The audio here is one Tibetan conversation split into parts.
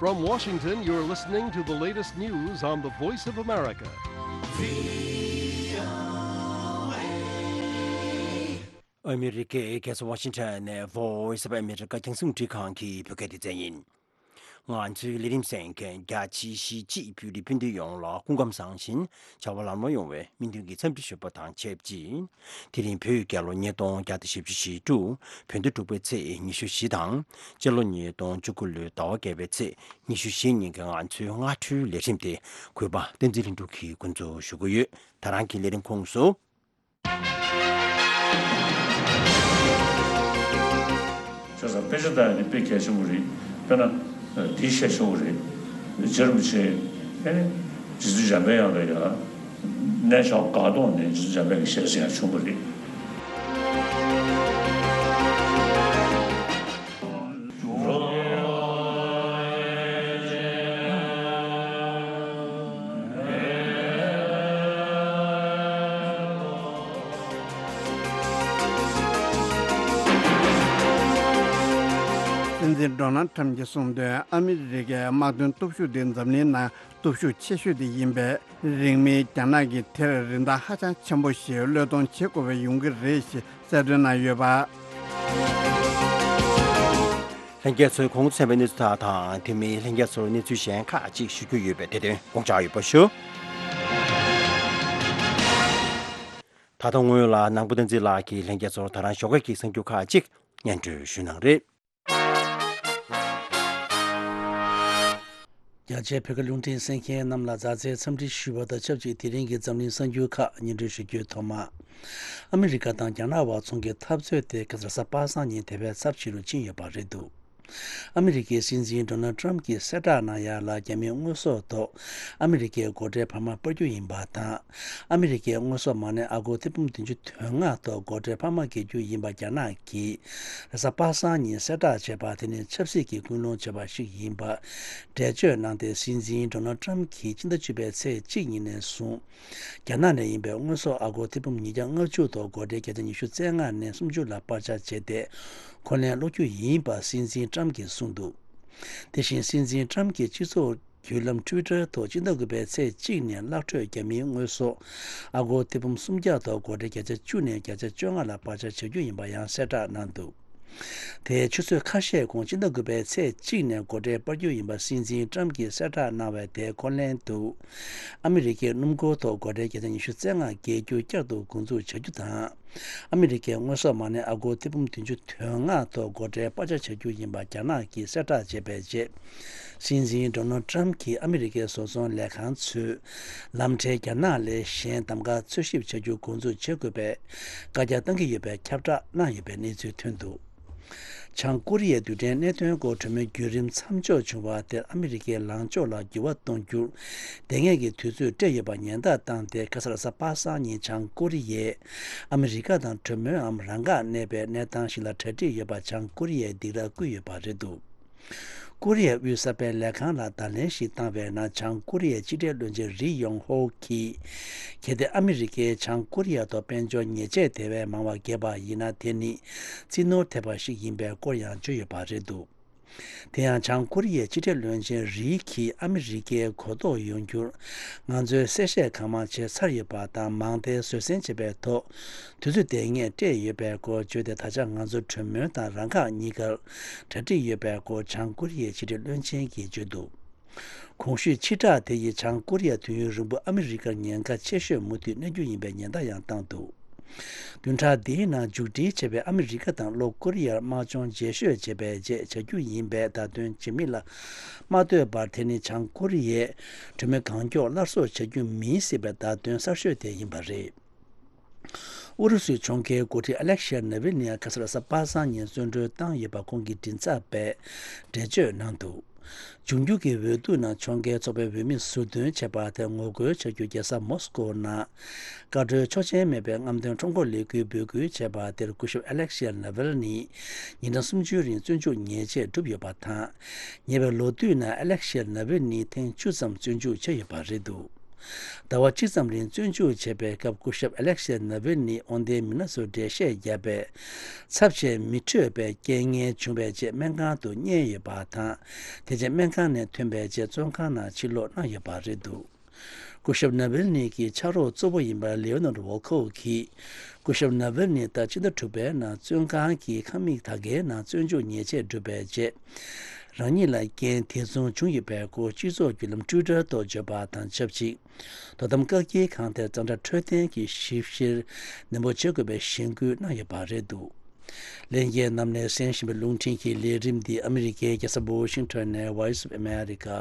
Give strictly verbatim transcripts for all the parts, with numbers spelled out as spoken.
From Washington, you're listening to the latest news on the Voice of America. ཨ་མི་རི་ཀའི་རྒྱལ་ས་ཝ་ཤིང་ཊོན་ནས་Voice of America རྒྱང་སྲིང་རླུང་འཕྲིན་ཁང་གི་བོད་སྐད་སྡེ་ཚན་ཡིན། ང་ཚོའི་ལས་རིམ་གསན་མཁན་རྒྱ་ཆེའི་གཞིས་བྱེས་བོད་རིགས་སྤུན་ཟླ་ཡོངས་ལ་སྐུ་ཁམས་བཟང་ཞིང་བྱ་བ་ལམ་ལྷོང་ཡོང་བའི་སྨོན་འདུན་གྱི་འཚམས་འདྲི་ཞུ་བ་དང་ཆབས་ཅིག་དེ་རིང་བོད་རྒྱལ་ལོ་ཉིས་སྟོང་བརྒྱ་དང་བཞི་བཅུ་ཞེ་དྲུག་བོད་ཟླ་དྲུག་པའི་ཚེས་ཉི་ཤུ་བཞི་དང་། སྤྱི་ལོ་ཉིས་སྟོང་བཅུ་དགུ་ལོའི་ཟླ་བ་བརྒྱད་པའི་ཚེས་ཉི་ཤུ་བཞི་ཉིན་གྱི་ང་ཚོའི་སྔ་དྲོའི་ལས་རིམ་དེ་གུས་པ་བསྟན་འཛིན་ལྷུན་གྲུབ་ཀྱིས་འགོ་འཛུགས་ཞུ་གི་ཡོད། ད་རང་གི་ལས་རིམ་ཁོངས་སུ། བྱས་ཙང་དཔེ་ཆ་ལྟ་ཡ་ནི་དཔེ་གལ་ཆེན་པོ་རེད། དཔེར་ན། འདི་བཤད་ཆོག་གི་རེད། རྗེ་རིན་པོ་ཆེ། ཨེ་ནི། རྗེ་བཙུན་འཇམ་དཔལ་དབྱངས་ལ་ཡ། གནས་མཆོག་སྒར་རྡོ་ནས་རྗེ་བཙུན་འཇམ་དཔལ་གྱི་ཞལ་གཟིགས་ཡང་བྱུང་བ་རེད། སྲིད་འཛིན་ཌོ་ནལ་ཊམ་གྱིས་གསུངས་དོན། ཨ་མི་རི་ཀའི་དམག་དོན་སྟོབས་ཤུགས་དེ་འཛམ་གླིང་ནང་སྟོབས་ཤུགས་ཆེ་ཤོས་དེ་ཡིན་པས། རིང་མིན་རྒྱ་ནག་གིས་དེར་རིན་ཐང་ཧ་ཅང་ཆེན་པོ་ཞིག་བློས་གཏོང་བྱེད་དགོས་པ་ཡོང་གི་རེད་ཞེས་གསལ་སྟོན་གནང་ཡོད་པ། ལྷན་རྒྱས་ཚོས་གོང་དུ་གསན་པའི་གནས་ཚུལ་དག་དང་། དེ་མིན་ལྷན་རྒྱས་ཚོར་གནས་ཚུལ་གཞན་ཁག་ཅིག་ཞུ་རྒྱུ་ཡོད་པས། དེ་དོན་དགོངས་འཇགས་ཡོད་པ་ཞུ། ད་ལྟ་སྔོན་ལ་ནང་པ་བསྟན་འཛིན་ལགས་ཀྱིས་ལྷན་རྒྱས་ཚོར་ད་རང་ཞོགས་ཀས་ཀྱི་གསར་འགྱུར་ཁག་ཅིག་སྙན་སྒྲོན་ཞུ་གནང་རེད། རྒྱ་ཆེའི་བོད་སྐད་རླུང་འཕྲིན་གསན་མཁན་རྣམས་ལ་མཛའ་བརྩེའི་འཚམས་འདྲི་ཞུ་བ་དང་ཆབས་ཅིག་དེ་རིང་གི་འཛམ་གླིང་གསར་འགྱུར་ཁག་སྙན་སྒྲོན་ཞུ་རྒྱུའི་ཐོག་མ། ཨ་མི་རི་ཀ་དང་རྒྱ་ནག་དབར་ཚོང་གི་འཐབ་རྩོད་དེ་ཁ་སང་གཟའ་པ་སངས་ཉིན་དེ་བས་ཚབས་ཆེ་རུ་ཕྱིན་ཡོད་པ་རེད་འདུག་ཨ་མི་རི་ཀའི་སྲིད་འཛིན་ཌོ་ནལ་ཊམ་གྱིས་གསལ་བསྒྲགས་གནང་ཡ་ལ། རྒྱ་མིའི་དངོས་ཟོག་ཐོག་ཨ་མི་རི་ཀའི་སྒོ་ཁྲལ་འཕར་མ་སྤར་རྒྱུ་ཡིན་པ་དང་། ཨ་མི་རི་ཀའི་དངོས་ཟོག་མ་སྣའི་ཨ་སྒོར་ཐེར་འབུམ་བདུན་ཅུ་དོན་ལྔ་ཐོག་སྒོ་ཁྲལ་འཕར་མ་འགེལ་རྒྱུ་ཡིན་པ་རྒྱ་ནག་གིས་རེས་གཟའ་པ་སངས་ཉིན་གསལ་བསྒྲགས་བྱས་པ་དེ་ནི་ཆབ་སྲིད་ཀྱི་སྐུལ་སློང་བྱས་པ་ཞིག་ཡིན་པ་འགྲེལ་བརྗོད་གནང་སྟེ། སྲིད་འཛིན་ཌོ་ནལ་ཊམ་གྱིས་ཕྱི་ཟླ་བཅུ་པའི་ཚེས་གཅིག་ཉིན་ནས་བཟུང་རྒྱ་ནག་ནས་ཡིན་པའི་དངོས་ཟོག་ཨ་སྒོར་ཐེར་འབུམ་ཉིས་བརྒྱ་ལྔ་བཅུ་ཐོག་སྒོ་ཁྲལ་བརྒྱ་ཆ་ཉི་ཤུ་རྩ་ལྔ་ནས་སུམ་ཅུ་ལ་སྤར་ཆ་བྱས་ཏེ། འཁོན་ལན་སློག་རྒྱུ་ཡིན་པ་སྲིད་འཛིན་ཊམ་གྱིས་གསུངས་འདུག་དེ་བཞིན་སྲིད་འཛིན་ཊམ་གྱིས་སྤྱི་ཚོགས་བརྒྱུད་ལམ་ཊུའི་ཊར་ཐོག་སྤྱི་ཟླ་དགུ་པའི་ཚེས་གཅིག་ནས་གླག་འཕྲོས་རྒྱ་མིའི་དངོས་ཟོག་ཨ་སྒོར་ཐེར་འབུམ་སུམ་བརྒྱ་ཐོག་སྒོ་ཁྲལ་བརྒྱ་ཆ་བཅུ་ནས་བརྒྱ་ཆ་བཅོ་ལྔ་ལ་སྤར་ཆ་བྱ་རྒྱུ་ཡིན་པ་ཡང་གསལ་བསྒྲགས་གནང་འདུག་དེའི་ཆུ་ཚོད་ཁ་ཤས་གོང་སྤྱི་ཟླ་དགུ་པའི་ཚེས་གཅིག་ནས་སྒོ་ཁྲལ་སྤར་རྒྱུ་ཡིན་པ་སྲིད་འཛིན་ཊམ་གྱིས་གསལ་བསྒྲགས་གནང་བའི་དེའི་འཁོན་ལན་དུ། ཨ་མི་རི་ཀའི་སྣུམ་འཁོར་ཐོག་སྒོ་ཁྲལ་བརྒྱ་ཆ་ཉི་ཤུ་རྩ་ལྔ་འགེལ་རྒྱུ་བསྐྱར་དུ་འགོ་འཛུགས་བྱ་རྒྱུ་དང་། ཨ་མི་རི་ཀའི་དངོས་ཟོག་མ་སྣའི་ཨ་སྒོར་ཐེར་འབུམ་བདུན་ཅུ་དོན་ལྔ་ཐོག་སྒོ་ཁྲལ་སྤར་ཆ་བྱ་རྒྱུ་ཡིན་པ་རྒྱ་ནག་གིས་གསལ་བསྒྲགས་བྱས་པའི་རྗེས། སྲིད་འཛིན་ཌོ་ནལ་ཊམ་གྱིས་ཨ་མི་རི་ཀའི་བཟོ་ཚོང་ལས་ཁང་ཚོས་ལམ་འཕྲལ་རྒྱ་ནག་ལས་གཞན་གདམ་ག་འཚོལ་ཞིབ་བྱ་རྒྱུ་འགོ་འཛུགས་བྱེད་དགོས་པའི་བཀའ་རྒྱ་བཏང་གི་ཡོད་པའི་ཁྱབ་བསྒྲགས་གནང་ཡོད་པའི་གནས་ཚུལ་ཐོན་འདུག་བྱང་ཀོ་རི་ཡའི་རྡུལ་ཕྲན་གནད་དོན་སྐོར་གྲོས་མོལ་བརྒྱུད་རིམ་མཚམས་འཇོག་བྱུང་བ་དེར་ཨ་མི་རི་ཀའི་ལངས་ཕྱོགས་ལ་འགྱུར་བ་གཏོང་རྒྱུར་དེ་སྔའི་གི་དུས་ཚོད་སྤྲད་ཡོད་པ་ཉེན་བརྡ་བཏང་སྟེ། ཁ་སང་རེས་གཟའ་པ་སངས་ཉིན་བྱང་ཀོ་རི་ཡས་ཨ་མི་རི་ཀ་དང་གྲོས་མོལ་འམ་རང་འགག་གནས་པའི་གནས་སྟངས་ཤིག་ལ་གྲ་སྒྲིག་ཡོད་པ་བྱང་ཀོ་རི་ཡས་སྡིགས་ར་བསྐུལ་ཡོད་པ་རེད་འདུག་ཀོ་རི་ཡ་དབུས་གསར་པའི་ལས་ཁང་ལ་བརྡ་ལན་ཞིག་བཏང་བའི་ནང་། བྱང་ཀོ་རི་ཡའི་ཕྱི་འབྲེལ་བློན་ཆེན་རི་ཡོང་ཧོ་གིས། གལ་ཏེ་ཨ་མི་རི་ཀས་བྱང་ཀོ་རི་ཡ་ཐོག་དཔལ་འབྱོར་ཉེས་ཆད་དེ་བས་མང་བ་འགེལ་བ་ཡིན་ན། དེ་ནི་རྩིས་ནོར་ཐེབས་པ་ཞིག་ཡིན་པའི་སྐོར་ཡང་བརྗོད་ཡོད་པ་རེད་འདུག་དེ་ཡང་བྱང་ཀོ་རི་ཡའི་ཕྱི་འབྲེལ་བློན་ཆེན་རི་གིས། ཨ་མི་རི་ཀའི་གོ་རྟོགས་ཡོང་རྒྱུར་ང་ཚོས་གསལ་བཤད་གང་མང་བྱས་ཚར་ཡོད་པ་དང་། མང་མཐའི་བཟོད་བསྲན་བྱེད་པའི་ཐོག་དུས་ཚོད་དེ་སྔས་སྤྲད་ཡོད་པའི་སྐོར་བརྗོད་དེ། ད་ཆ་ང་ཚོ་གྲོས་མོལ་དང་རང་འགག་གཉིས་ཀར་གྲ་སྒྲིག་ཡོད་པའི་སྐོར་བྱང་ཀོ་རི་ཡའི་ཕྱི་འབྲེལ་བློན་ཆེན་གྱིས་བརྗོད་འདུག་གོང་ཞུས་ཕྱིར་བསྒྲགས་དེ་ཡིས་བྱང་ཀོ་རི་ཡ་དུས་ཡུན་རིང་པོ་ཨ་མི་རི་ཀར་ཉེན་ཁ་ཆེ་ཤོས་མུ་མཐུད་གནས་རྒྱུ་ཡིན་པའི་ཉེན་བརྡ་ཡང་བཏང་འདུག་བདུན་ཕྲག་འདིའི་ནང་མཇུག་སྒྲིལ་བྱས་པའི་ཨ་མི་རི་ཀ་དང་ལྷོ་ཀོ་རི་ཡར་དམག་སྦྱོང་རྗེས་ཤོད་བྱས་པའི་རྗེས་བྱ་རྒྱུ་ཡིན་པས། བརྡ་དོན་ཇི་མི་ལ་མ་ལྟོས་པར་དེ་ནི་བྱང་ཀོ་རི་ཡས་གྲོས་མོལ་གང་མགྱོགས་སླར་གསོ་བྱ་རྒྱུ་མིན་སྲིད་པའི་བརྡ་དོན་གསར་ཤོས་དེ་ཡིན་པ་རེད། ཨུ་རུ་སུའི་ཕྱོགས་འགལ་འགོ་ཁྲིད་ཨ་ལེག་ཤེ་ནཱ་ཝལ་ནི་ཡང་ཁ་སང་རེས་གཟའ་པ་སངས་ཉིན་གསོན་གྲོལ་བཏང་ཡོད་པ་ཁོང་གི་མགྲིན་ཚབ་པས་འགྲེལ་བརྗོད་གནང་འདུག་འབྱུང་འགྱུར་གྱི་འོས་བསྡུ་ནང་ཕྱོགས་འགལ་ཚོགས་པའི་འོས་མི་ཟུར་འདོན་བྱས་པ་དེར་ངོ་རྒོལ་བྱ་རྒྱུ། རྒྱལ་ས་མོ་སི་ཀོ་ནང་བཀའ་འཁྲོལ་ཆོག་མཆན་མེད་པའི་རྔམ་སྟོན་ཁྲོམ་སྐོར་ལས་འགུལ་འབོད་སྐུལ་བྱས་པ་དེར་སྐུ་ཞབས་ཨ་ལེག་ཤེ་ནཱ་ཝལ་ནི་ཉིན་གྲངས་སུམ་ཅུའི་རིང་བཙོན་འཇུག་ཉེས་ཆད་བསྒྲུབས་ཡོད་པ་དང་། ཉེ་བའི་ལོ་དུས་ནང་ཨ་ལེག་ཤེ་ནཱ་ཝལ་ནི་ཐེངས་བཅུ་ཙམ་བཙོན་འཇུག་བྱས་ཡོད་པ་རེད་འདུག་ཟླ་བ་གཅིག་ཙམ་རིང་བཙོན་འཇུག་བྱས་པའི་སྐབས། སྐུ་ཞབས་ཨ་ལེག་ཤེ་ནཱ་ཝིལ་ནི་དབང་ལྡན་མི་སྣ་ཚོར་འགྲེལ་བཤད་བརྒྱབ་པས། ཚབས་ཆེན་མི་འཕྲོད་པའི་རྐྱེན་ངན་བྱུང་བའི་རྗེས་སྨན་ཁང་དུ་བསྙལ་ཡོད་པ་དང་། དེ་རྗེས་སྨན་ཁང་ནས་ཐོན་པའི་རྗེས་བཙོན་ཁང་ནང་ཕྱིར་ལོག་གནང་ཡོད་པ་རེད་འདུག་སྐུ་ཞབས་ནཱ་ཝིལ་ནི་གི་ཕྱག་རོགས་གཙོ་བོ་ཡིན་པ་ལེའོ་ནར་ཝོལ་ཁོབ་ཀྱིས། སྐུ་ཞབས་ནཱ་ཝིལ་ནི་ཟླ་སྤྱི་ཟླ་དྲུག་པའི་ནང་བཙོན་ཁང་གི་ཁང་མིག་དག་གའི་ནང་བཙོན་འཇུག་ཉེས་ཆད་བསྒྲུབས་པའི་རྗེས། རང་ཉིད་ལ་རྐྱེན་དེ་མཚུངས་བྱུང་ཡོད་པའི་སྐོར་སྤྱི་ཚོགས་བརྒྱུད་ལམ་ཊུའི་ཊར་ཐོག་བརྗོད་པ་དང་ཆབས་ཅིག་དོ་དམ་བཀག་སྐྱིལ་ཁང་དེར་གཙང་སྦྲ་འཕྲོད་བསྟེན་གྱི་ཞིབ་བཤེར་ནན་པོ་བྱེད་དགོས་པའི་གཞེན་སྐུལ་གནང་ཡོད་པ་རེད་འདུག་ལྷན་རྒྱས་རྣམས་ནས་གསན་བཞིན་པའི་རླུང་འཕྲིན་གྱི་ལས་རིམ་འདི་ཨ་མི་རི་ཀའི་རྒྱལ་ས་ཝོ་ཤིང་ཊོན་ནས་Voice of America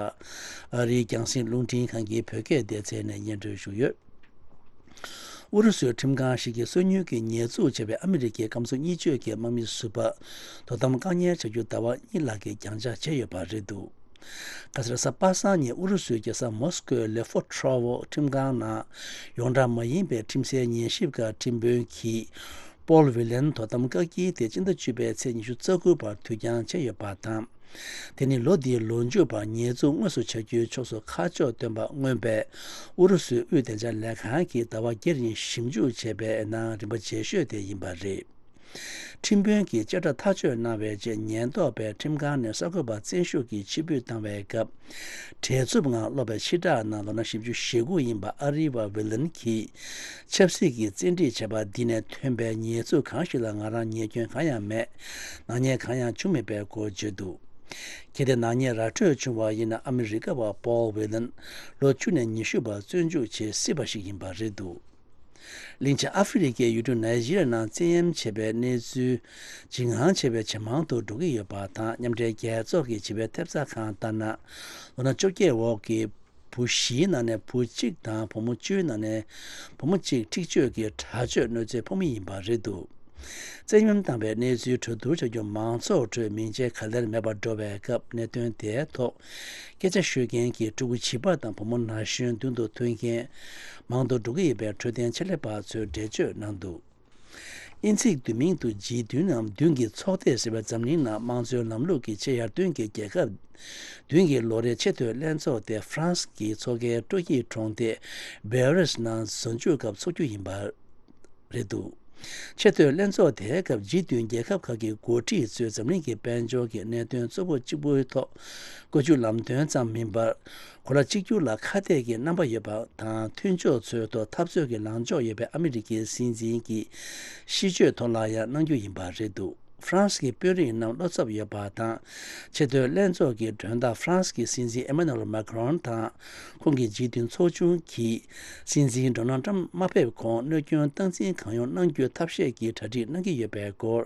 ཨ་རིའི་རྒྱང་སྲིང་རླུང་འཕྲིན་ཁང་གི་བོད་སྐད་སྡེ་ཚན་ནས་སྙན་སྒྲོན་ཞུས་ཡོད། ཨུ་རུ་སུའི་ཁྲིམས་ཁང་ཞིག་གིས་སོ་ཉུལ་གྱི་ཉེས་འཛུགས་བྱས་པའི་ཨ་མི་རི་ཀའི་སྐམ་སོ་གཉིས་བརྗོད་ཀྱི་དམག་མི་ཟུར་པ་དོ་དམ་བཀག་ཉར་བྱ་རྒྱུ་ཟླ་བ་གཉིས་ལྷག་གི་རྒྱང་བཅག་བྱས་ཡོད་པ་རེད་འདུག་ག་སར་གཟའ་པ་སངས་ཉིན་ཨུ་རུ་སུའི་རྒྱལ་ས་མོ་སི་ཀོའི་ལེ་ཧྥོ་ཁྲོ་ཝོ་ཁྲིམས་ཁང་ནང་ཡོངས་གྲགས་མ་ཡིན་པའི་ཁྲིམས་སའི་ཉན་ཞིབ་ཁང་ཁྲིམས་དཔོན་གྱིས་པོལ་ཝི་ལན་དོ་དམ་བཀག་སྐྱིལ་དེ་སྤྱི་ཟླ་བཅུ་པའི་ཚེས་ཉི་ཤུ་རྩ་དགུ་བར་དུས་འགྱངས་བྱས་ཡོད་པ་དང་། དེ་ནི་ལོ་འདིའི་ལོ་མཇུག་བར་ཉེས་འཛུགས་དངོས་སུ་བྱ་རྒྱུའི་ཕྱོགས་སུ་ཁ་ཕྱོགས་སྟོན་པ་མངོན་པའི་ཨུ་རུ་སུའི་དབུས་བདེ་འཇགས་ལས་ཁང་གིས་ཟླ་བ་བརྒྱད་རིང་ཞིབ་འཇུག་བྱས་པའི་ནང་རིམ་པ་རྗེས་ཤོས་དེ་ཡིན་པ་རེད། ཁྲིམས་དཔོན་གྱིས་བཅད་ཁྲ་ཐག་གཅོད་གནང་བའི་རྗེས་ཉེན་རྟོག་པས་ཁྲིམས་ཁང་ནས་གསར་འགོད་པ་བཙན་ཤུགས་ཀྱིས་ཕྱིར་འབུད་བཏང་བའི་སྐབས། བྲེལ་འཚུབ་ངང་སློག་པའི་ཕྱིར་བསྒྲགས་ནང་ལོ་ན་བཞི་བཅུ་ཞེ་དགུ་ཡིན་པ་ཨ་རི་བ་ཝི་ལན་གྱིས་ཆབ་སྲིད་ཀྱི་བཙན་ཁྲིད་བྱས་པ་འདི་ནས་ཐོན་པའི་ཉེས་འཛུགས་གང་ཞིག་ལ་ང་རང་ཉེས་སྐྱོན་གང་ཡང་མེད། ནག་ཉེས་གང་ཡང་བྱུང་མེད་པའི་སྐོར་བརྗོད་འདུག་གལ་ཏེ་ནག་ཉེས་ར་སྤྲོད་བྱུང་བ་ཡིན་ན་ཨ་མི་རི་ཀ་བ་པོལ་ཝི་ལན་ལོ་བཅུ་ནས་ཉི་ཤུ་བར་བཙོན་འཇུག་བྱེད་སྲིད་པ་ཞིག་ཡིན་པ་རེད་འདུག་གླིང་ཆེན་ཨ་ཧྥེ་རི་ཁའི་ཡུལ་གྲུ་ནཱི་ཇི་རི་ཡ་ནང་བཙན་གཡེམ་བྱས་པའི་གནས་ཚུལ་འཇིགས་སྣང་ཆེ་བའི་ཇེ་མང་དུ་འགྲོ་གི་ཡོད་པ་དང་། མཉམ་འབྲེལ་རྒྱལ་ཚོགས་ཀྱི་བྱིས་པའི་ཐེབས་རྩ་ཁང་ལྟར་ན། ལོ་ན་བཅོ་བརྒྱད་འོག་གི་བུ་བཞིའི་ནང་ནས་བུ་གཅིག་དང་བུ་མོ་བཅུའི་ནང་ནས་བུ་མོ་གཅིག་འཁྲིག་སྤྱོད་ཀྱི་དྲག་སྤྱོད་གནོད་འཚེའི་ཕོག་མི་ཡིན་པ་རེད་འདུག་བཙན་གཡེམ་བཏང་བའི་གནས་ཚུལ་གྲོས་བསྡུར་བྱ་རྒྱུ་མང་ཚོགས་ཁྲོད་མིང་ཆད་ག་ལེར་མེད་པར་འགྲོ་བའི་སྐབས། གནད་དོན་དེའི་ཐོག་སྐད་ཆ་ཤོད་མཁན་གྱི་ཕྲུ་གུ་བྱིས་པ་དང་བུ་མོ་ན་གཞོན་མདུན་དུ་ཐོན་མཁན་མང་དུ་འགྲོ་གི་ཡོད་པའི་འཕྲོད་བསྟེན་ཆེད་ལས་པ་ཚོས་འགྲེལ་བརྗོད་གནང་འདུག་དབྱིན་ཚིག་བསྡུས་མིང་དུ་ཇི་བདུན་ནམ་བདུན་གྱི་ཚོགས་སྡེ་ཟེར་བའི་འཛམ་གླིང་ནང་དམངས་གཙོའི་ལམ་ལུགས་ཀྱི་ཆེས་ཡར་ཐོན་གྱི་རྒྱལ་ཁབ་བདུན་གྱི་ལོ་རེའི་ཆེས་མཐོའི་ལྷན་ཚོགས་དེ་ཧྥ་རན་སི་གི་མཚོ་ཁའི་སྤྲོ་སྐྱིད་གྲོང་སྡེ་བྷེ་རིས་ནང་གཟའ་མཇུག་སྐབས་འཚོགས་རྒྱུ་ཡིན་པ་རེད་འདུག་ཆེས་མཐོའི་ལྷན་ཚོགས་དེའི་སྐབས་ཇི་བདུན་རྒྱལ་ཁབ་ཁག་གི་འགོ་ཁྲིད་ཚོས་འཛམ་གླིང་གི་དཔལ་འབྱོར་གྱི་གནད་དོན་གཙོ་བོ་གཅིག་པུའི་ཐོག་བཀོད་ཇུས་ལམ་སྟོན་ཙམ་མིན་པར། གོ་ལ་གཅིག་གྱུར་ལ་ཁ་གཏད་ཀྱི་རྣམ་པ་ཡོད་པ་དང་། མཐུན་ཕྱོགས་ཚོའི་ཐོག་འཐབ་རྩོད་ཀྱི་ལངས་ཕྱོགས་ཡོད་པའི་ཨ་མི་རི་ཀའི་སྲིད་འཛིན་གྱི་གཤིས་སྤྱོད་ཐོག་ལ་ཡང་གནང་རྒྱུ་ཡིན་པ་རེད་འདུག་ཧྥ་རན་སི་གི་དཔོན་རིགས་རྣམས་བློ་འཚབ་ཡོད་པ་དང་། ཆེས་མཐོའི་ལྷན་ཚོགས་ཀྱི་མགྲོན་བདག་ཧྥ་རན་སི་གི་སྲིད་འཛིན་ཨེ་མ་ནུ་ཨེལ་མཱ་ཁི་རོན་དང་། ཁོང་གི་ཇི་བདུན་ཚོགས་ཆུང་གིས་སྲིད་འཛིན་ཌོ་ནལ་ཊམ་མ་ཕེབས་གོང་གནོད་སྐྱོན་སྟངས་འཛིན་གང་ཡོང་གནང་རྒྱུའི་ཐབས་ཤེས་ཀྱི་གྲ་སྒྲིག་གནང་གི་ཡོད་པའི་སྐོར།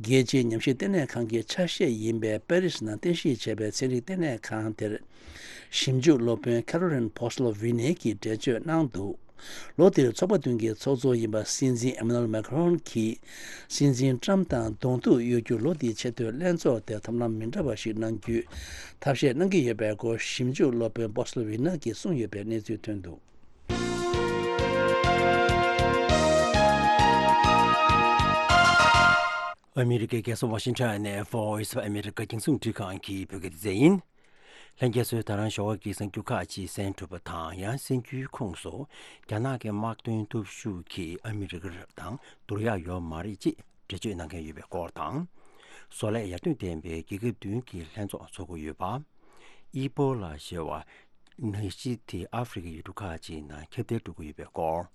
རྒྱལ་སྤྱིའི་ཉམས་ཞིབ་ལྟེ་གནས་ཁང་གི་ཆ་ཤས་ཡིན་པའི་པེ་རི་སི་ནང་རྟེན་གཞི་བྱས་པའི་ཚན་རིག་ལྟེ་གནས་ཁང་དེར། ཞིབ་འཇུག་སློབ་དཔོན་ཁེ་རོ་ལིན་ཕོ་སི་ལོ་ཝི་ནེ་གིས་འགྲེལ་བརྗོད་གནང་འདུག་ལོ་འདིར་ཚོགས་པ་བདུན་གྱི་ཚོགས་གཙོ་ཡིན་པ་སྲིད་འཛིན་ཨེ་མ་ནུ་ཨེལ་མཱ་ཁི་རོན་གྱིས། སྲིད་འཛིན་ཊམ་དང་གདོང་ཐུག་གཡོལ་རྒྱུར་ལོ་འདིའི་ཆེས་མཐོའི་ལྷན་ཚོགས་དེར་ཐབས་ལམ་མི་འདྲ་བ་ཞིག་གནང་རྒྱུའི་ཐབས་ཤེས་གནང་གི་ཡོད་པའི་སྐོར། ཞིབ་འཇུག་སློབ་དཔོན་ཕོ་སི་ལོ་ཝི་ནེ་གིས་གསུངས་ཡོད་པའི་གནས་ཚུལ་ཐོན་འདུག་ཨ་མི་རི་ཀའི་རྒྱལ་ས་ཝ་ཤིང་ཊོན་ནས་Voice of America རྒྱང་སྲིང་འཕྲིན་ཁང་གི་བོད་སྐད་སྡེ་ཚན་ཡིན། ལྷན་རྒྱས་ཚོས་ད་རང་ཞོགས་པ་གི་གསར་འགྱུར་ཁག་ཅིག་གསན་གྲུབ་པ་དང་། ཡང་གསར་འགྱུར་ཁོངས་སུ་རྒྱ་ནག་གི་དམག་དོན་སྟོབས་ཤུགས་ཀྱིས་ཨ་མི་རི་ཀ་དང་བསྡུར་ཡག་ཡོད་མ་རེད་ཅེས་འགྲེལ་བརྗོད་གནང་མཁན་ཡོད་པའི་སྐོར་དང་། བཟོ་ལས་ཡར་ཐོན་ལྡན་པའི་རྒྱལ་ཁབ་བདུན་གྱི་ལྷན་ཚོགས་འཚོགས་ཀྱི་ཡོད་པ། ཨི་པོ་ལ་ཞེས་པ་ནད་གཞི་དེ་ཨ་ཧྥེ་རི་ཁའི་ཡུལ་གྲུ་ཁག་ཅིག་ནང་ཁྱབ་གདལ་འགྲོ་གི་ཡོད་པའི་སྐོར།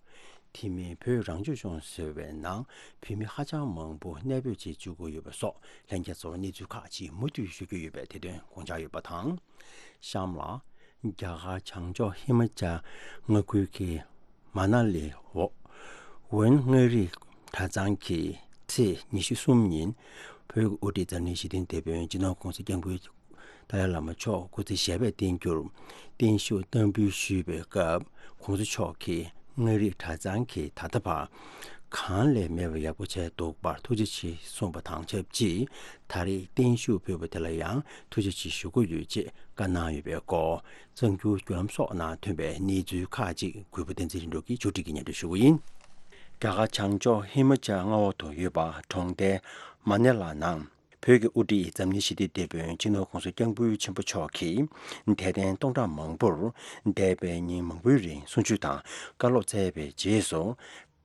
དེ་མིན་བོད་རང་སྐྱོང་ལྗོངས་ཟེར་བའི་ནང་བོད་མི་ཧ་ཅང་མང་པོ་གནས་སྤོས་བྱེད་བཅུག་གི་ཡོད་པ་སོགས་ལྷན་རྒྱས་ཚོར་གནས་ཚུལ་ཁག་ཅིག་མུ་མཐུད་ཞུ་རྒྱུ་ཡོད་པས་དེ་དོན་དགོངས་འཇགས་ཡོད་པ་དང་། གཤམ་ལ། རྒྱ་གར་བྱང་ཕྱོགས་ཧི་མ་ཅལ་མངའ་ཁུལ་གྱི་མ་ན་ལི་འོ་ཝན་མངའ་རིས་གྲྭ་ཚང་གིས་ཚེས་ཉི་ཤུ་གསུམ་ཉིན་བོད་ཀྱི་དབུ་ཁྲིད་འཛམ་གླིང་ཞི་བདེའི་དེད་དཔོན་སྤྱི་ནོར་༸གོང་ས་༸སྐྱབས་མགོན་ཏཱ་ལའི་བླ་མ་མཆོག་སྐུ་ཚེ་ཞབས་པད་བརྟན་རྒྱུར་བརྟན་བཞུགས་བསྟར་འབུལ་ཞུས་པའི་སྐབས། ༸གོང་ས་མཆོག་གིས་མངའ་རིས་གྲྭ་ཚང་གིས་ད་ལྟ་བར་གང་ལས་མེད་པར་ཡག་པོ་བྱས་འདུག་པར་ཐུགས་རྗེ་ཆེ་གསུངས་པ་དང་ཆབས་ཅིག་ད་རེས་བརྟན་བཞུགས་ཕུལ་བ་དེ་ལ་ཡང་ཐུགས་རྗེ་ཆེ་ཞུ་དགོས་ཡོད་ཅེས་བཀའ་གནང་ཡོད་པའི་སྐོར། གསར་འགྱུར་བརྒྱུད་ལམ་སོགས་ནང་ཐོན་པའི་གནས་ཚུལ་ཁག་ཅིག་གུས་པ་བསྟན་འཛིན་རིན་པོ་ཆེས་ཕྱོགས་སྒྲིག་གིས་སྙན་སྒྲོན་ཞུ་གི་ཡིན། རྒྱ་གར་བྱང་ཕྱོགས་ཧི་མ་ཅལ་མངའ་འོག་ཏུ་ཡོད་པ་གྲོང་རྡལ་མ་ནེ་ལ་ནང་། བོད་ཀྱི་དབུ་ཁྲིད་འཛམ་གླིང་ཞི་བདེའི་དེད་དཔོན་སྤྱི་ནོར་༸གོང་ས་༸སྐྱབས་མགོན་ཆེན་པོ་མཆོག་གིས་དད་ལྡན་སྟོང་ཕྲག་མང་པོར་འདས་པའི་ཉིན་མང་པོའི་རིང་གསུང་ཆོས་དང་བཀའ་སློབ་སྩལ་བའི་རྗེས་སུ།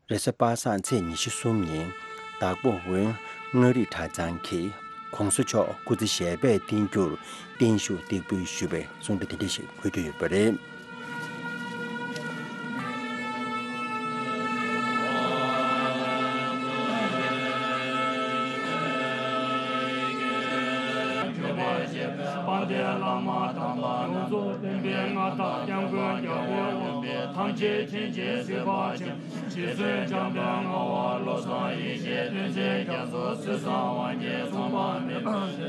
རེས་གཟའ་པ་སངས་ཚེས་ཉི་ཤུ་གསུམ་ཉིན་དྭགས་པོ་དབོན་མངའ་རིས་གྲྭ་ཚང་གིས་༸གོང་ས་མཆོག་སྐུ་ཚེ་ཞལ་པད་བརྟན་རྒྱུར་བརྟན་བཞུགས་སྟེགས་འབུལ་ཞུས་པའི་གསུང་བཤད་དེ་འདྲ་ཞིག་ཕུལ་རྒྱུ་ཡོད་པ་རེད། དཔལ་ལྡན་བླ་མ་དམ་པ་ཡོངས་རྫོགས་བསྟན་པའི་མངའ་བདག་སྐྱབས་མགོན་རྒྱལ་བའི་དབང་པོ་ཐམས་ཅད་མཁྱེན་ཅིང་གཟིགས་པ་ཆེན་རྗེ་བཙུན་འཇམ་དཔལ་ངག་དབང་བློ་བཟང་ཡེ་ཤེས་བསྟན་འཛིན་རྒྱ་མཚོ་སྲས་བཟང་དབང་རྒྱལ་མཚུངས་པ་མེད་པ་བསྟན་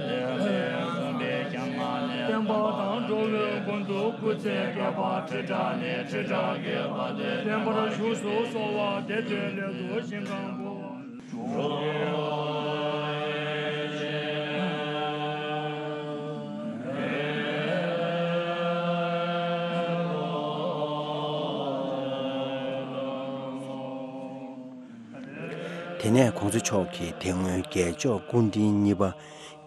པའི་སྐྱབས་མངའ་ནས་བསྟན་པ་དང་འགྲོ་བའི་མགོན་དུ་སྐུ་ཚེ་བསྐལ་པ་ཁྲི་ཕྲག་ནས་ཁྲི་ཕྲག་བརྒྱའི་བར་དུ་བརྟན་པར་བཞུགས་སུ་གསོལ་བ་འདེབས་པའི་སླད་དུ་ཞིང་ཁམས་འགོ་བ། དེ་ནས་༸གོང་ས་མཆོག་གིས་དེ་སྔོན་རྒྱལ་མཆོག་སྐུ་ཕྲེང་གཉིས་པ་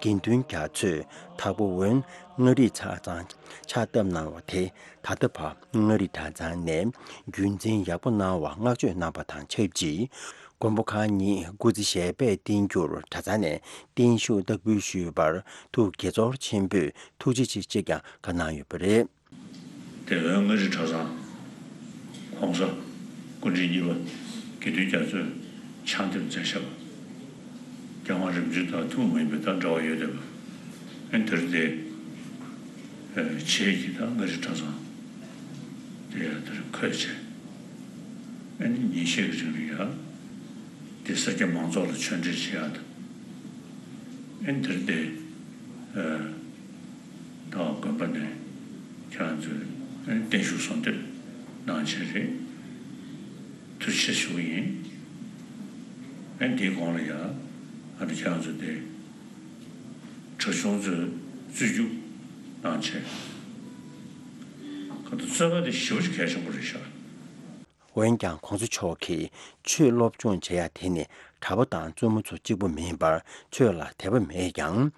དགེ་འདུན་རྒྱ་མཚོས་དྭགས་པོ་དབོན་མངའ་རིས་གྲྭ་ཚང་ཕྱག་བཏབ་གནང་བ་དེ་ད་ལྟ་བར་མངའ་རིས་གྲྭ་ཚང་ནས་རྒྱུན་འཛིན་ཡག་པོ་གནང་བར་བསྔགས་བརྗོད་གནང་བ་དང་ཆབས་ཅིག་མགོན་པོ་གང་ཉིད་སྐུ་ཚེ་ཞལ་པད་བརྟན་རྒྱུར་གྲྭ་ཚང་ནས་བརྟན་བཞུགས་སྟེགས་འབུལ་ཞུས་པར་ཐུགས་དགྱེས་ཚོར་ཆེན་པོས་ཐུགས་རྗེ་ཆེ་ཅེས་ཀྱང་བཀའ་གནང་ཡོད་པ་རེད། དེ་སྔོན་མངའ་རིས་གྲྭ་ཚང་༸གོང་ས་སྐུ་ཕྲེང་གཉིས་པ་དགེ་འདུན་རྒྱ་མཚོས་ཕྱག་འདེབས་མཛད་བཞག་པ། རྒྱལ་དབང་རིམ་བྱོན་དང་ཐུན་མོང་མ་ཡིན་པའི་དང་འབྲེལ་བ་ཡོད་བསྡད་པ། ཨ་ནི་དེར་དེ་བྱས་ཀྱི་ད་མངའ་རིས་གྲྭ་ཚང་དེ་ཡང་དེར་འཁོད་བྱས། ཨ་ནི་ཉིན་ཤས་ཀྱི་རིང་ལ་ཡང་དེ་སེར་སྐྱ་མང་ཚོགས་ལ་ཆོས་འབྲེལ་བྱེད་ཡག་དང་། ཨ་ནི་དེར་དེ་ད་དགོན་པ་ནས་ཁྱེད་རང་ཚོས་ཨ་ནི་བརྟན་བཞུགས་གསོལ་འདེབས་གནང་བྱས་རེད། ཐུགས་རྗེ་ཆེ་ཞུ་གི་ཡིན། ཨ་ནི་དེའི་གོང་ལ་ཡང་ཨ་ནི་ཁྱེད་རང་ཚོས་དེ། གྲྭ་ཆུང་ཚོས་རྩོད་རྒྱུགས་གནང་བྱས། ཁ་ཐུག་རྩོད་པ་དེ་ཞེ་པོ་ཅིག་གལ་ཆེན་པོ་རེད་ཤག་འོན་ཀྱང་༸གོང་ས་མཆོག་གིས་ཆོས་སློབ་སྦྱོང་བྱེད་ཡ་དེ་ནི་གྲྭ་པ་དང་བཙུན་མོ་ཚོ་གཅིག་པུ་མིན་པར་ཆོས་ལ་དད་པ་མེད་ཀྱང་།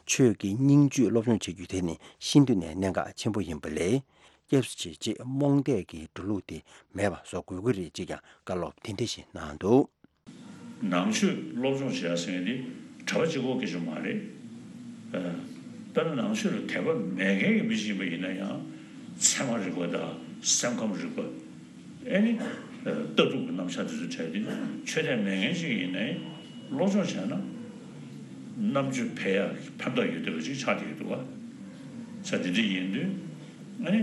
ཆོས་ཀྱི་སྙིང་བཅུད་སློབ་སྦྱོང་བྱེད་རྒྱུ་དེ་ནི་ཤིན་ཏུ་ནས་གནད་འགག་ཆེན་པོ་ཡིན་པ་ལས། སྐྱབས་སུ་མཆི་ཅེས་རྨོངས་དད་ཀྱི་འགྲོ་ལུགས་དེ་མེད་པ་བཟོ་དགོས་ཀྱི་རེད་ཅེས་ཀྱང་བཀའ་སློབ་དེ་འདྲ་ཞིག་གནང་འདུག་ནང་ཆོས་སློབ་སྦྱོང་བྱེད་ཡ་ཟེར་མཁན་དེ་གྲྭ་པ་གཅིག་པོ་སྐད་ཆ་མ་རེད། ཨ། དཔེར་ན་ནང་ཆོས་ལ་དད་པ་མེད་མཁན་གྱི་མི་ཞིག་ཡིན་པ་ཡིན་ན་ཡང་ཚད་མ་རིག་པ་དང་སེམས་ཁམས་རིག་པ། ཨེ་ནི། ཨ། ལྟ་གྲུབ་ཀྱི་རྣམ་གཞག་དེ་ཚོ་བྲལ་ཏེ་ཆོས་དད་མེད་མཁན་ཞིག་ཡིན་ནའི་སློབ་སྦྱོང་བྱས་ན་རྣམ་དཔྱོད་འཕེལ་ཡག་གི་ཕན་ཐོགས་ཡོད་བསྡད་པ་ཅིག་ཆགས་བསྡད་ཀྱི་འདུག་བ། ས་དེ་འདྲ་ཡིན་དུས། ཨ་ནི།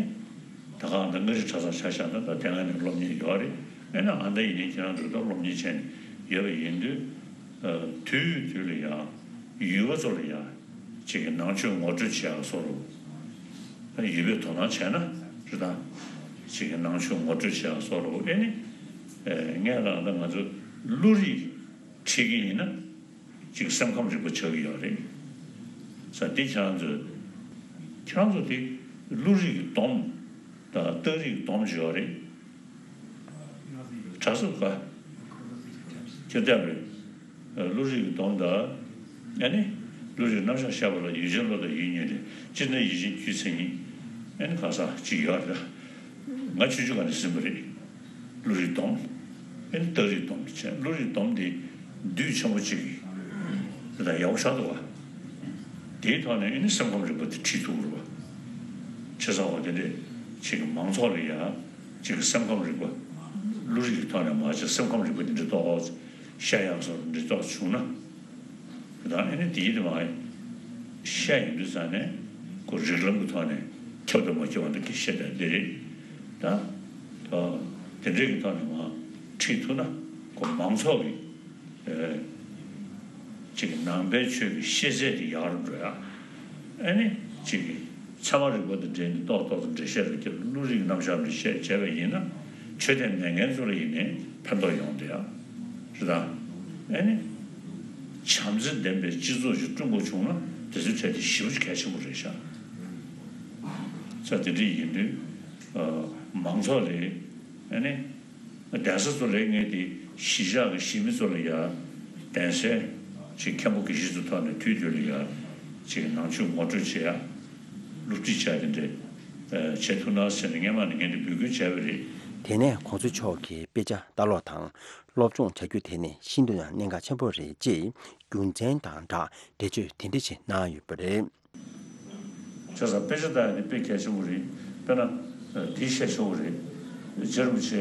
ད་ག་ཨ་མདའ་མངའ་རིས་གྲྭ་ཚང་ཆ་བཞག་ན་ད་དེ་སྔ་ནས་སློབ་གཉེར་ཡོད་རེད། ཨེ་ན་ཨ་མདའ་ཡིན་ནའི་ཁྱེད་རང་ཚོ་ད་སློབ་གཉེར་བྱས་ནས་ཡོད་པ་ཡིན་དུས། ཨ། དུས་དུས་ལ་ཡང་ཡུལ་པ་ཚོ་ལ་ཡང་ཅིག་གི་ནང་ཆོས་ངོ་སྤྲོད་བྱེད་ཡག་བཟོ་འདྲ། ཨ། ཡུལ་པས་དོ་སྣང་བྱས་ན་རེད་ད། ཅིག་གི་ནང་ཆོས་ངོ་སྤྲོད་བྱེད་ཡག་བཟོ་འདྲ། ཨེ་ནི། ཨེ། ངས་ལབ་ན་ང་ཚོ་བློ་རིག་ཁྲིད་ཀྱི་ཡིན་ན། ཅིག་སེམས་ཁམས་རིག་པ་ཆགས་ཀྱི་ཡོད་རེད། ས་འདི་ཁྱེད་རང་ཚོས། ཁྱེད་རང་ཚོ་དེ་བློ་རིག་གི་སྡོམ་དང་རྟགས་རིག་གི་སྡོམ་ཅིག་ཡོད་རེད། གྲྭ་ཚོ་ག་ཁྱེད་ལྟ་བུའི་བློ་རིག་གི་སྡོམ་དང་། ཨ་ནི་བློ་རིག་རྣམ་གཞག་བཤད་པ་ལ་ཡུལ་ཅན་བློ་དང་ཡུལ་གཉིས་རེད། སྤྱིར་ན་ཡུལ་ཅན་རྒྱུད་མཚན་ཉིད། ཨ་ནི་ག་ས་ཅིག་ཡོད་རེད། ང་ཆུང་ཆུང་སྒང་ནས་ཟིན་པ་རེད། བློ་རིག་སྡོམ། ཨེ་ནི་རྟགས་རིག་སྡོམ་བྱས། བློ་རིག་སྡོམ་དེ་བདུད་ཆེན་པོ་གཅིག་གིས་དེ་དང་ཡག་པོ་ཆགས་འདུག་བ། དེའི་ཐོག་ནས་ཨེ་ནི་སེམས་ཁམས་རིག་པ་དེ་ཁྲིད་ཐུབ་ཀྱི་རེད་བ། བྱས་ཙང་བ་དེ་འདྲས་ཅིག་གི་མང་ཚོགས་ལ་ཡ་ཅིག་གི་སེམས་ཁམས་རིག་པ། བློ་རིག་གི་ཐོག་ནས་མ་བྱས་སེམས་ཁམས་རིག་པ་དེ་འདྲ་ཏོག་ཙམ་བཤད་ཡག་བཟོ་འདྲ་ཏོག་ཙམ་བྱུང་ན། དེ་དང་ཨེ་ནི་དེའི་དེ་མ་བཤད་ཡོང་དུས་ཙང་ནས་ཁོ་རིགས་ལམ་གྱི་ཐོག་ནས་ཁྱབ་དང་མ་ཁྱབ་པ་འདྲ་གི་བཤད་བསྡད་དེ་རེད། ད་ད་དེ་འདྲའི་གི་ཐོག་ནས་མ་ཁྲིད་ཐུབ་ན་ཁོ་མང་ཚོགས་ཀྱི་ཨེ་ཅིག་ནང་པའི་ཆོས་ཀྱི་ཤེས་ཚད་དེ་ཡག་རུ་འགྲོ་ཡ། ཨེ་ནི་ཅིག་གི་ཚད་མ་རིག་པ་དང་འབྲེལ་ནས་ཏོག་ཏོག་ཏུ་འགྲེལ་བཤད་རུ་བརྒྱབ། བློ་རིག་རྣམ་གཞག་རུ་བཤད་བྱས་པ་ཡིན་ན་ཆོས་དད་མེད་མཁན་ཚོ་ལ་ཡིན་ནའི་ཕན་ཐོགས་ཡོང་བསྡད་ཡ་རེད་ད། ཨེ་ནི། བྱམས་བརྩེ་ལྡན་པའི་སྤྱི་ཚོགས་ཤིག་བསྐྲུན་དགོས་བྱུང་ན་དེ་ཚོའི་གྲས་དེ་ཞེ་པོ་ཅིག་གལ་ཆེན་པོ་རེད་ཤག་ས་དེ་འདྲ་ཡིན་དུས། ཨ། མང་ཚོགས་ལ་ཨེ་ནི། གདན་ས་ཚོ་ལ་ངས་དེ་གཞིས་ཆགས་ཀྱི་གཞིས་མི་ཚོ་ལ་ཡ་གདན་སའི་ ཅིག་མཁན་པོ་དགེ་བཤེས་ཚོ་ཐོག་ནས་དུས་རྒྱུན་ལ་ཡ་ཅིག་ནང་ཆོས་ངོ་སྤྲོད་བྱེད་ཡ། སློབ་ཁྲིད་བྱ་དེ་འདྲས་བྱེད་ཐུབ་ན་ཟེར་ནས་སྔན་མ་ནས་ངས་འདི་འབོད་སྐུལ་བྱས་པ་རེད། དེ་ནས་གོང་ས་མཆོག་གིས་དཔེ་ཆ་ལྟ་ཀློག་དང་སློབ་སྦྱོང་བྱ་རྒྱུ་དེ་ནི་ཤིན་ཏུ་ཡང་གནད་འགག་ཆེན་པོ་རེད་ཅེས་རྒྱུ་མཚན་དང་སྦྲགས་འགྲེལ་བརྗོད་དེ་འདྲ་ཞིག་གནང་ཡོད་པ་རེད། བྱས་ཙང་དཔེ་ཆ་ལྟ་ཡ་དེ་དཔེ་གལ་ཆེན་པོ་རེད། དཔེར་ན་འདི་བཤད་ཆོག་གི་རེད། རྗེ་རིན་པོ་ཆེ་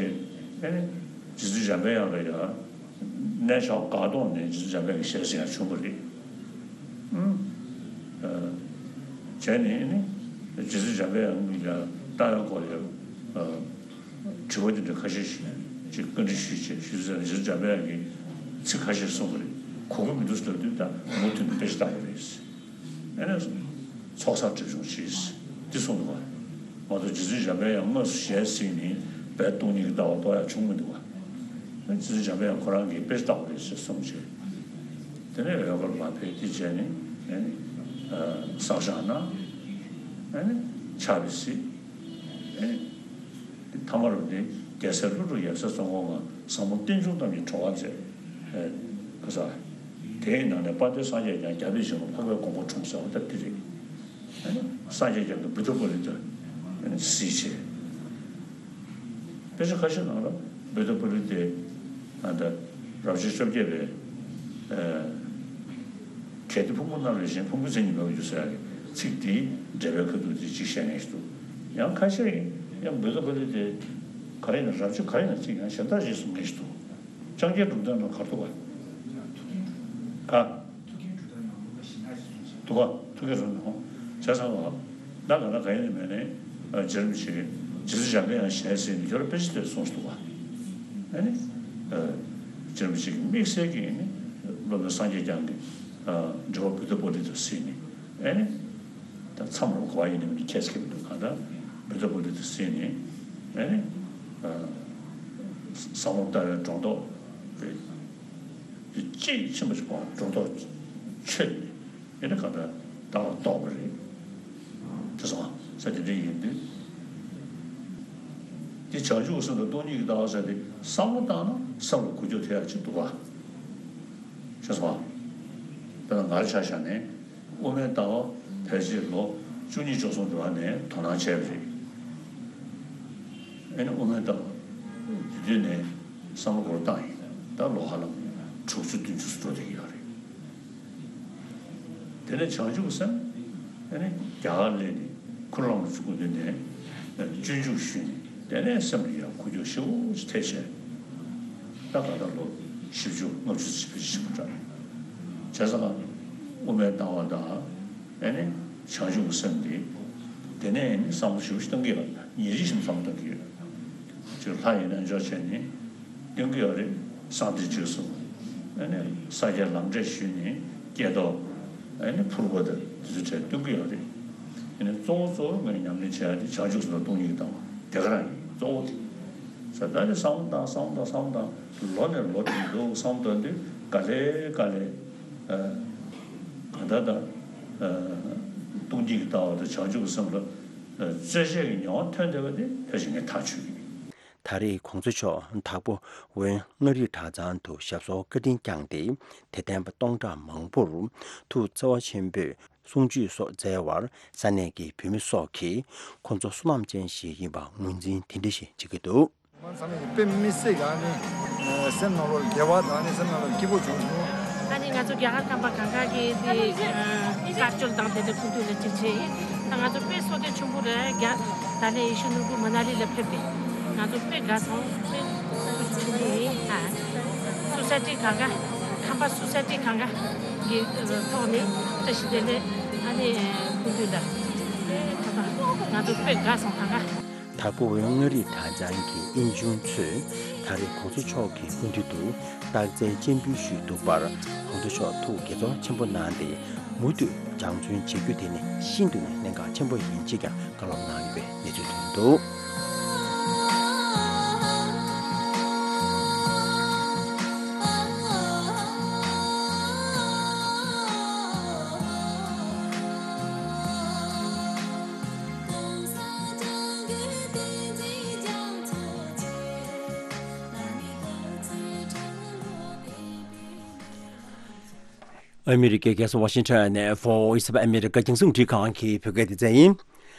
ཨེ་ནི་རྗེ་བཙུན་འཇམ་པའི་དབྱངས་ལ་ཡ་གནས་མཆོག་སྒར་གདོང་ནས་རྗེ་བཙུན་འཇམ་པའི་དབྱངས་ཞལ་གཟིགས་ཡང་བྱུང་བ་རེད། ཨུམ། བྱས་ནས་ཨེ་ནི་རྗེ་བཙུན་འཇམ་པའི་དབྱངས་ལ་ལྟ་བའི་སྐོར་ལ་དྲི་བ་དེ་འདྲ་ཁ་ཤས་ཤིག་ཅིག་བཀའ་འདྲི་ཞུས་བྱས་ཞུས་ཚར་ནས་རྗེ་བཙུན་འཇམ་པའི་དབྱངས་ཀྱིས་ཚིག་ཁ་ཤས་གསུངས་པ་རེད། གོ་གི་མི་འདུག་ཟེར་ལབ་དུས་ད་མུ་མཐུད་ནས་དཔེ་ཆ་ལྟ་དགོས་རེད། ཨེ་ནས་ཚོགས་བསགས་སྒྲིབ་སྦྱོང་གྱིས་འདི་གསུངས་འདུག་བ། མ་གཏོགས་རྗེ་བཙུན་འཇམ་པའི་དབྱངས་དངོས་སུ་ཞལ་གཟིགས་ནས་བོད་སྟོང་ཉིད་ཀྱི་ལྟ་བ་རྟོགས་ཡག་བྱུང་མི་འདུག་བ། རྗེ་བཙུན་འཇམ་པའི་དབྱངས་ཁོ་རང་གིས་དཔེ་ཆ་ལྟ་དགོས་རེད་ཟེར་གསུངས་བྱས། དེ་ནས་འོད་དཀར་མར་ཕེབས་དེ་བྱས་ནས་ཨེ་ནི་བསགས་སྦྱང་གནང་། ཨེ་ནི་ཕྱག་དཔེ་གཟིགས། ཨེ་ནི་ཐ་མར་འདི་རྒྱལ་སྲས་ཀླུ་སྒྲུབ་ཡབ་སྲས་ཙོང་ཁ་པ་ཟབ་མོ་རྟེན་འབྱུང་རྣམས་ཀྱི་གྲོགས་པ་མཛད། ཨེ་ཁ་ས། དེའི་ནང་ནས་དཔལ་ལྡན་སངས་རྒྱས་བསྐྱངས་རྒྱལ་པོའི་བྱིན་རླབས་འཕགས་པའི་གོ་འཕང་འཁྲུངས་ཟེར་བ་ད་འདི་རེད། ཨེ་ནི་སངས་རྒྱས་བསྐྱངས་ཀྱི་བུདྡྷ་པཱ་ལི་ཏ་ཨེ་ནི་གཟིགས་བྱས། དཔེ་ཆ་ཁ་ཤས་ནང་ལ་བུདྡྷ་པཱ་ལི་ཏའི་ཨ་ད་རབ་བྱུང་བཅོ་བརྒྱད་པའི་ཨེ་གལ་ཏེ་ཕུང་པོ་རྣམས་ལས་གཞན་ཕུང་པོའི་མཚན་ཉིད་མེད་པར་འགྱུར་ཟེར་ཡག་གི་ཚིག་དེའི་འགྲེལ་པའི་ཁ་ཐུག་དེ་གཅིག་བཤད་མཁན་ཞིག་འདུག་ཡང་ཁ་ཤས་ཀྱིས་ཡང་བུདྡྷ་པཱ་ལི་ཏའི་ག་རེ་ཡིན་ན་རབ་བྱུང་ག་རེ་ཡིན་ན་གཅིག་ཡང་གཞན་དག་ཞེས་གསུང་མཁན་ཞིག་འདུག་ཅང་ཁྱེད་གྲུབ་མཐའ་ནང་གར་འདུག་ག་ཐུགས་ཀྱི་གྲུབ་མཐའ་ནང་མུན་པ་ཞི་གནས་ཞེས་གསུངས་ཤིང་། འདུག་ག་ཐུགས་ཀྱི་གྲུབ་མཐའ་ནང་བྱས་ཙང་བ། ད་ག་ན་ག་ཡིན་ནི་མེད་ནས་རྗེ་རིན་པོ་ཆེ་རྗེ་བཙུན་འཇམ་པའི་དབྱངས་ཞལ་གཟིགས་ནས་ཁྱོད་རང་དཔེ་ཆ་དེ་གསུངས་སུ་འདུག་ག་ཨ་ནི་རྗེ་རིན་པོ་ཆེ་གི་དམིགས་བསལ་གྱི་ནི་སློབ་དཔོན་སངས་རྒྱས་བསྐྱངས་ཀྱི་འགྲེལ་པ་བུདྡྷ་པཱ་ལི་ཏ་གཟིགས་ནས་ཨ་ནི་ད་མཚམས་རེ་གོ་བ་ཡིན་ནི་མིན་ནི་ཁྱད་ཀྱི་མི་འདུག་ག་ད་བུདྡྷ་པཱ་ལི་ཏ་གཟིགས་ནས་ཨ་ནི་ཟབ་མོ་ལྟ་བའི་སྒྲོ་འདོགས་དཔེ་དཔེ་དཔྱད་ཆེན་པོ་ཞིག་པ་སྒྲོ་འདོགས་ཆོད་ནས། ཡིན་ན་གང་ལྟར་ལྟ་བ་རྟོགས་པ་རེད། དེ་སོང་ས་དེ་འདྲ་ཡིན་དུས། དེ་བྱང་ཆུབ་སེམས་དང་སྟོང་ཉིད་ཀྱི་ལྟ་བ་ཟེར་ཏེ་བསམ་བློ་བཏང་ན་སེམས་ལ་འགུལ་སྐྱོད་ཐེབས་ཡག་ཅིག་འདུག་ག་ཤེས་སོང་། དཔེར་ན་ང་རང་ཆ་བཞག་ནས་དབུ་མའི་ལྟ་བ་ཕལ་ཆེར་ལོ་བཅུ་གཉིས་བཅུ་གསུམ་འགྲོ་བ་ནས་དོ་སྣང་བྱས་པ་རེད། ཨེ་ནི་དབུ་མའི་ལྟ་བ་དེ་དུས་ནས་བསམ་བློ་འགོར་བཏང་ཡིན། ད་ལོ་ཧ་ལམ་དྲུག་ཅུ་བདུན་ཅུ་འགྲོ་བསྡད་ཀྱི་ཡོད་རེད། དེ་ནས་བྱང་ཆུབ་སེམས། ཨེ་ནི་རྒྱ་གར་སླེབས་ནས་ཁུ་བླངས་སུ་སྐུ་མདུན་ནས་སྤྱོད་འཇུག་ཞུས་ནས་དེ་ནས་སེམས་ལ་ཡང་འགུལ་སྐྱོད་ཞེ་པོ་ཅིག་ཐེབས་བྱས། ད་ག་ད་ལོ་བཞི་བཅུ་ལྔ་བཅུ་ཙམ་ཞིག་འགྲོ་བྱས་ཙང་དབུ་མའི་ལྟ་བ་དང་ཨེ་ནི་བྱང་ཆུབ་སེམས་འདི་དེ་ནས་ཨེ་ནི་བསམ་བློ་ཞེ་པོ་ཞིག་གཏོང་གི་ཡོད། ཉིན་རེ་བཞིན་བསམ་བློ་གཏོང་གི་ཡོད། ཅིག་ལྷ་ཡི་རྣལ་འབྱོར་བྱས་ནས་སྟོན་གྱི་ཡོད་རེད། གསང་བདེ་བྱོས་གསུངས། ཨ་ནི་ས་སྐྱའི་ལམ་འབྲས་ཞུས་ནས་སྐྱེ་ཐོག་ཨ་ནི་ཕུར་པ་དང་དེ་ཚོ་བྲལ་སྟོན་གྱི་ཡོད་རེད། ཨ་ནི་གཙོ་བོ་གཙོ་བོ་ངས་ཉམས་ལེན་བྱེད་ཡ་དེ་བྱང་ཆུབ་སེམས་དང་སྟོང་ཉིད་ཀྱི་ལྟ་བ་དེ་ག་རང་ཡིན་གཙོ་བོ་དེ། ས་ད་ནི་བསམ་བློ་བཏང་བསམ་བློ་བཏང་བསམ་བློ་བཏང་ལོ་ནས་ལོ་དེ་འདུག་བསམ་བློ་བཏང་དུས་ག་ལེ་ག་ལེ་ཨ་གང་ལྟར་ད་ཨ་སྟོང་ཉིད་ཀྱི་ལྟ་བ་དང་བྱང་ཆུབ་སེམས་ལ་རྩོད་གཞི་གི་ཉེ་བ་ཐོན་བསྡད་པ་དེ་ཕལ་ཆེར་ངས་ཐག་ཆོད་ཀྱི་ཡིན། ད་རེས་གོང་ས་མཆོག་དྭགས་པོ་ཝེན་མངའ་རིས་གྲྭ་ཚང་དུ་ཞབས་སོར་བཀའ་དྲིན་བསྐྱངས་ཏེ། དད་ལྡན་པ་སྟོང་ཕྲག་མང་པོར་ཐུགས་བརྩེ་བ་ཆེན་པོས་གསུང་ཆོས་སོགས་སྩལ་བར་ས་གནས་ཀྱི་བོད་མི་སོགས་ཀྱིས་ཁོང་ཚོ་བསོད་ནམས་ཅན་ཞིག་ཡིན་པ་ངོས་འཛིན་དེ་འདྲ་ཞིག་བྱེད་ཀྱི་འདུག་ང་ཚང་མས་དཔེ་མི་སྲིད་ཀྱི་ཨ་ནི་སེམས་ནང་ལོགས་ལ་བདེ་བ་དང་ཨ་ནི་སེམས་ནང་ལོགས་ལ་སྐྱིད་པོ་བྱུང་སོང་། ཨ་ནི་ང་ཚོ་རྒྱ་གར་ཁམས་པ་གང་ག་གི་དེ་དཀར་སྐྱོལ་དང་དེ་འདྲ་ཕུལ་དུས་ལ་གཅིག་བྱས་ཡིན། ད་ང་ཚོ་དཔེ་བསོད་བདེ་ཆེན་པོ་རེད། རྒྱ་ད་ལན་ཡེ་ཤུ་ནོར་བུ་མ་ན་ལི་ལ་ཕེབས་ཏེ་ང་ཚོ་དཔེ་དགའ་སོང་། དཔེ་ཆེན་པོ་ཡིན། ཨ་སོ་སའི་ཊི་གང་ག་ཁམས་པ་སོ་སའི་ཊི་གང་ག་གི་ཐོག་ནས་བཀྲ་ཤིས་བདེ་ལེགས་ཨ་ནི་ཕུལ་དུས་ལ་ང་ཚོ་དཔེ་དགའ་སོང་གང་ག་དྭགས་པོ་ཝེན་མངའ་རིས་གྲྭ་ཚང་གི་དབྱིན་ཆུང་ཚོས་ད་རེས་གོང་ས་མཆོག་གི་སྐུ་མདུན་དུ་རྟགས་མཚན་སྤྱན་འབུལ་ཞུས་འདུག་པར། གོང་ས་མཆོག་ཐུགས་དགྱེས་ཚོར་ཆེན་པོ་གནང་སྟེ། མུ་མཐུད་སྦྱང་བརྩོན་བྱེད་རྒྱུ་དེ་ནི་ཤིན་ཏུ་ནས་གནད་འགག་ཆེན་པོ་ཡིན་ཅེས་ཀྱང་བཀའ་སློབ་གནང་ཡོད་པའི་གནས་ཚུལ་ཐོན་འདུག་ཨ་མི་རི་ཀའི་རྒྱལ་ས་ཝ་ཤིང་ཊོན་ནས་Voice of America རྒྱང་སྲིང་རླུང་འཕྲིན་ཁང་གི་བོད་སྐད་སྡེ་ཚན་ཡིན།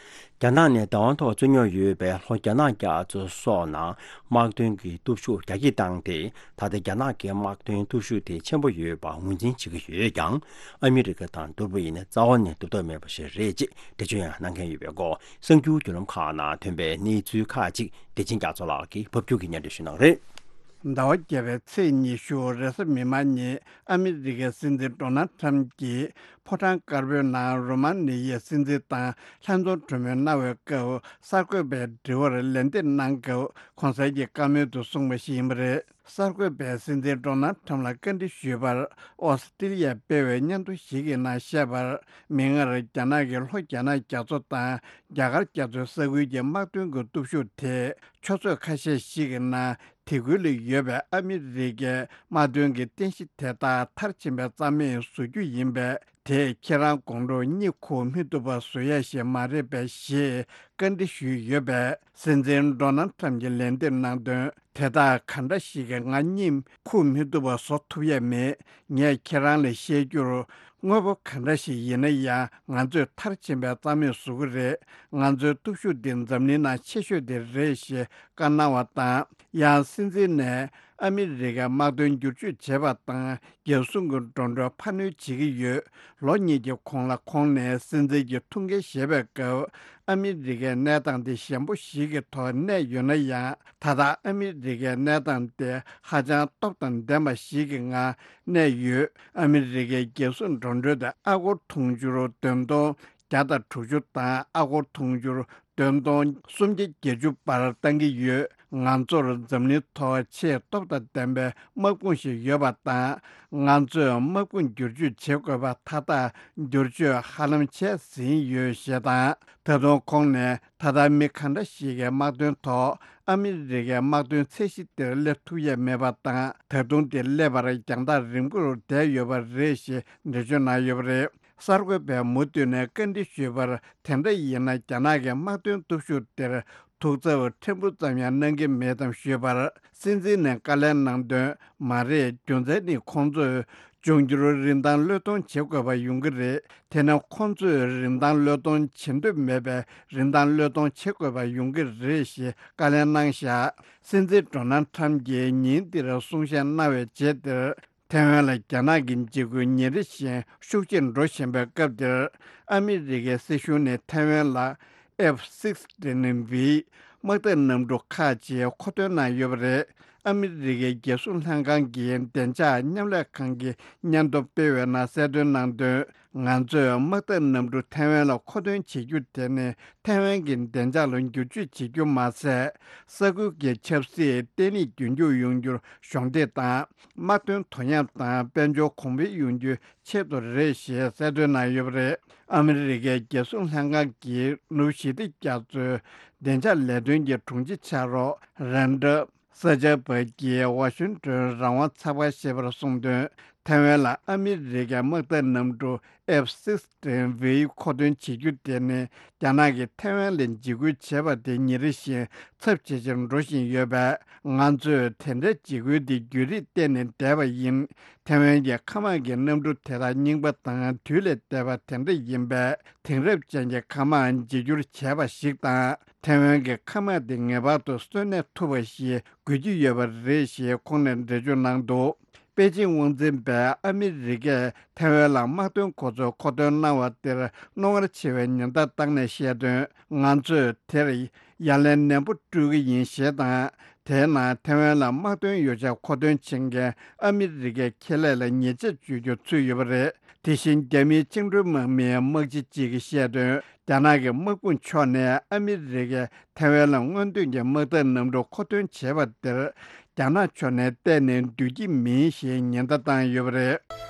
རྒྱ་ནག་ནས་བདག་དབང་ཐོག་རྩོད་རྙོག་ཡོད་པའི་ལྷོ་རྒྱ་ནག་རྒྱ་མཚོ་སོགས་ནང་དམག་དོན་གྱི་སྟོབས་ཤུགས་རྒྱ་སྐྱེད་བཏང་སྟེ། ད་ལྟ་རྒྱ་ནག་གི་དམག་དོན་སྟོབས་ཤུགས་དེ་ཆེན་པོ་ཡོད་པ་ངོས་འཛིན་བྱེད་ཀྱི་ཡོད་ཀྱང་། ཨ་མི་རི་ཀ་དང་མདོར་བསྡུས་ཡིན་ན་རྩ་བ་ནས་འདུག་ཐབས་མེད་པ་ཞིག་རེད་ཅེས་འགྲེལ་བརྗོད་ཡང་གནང་མཁན་ཡོད་པའི་སྐོར། གསར་འགྱུར་བརྒྱུད་ལམ་ཁག་ནང་ཐོན་པའི་གནས་ཚུལ་ཁག་ཅིག་བདེ་ཆེན་རྒྱ་མཚོ་ལགས་ཀྱིས་ཕབ་སྒྱུར་གྱིས་སྙན་སྒྲོན་ཞུ་གནང་རེད། ཟླ་བ་བརྒྱད་པའི་ཚེས་ཉི་ཤུ་རེས་གཟའ་མིག་དམར་ཉིན་ཨ་མི་རི་ཀའི་སྲིད་འཛིན་ཌོ་ནལ་ཁྲམ་གྱིས་ཕོ་བྲང་དཀར་པོའི་ནང་རོ་མ་ནི་ཡའི་སྲིད་འཛིན་དང་ལྷན་འཛོམས་གྲོས་མོལ་གནང་བའི་སྐབས། གསར་འགོད་པའི་དྲི་བར་ལན་འདེབས་གནང་སྐབས། གོང་གསལ་གྱི་བཀའ་མོལ་དུ་གསུངས་པ་ཞིག་ཡིན་པ་རེད། གསར་འགོད་པས་སྲིད་འཛིན་ཌོ་ནལ་ཁྲམ་ལ་བཀའ་འདྲི་ཞུས་པར། ཨོ་སི་ཀྲི་ལི་ཡས་སྤེལ་བའི་སྙན་ཐོ་ཞིག་གི་ནང་བཤད་པར། མིག་སྔར་རྒྱ་ནག་གིས་ལྷོ་རྒྱ་ནག་རྒྱ་མཚོ་དང་རྒྱ་གར་རྒྱ་མཚོའི་ས་ཁུལ་གྱི་དམག་དོན་གྱི་སྟོབས་ཤུགས་དེ། ཆུ་ཚོད་ཁ་ཤས་ཤིག་གི་ནང་དེ་ཁུལ་ལ་ཡོད་པའི་ཨ་མི་རི་ཀའི་དམག་དོན་གྱི་རྟེན་གཞི་དེ་དག་མཐར་ཕྱིན་པའི་རྩ་མེད་བཟོ་རྒྱུ་ཡིན་པས། དེས་ཁྱེད་རང་དགོང་དྲོ་གཉིད་ཁུག་མི་ཐུབ་པ་བཟོ་ཡ་ཞིག་མ་རེད་པས་ཞེས་བཀའ་འདྲི་ཞུས་ཡོད་པས། སྲིད་འཛིན་ཌོ་ནལ་ཁྲམ་གྱིས་ལན་འདེབས་གནང་དོན། དེ་དག་ག་འདྲ་ཞིག་གིས་ང་གཉིད་ཁུག་མི་ཐུབ་པ་བཟོ་ཐུབ་ཡ་མེད། ངས་ཁྱེད་རང་ལ་བཤད་རྒྱུར། དངོས་པོ་ག་འདྲ་ཞིག་ཡིན་ན་ཡང་ང་ཚོས་མཐར་ཕྱིན་པའི་རྩ་མེད་བཟོ་གི་རེད། ང་ཚོའི་སྟོབས་ཤུགས་འདི་འཛམ་གླིང་ནང་ཆེ་ཤོས་དེ་རེད་ཞེས་བཀའ་གནང་བ་དང་། ཡང་སྲིད་འཛིན་ནས་ཨ་མི་རི་ཀའི་དམག་དོན་བསྒྱུར་བཅོས་བྱེད་པ་དང་། རྒྱལ་སྲུང་གི་འགྲོ་གྲོན་འཕར་སྣོན་བྱེད་ཀྱི་ཡོད། ལོ་གཉིས་ཀྱི་གོང་ལ་ཁོང་ནས་སྲིད་འཛིན་གྱི་ཐུགས་འགན་བཞེས་པའི་སྐབས། ཨ་མི་རི་ཀའི་གནས་སྟངས་དེ་ཞན་པོ་ཞིག་གི་ཐོག་གནས་ཡོད་ན་ཡང་། ད་ལྟ་ཨ་མི་རི་ཀའི་གནས་སྟངས་དེ་ཧ་ཅང་སྟོབས་དང་ལྡན་པ་ཞིག་གི་ངང་གནས་ཡོད། ཨ་མི་རི་ཀའི་རྒྱལ་སྲུང་འགྲོ་གྲོན་དེ་ཨ་སྒོར་དུང་ཕྱུར་བདུན་སྟོང་བརྒྱ་དང་དྲུག་ཅུ་དང་ཨ་སྒོར་དུང་ཕྱུར་བདུན་སྟོང་སུམ་བརྒྱ་བརྒྱད་ཅུ་བར་བཏང་གི་ཡོད། ང་ཚོར་འཛམ་གླིང་ཐོག་ཆེས་སྟོབས་དང་ལྡན་པའི་དམག་དཔུང་ཞིག་ཡོད་པ་དང་། ང་ཚོས་དམག་དཔུང་བསྒྱུར་བཅོས་བྱེད་དགོས་པ་མཐའ་དག་བསྒྱུར་བཅོས་ཧ་ལམ་བྱས་ཟིན་ཡོད་ཞེས་དང་། ད་དུང་ཁོང་ནས། ད་ལྟ་མི་ག་འདྲ་ཞིག་གིས་དམག་དོན་ཐོག་ཨ་མི་རི་ཀའི་དམག་དོན་ཚད་གཞི་དེར་སླེབས་ཐུབ་ཡས་མེད་པ་དང་། ད་དུང་དེ་སླེབས་པར་རྒྱང་ཐག་རིང་པོར་བསྡད་ཡོད་པ་རེད་ཞེས་འགྲེལ་བརྗོད་གནང་ཡོད་པ་རེད། གསར་འགོད་པས་མུ་མཐུད་ནས་བཀའ་འདྲི་ཞུས་པར། དེ་འདྲ་ཡིན་ན་རྒྱ་ནག་གི་དམག་དོན་སྟོབས་ཤུགས་དེར་ཐུགས་འཚབ་ཕྲན་བུ་ཙམ་ཡང་གནང་གི་མེད་དམ་ཞུས་པར། སྲིད་འཛིན་ནས་བཀའ་ལན་གནང་དོན། མ་རེད། རྒྱུ་མཚན་ནི་ཁོང་ཚོས་འབྱུང་འགྱུར་རིན་ཐང་བློས་གཏོང་བྱེད་དགོས་པ་ཡོང་གི་རེད། དེ་ནི་ཁོང་ཚོས་རིན་ཐང་བློས་གཏོང་བྱེད་འདོད་མེད་པའི་རིན་ཐང་བློས་གཏོང་བྱེད་དགོས་པ་ཡོང་གི་རེད་ཞེས་བཀའ་ལན་གནང་བཞག་སྲིད་འཛིན་ཌོ་ནལ་ཁྲམ་གྱིས་ཉིན་འདིར་གསུང་བཤད་གནང་བའི་རྗེས་དེར། ཐའེ་ཝན་ལ་རྒྱ་ནག་གི་འཇིགས་སྐུལ་ཉིན་རེ་བཞིན་ཤུགས་ཆེར་འགྲོ་བཞིན་པའི་སྐབས་འདིར། ཨ་མི་རི་ཀའི་སྲིད་གཞུང་ནས་ཐའེ་ཝན་ལ་F sixteen V དམག་འཐབ་གནམ་གྲུ་ཁག་ཅིག་མཁོ་འདོན་གནང་ཡོད་པ་རེད། ཨ་མི་རི་ཀའི་རྒྱལ་སྲུང་ལྷན་ཁང་གི་བདེ་འཇགས་མཉམ་ལས་ཁང་གིས་སྙན་ཐོ་སྤེལ་བའི་ནང་གསལ་སྟོན་གནང་དོན། ང་ཚོས་དམག་འཐབ་གནམ་གྲུ་ཐའེ་ཝན་ལ་མཁོ་འདོན་བྱེད་རྒྱུ་དེ་ནི་ཐའེ་ཝན་གྱི་བདེ་འཇགས་ལ་འགྱུར་བཅོས་བྱེད་རྒྱུ་མ་ཟད། ས་ཁུལ་གྱི་ཆབ་སྲིད་བརྟན་ལྷིང་རྒྱུན་འཁྱོངས་ཡོང་རྒྱུར་གཞོགས་འདེགས་དང་། དམག་དོན་དོ་མཉམ་དང་དཔལ་འབྱོར་གོང་འཕེལ་ཡོང་རྒྱུའི་ཆེད་དུ་རེད་ཞེས་གསལ་སྟོན་གནང་ཡོད་པ་རེད། ཨ་མི་རི་ཀའི་རྒྱལ་སྲུང་ལྷན་ཁང་གིས་ནུབ་ཞི་བདེ་རྒྱ་མཚོའི་བདེ་འཇགས་ལས་དོན་གྱི་དྲུང་ཆེ་ཕྱག་རོགས་རན་ཌ་ས་ཆ་བ་གིས་ཝ་ཤིང་ཏོན་རང་དབང་ཚགས་པར་བཤད་པར་གསུངས་དོན། ཐའེ་ཝན་ལ་ཨ་མི་རི་ཀའི་དམག་འཐབ་གནམ་གྲུ་F sixteen V མཁོ་འདོན་བྱེད་རྒྱུ་དེ་ནི། རྒྱ་ནག་གིས་ཐའེ་ཝན་ལ་འཇིགས་སྐུལ་བྱས་པ་དེ་ཉིན་རེ་བཞིན་ཚབས་ཇེ་ཆེར་འགྲོ་བཞིན་ཡོད་པས། ང་ཚོས་དེ་འདྲའི་འཇིགས་སྐུལ་འདི་བརྒྱུད་རིམ་བལྟས་ནས་བསྡད་པ་ཡིན། ཐའེ་ཝན་གྱི་མཁའ་དམག་གི་གནམ་གྲུ་དེ་དག་རྙིང་པ་དང་དུས་ལས་འདས་པ་དེ་འདྲ་ཡིན་པས། དེང་རབས་ཅན་གྱི་མཁའ་དམག་འཇིགས་སྐྱོར་བྱས་པ་ཞིག་དང་། ཐའེ་ཝན་གྱི་མཁའ་དམག་དེ་ངེས་པར་དུ་གསོན་གནས་ཐུབ་པ་ཞིག་དགོས་ཀྱི་ཡོད་པ་རེད་ཞེས་ཁོང་ནས་འགྲེལ་བརྗོད་གནང་འདུག་པེ་ཅིང་དབང་འཛིན་པས་ཨ་མི་རི་ཀས་ཐའེ་ཝན་ལ་དམག་དོན་གོ་མཚོན་མཁོ་འདོན་གནང་བ་དེར་རྣོ་ངར་ཆེ་བའི་ཉེན་བརྡ་བཏང་ནས་བཤད་དོན། ང་ཚོས་དེར་ཡ་ལན་ནན་པོ་སྤྲོད་ཀྱི་ཡིན་ཞེས་དང་། དེས་ན་ཐའེ་ཝན་ལ་དམག་དོན་ཡོ་བྱད་མཁོ་འདོན་བྱེད་མཁན་ཨ་མི་རི་ཀའི་ཁེ་ལས་ལ་ཉེས་ཆད་གཅོད་རྒྱུ་ཚུད་ཡོད་པ་རེད། དེ་བཞིན་རྒྱ་མིའི་བཅིངས་འགྲོལ་དམག་མིའི་དམག་སྤྱི་གཅིག་གིས་བཤད་དོན། རྒྱ་ནག་གི་དམག་དཔུང་ཕྱོགས་ནས་ཨ་མི་རི་ཀས་ཐའེ་ཝན་ལ་སྔོན་ཐོན་གྱི་དམག་འཐབ་གནམ་གྲུ་མཁོ་འདོན་བྱས་པ་དེར། རྒྱ་ནག་ཕྱོགས་ནས་གཏན་ནས་འདུད་ཀྱི་མིན་ཞེས་ཉེན་བརྡ་བཏང་ཡོད་པ་རེད།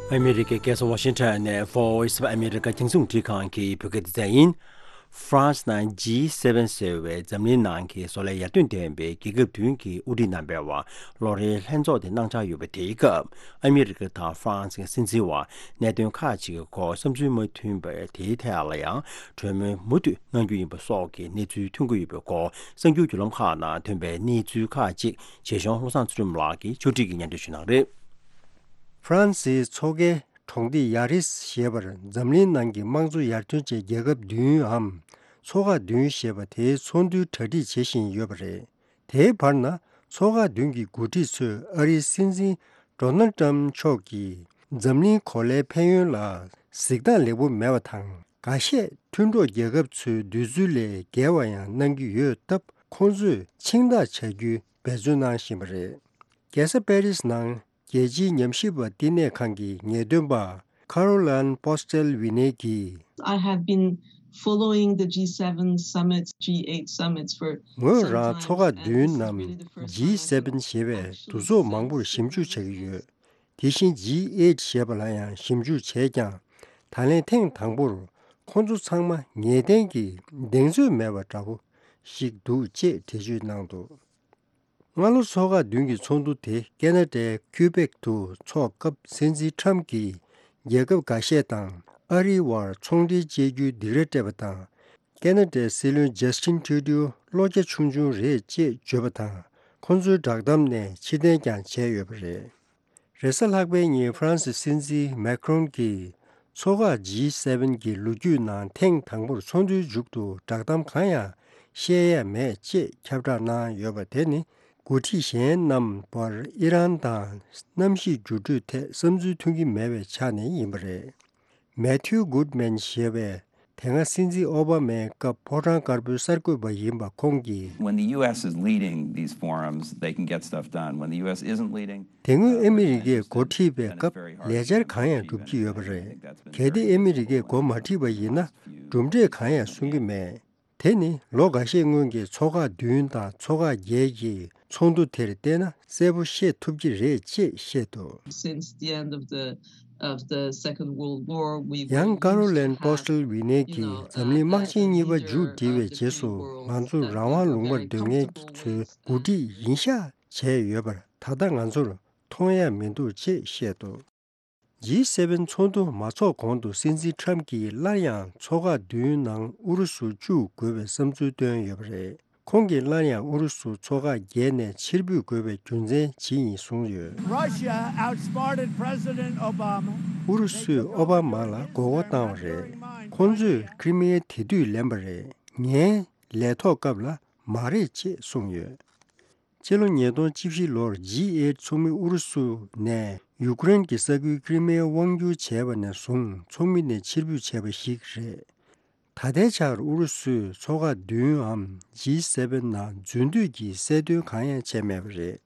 ཨ་མི་རི་ཀའི་རྒྱལ་ས་ཝ་ཤིང་ཊོན་ནས་Voice of America རྒྱང་སྲིང་རླུང་འཕྲིན་ཁང་གི་བོད་སྐད་སྡེ་ཚན་ཡིན། ཧྥ་རན་སི་ནང་G seven ཟེར་བའི་འཛམ་གླིང་ནང་གི་བཟོ་ལས་ཡར་ཐོན་ལྡན་པའི་རྒྱལ་ཁབ་བདུན་གྱི་དབུ་ཁྲིད་རྣམ་པའི་བར་ལོ་རེའི་ལྷན་ཚོགས་དེ་གནང་འཆར་ཡོད་པ་དེའི་སྐབས། ཨ་མི་རི་ཀ་དང་ཧྥ་རན་སི་གི་སྲིད་འཛིན་བར་གནད་དོན་ཁག་ཅིག་གི་སྐོར་བསམ་ཚུལ་མ་མཐུན་པ་དེའི་ཐད་ལ་ཡང་གྲོས་མོལ་མུ་མཐུད་གནང་རྒྱུ་ཡིན་པ་སོགས་ཀྱི་གནས་ཚུལ་ཐོན་གྱི་ཡོད་པའི་སྐོར། གསར་འགྱུར་བརྒྱུད་ལམ་ཁག་ནང་ཐོན་པའི་གནས་ཚུལ་ཁག་ཅིག་བྱས་གཞུང་བློ་བཟང་ཚུལ་ཁྲིམས་ལགས་ཀྱིས་ཕྱོགས་སྒྲིག་གིས་སྙན་སྒྲོན་ཞུ་གནང་རེད། ཧྥ་རན་སིའི་མཚོ་ཁའི་གྲོང་སྡེ་ཡ་རིས་ཞེས་པར་འཛམ་གླིང་ནང་གི་དམངས་གཙོ་ཡར་ཐོན་ཅན་རྒྱལ་ཁབ་བདུན་འམ་མཚོ་ཁག་བདུན་ཞེས་པ་དེའི་ཚོགས་འདུའི་གྲ་སྒྲིག་བྱེད་བཞིན་ཡོད་པ་རེད། དེའི་བར་ན་མཚོ་ཁག་བདུན་གྱི་འགོ་ཁྲིད་ཚོས་ཨ་རིའི་སྲིད་འཛིན་ཌོ་ནལ་ཏྲམ་མཆོག་གིས་འཛམ་གླིང་གོ་ལའི་ཕན་ཡོན་ལ་གཟིགས་སྟངས་ལེགས་པོ་མེད་པ་དང་། འགའ་ཤས་མཐུན་གྲོགས་རྒྱལ་ཁབ་ཚོའི་འདོད་ཚུལ་ལས་བརྒལ་བ་ཡང་གནང་གི་ཡོད་སྟབས། ཁོང་ཚོས་ཆིངས་ཐག་བཅད་རྒྱུའི་འབད་བརྩོན་གནང་བཞིན་པ་རེད། རྒྱལ་ས་པེ་རིས་ནང་རྒྱལ་སྤྱིའི་ཉམས་ཞིབ་པ་བསྟི་གནས་ཁང་གི་ངེས་སྟོན་པ་ཁ་རོ་ལན་པོ་སི་ཊེལ་ཝི་ནེ་གིས། I have been following the G seven summits, G eight summits for ངོས་རང་མཚོ་ཁག་བདུན་ནམ་G seven ཞེས་པའི་འདུ་ཚོགས་མང་པོར་ཞིབ་འཇུག་བྱ་གི་ཡོད། དེ་བཞིན་G eight ཞེས་པ་ལ་ཡང་ཞིབ་འཇུག་བྱས་ཀྱང་། ད་ལན་ཐེངས་དང་པོར་ཁོང་ཚོ་ཚང་མ་ངེས་གཏན་གྱི་གདེང་ཚོད་མེད་པ་འདྲ་པོ་ཞིག་འདུག་ཅེས་འགྲེལ་བརྗོད་གནང་འདུག་སྔ་ལོ་མཚོ་ཁག་བདུན་གྱི་ཚོགས་འདུ་དེ་ཁེ་ན་ཌའི་ཁུ་བེག་ཏུ་འཚོགས་སྐབས། སྲིད་འཛིན་ཁྲམ་གྱིས་རྒྱལ་ཁབ་འགའ་ཤས་དང་ཨ་རིའི་བར་ཚོང་འབྲེལ་བཅད་རྒྱུའི་སྡིགས་ར་སྤྲད་པ་དང་། ཁེ་ན་ཌའི་སྲིད་བློན་ཇས་ཊིན་ཊུ་ཌིའུ་བློ་རྒྱ་ཆུང་ཆུང་རེད་ཅེས་བརྗོད་པ་དང་། ཁོང་ཚོའི་བསྒྲགས་གཏམ་ནས་ཕྱིར་འཐེན་ཀྱང་བྱས་ཡོད་པ་རེད། རེས་གཟའ་ལྷག་པའི་ཉིན་ཧྥ་རན་སི་སྲིད་འཛིན་མེ་ཁྲོན་གྱིས་མཚོ་ཁག་G seven གྱི་ལོ་རྒྱུས་ནང་ཐེངས་དང་པོར་ཚོགས་འདུའི་མཇུག་ཏུ་བསྒྲགས་གཏམ་གང་ཡང་བཤད་ཡས་མེད་ཅེས་ཁྱབ་བསྒྲགས་གནང་ཡོད་པ་དེ་ནི། འགོ་ཁྲིད་གཞན་རྣམས་བར་ཨི་རན་དང་གནམ་གཤིས་འགྱུར་འགྲོས་ཐད་བསམ་ཚུལ་མཐུན་གྱི་མེད་པའི་ཆ་ནས་ཡིན་པ་རེད། མེ་ཐིའུ་གུད་མན་ཞེས་པས་དེ་སྔ་སྲིད་འཛིན་ཨོ་བྷ་མའི་སྐབས་ཕོ་བྲང་དཀར་པོའི་གསར་འགོད་པ་ཡིན་པ་ཁོང་གིས། When the U S is leading these forums, they can get stuff done. When the U S isn't leading, དེ་སྔོན་ཨ་མི་རི་ཀས་འགོ་ཁྲིད་པའི་སྐབས་ལས་འཆར་གང་ཡང་སྒྲུབ་ཀྱི་ཡོད་པ་རེད། གལ་ཏེ་ཨ་མི་རི་ཀས་འགོ་མ་ཁྲིད་པ་ཡིན་ན་གྲུབ་འབྲས་གང་ཡང་སོན་གྱི་མེད། དེ་ནི་ལོ་འགའ་ཤས་སྔོན་གྱི་མཚོ་ཁག་བདུན་དང་མཚོ་ཁག་བརྒྱད་ཀྱི་ཚོགས་འདུ་དེར་བལྟས་ན་གསལ་པོ་ཤེས་ཐུབ་ཀྱི་རེད་ཅེས་བཤད་འདུག Since the end of the, of the Second World War, we were used to have, you know, uh, a, a leader, uh, who was, uh, supporting the world at the time of the Second World War. ཡང་ཀ་རོ་ལན་པོ་སི་ཊེལ་ཝི་ནེ་གིས་འཛམ་གླིང་དམག་ཆེན་གཉིས་པ་མཇུག་བསྒྲིལ་བའི་རྗེས་སུ་ང་ཚོ་རང་དབང་ལུང་པར་སྡོད་མཁན་ཚོའི་འགོ་ཁྲིད་ཡིན་ཤག་བྱས་ཡོད་པར་ད་ལྟ་ང་ཚོར་མཐོང་ཡ་མི་འདུག་ཅེས་བཤད་འདུག G seven ཚོགས་འདུ་མ་ཚོགས་གོང་དུ་སྲིད་འཛིན་ཁྲམ་གྱིས་སླར་ཡང་མཚོ་ཁག་བདུན་ནང་ཨུ་རུ་སུ་བཅུག་དགོས་པའི་བསམ་ཚུལ་བཏོན་ཡོད་པ་རེད། ཁོང་གིས་སླར་ཡང་ཨུ་རུ་སུ་མཚོ་ཁག་བརྒྱད་ནས་ཕྱིར་འབུད་དགོས་པའི་རྒྱུ་མཚན་ཇི་ཡིན་གསུངས་ཡོད། Russia outsmarted President Obama. ཨུ་རུ་སུས་ཨོ་བྷ་མ་ལ་མགོ་སྐོར་བཏང་བ་རེད། ཁོང་ཚོས་ཁྲི་མེ་དེ་དུས་ལེན་པ་རེད། ངའི་ལས་ཐོག་སྐབས་ལ་མ་རེད་ཅེས་གསུངས་ཡོད། ཕྱི་ལོ་ཉིས་སྟོང་བཅུ་བཞི་ལོར་G eight ཚོགས་མི་ཨུ་རུ་སུ་ནས་ཡུཀ་རེན་གྱི་ས་ཁུལ་ཀྲི་མེ་དབང་བསྒྱུར་བྱས་པ་ནས་བཟུང་ཚོགས་མི་ནས་ཕྱིར་འབུད་བྱས་པ་ཞིག་རེད། ད་ལྟའི་ཆར་ཨུ་རུ་སུས་མཚོ་ཁག་བདུན་འམ་G seven ནང་འཛུལ་འདོད་ཀྱི་གསལ་སྟོན་གང་ཡང་བྱས་མེད་པ་རེད།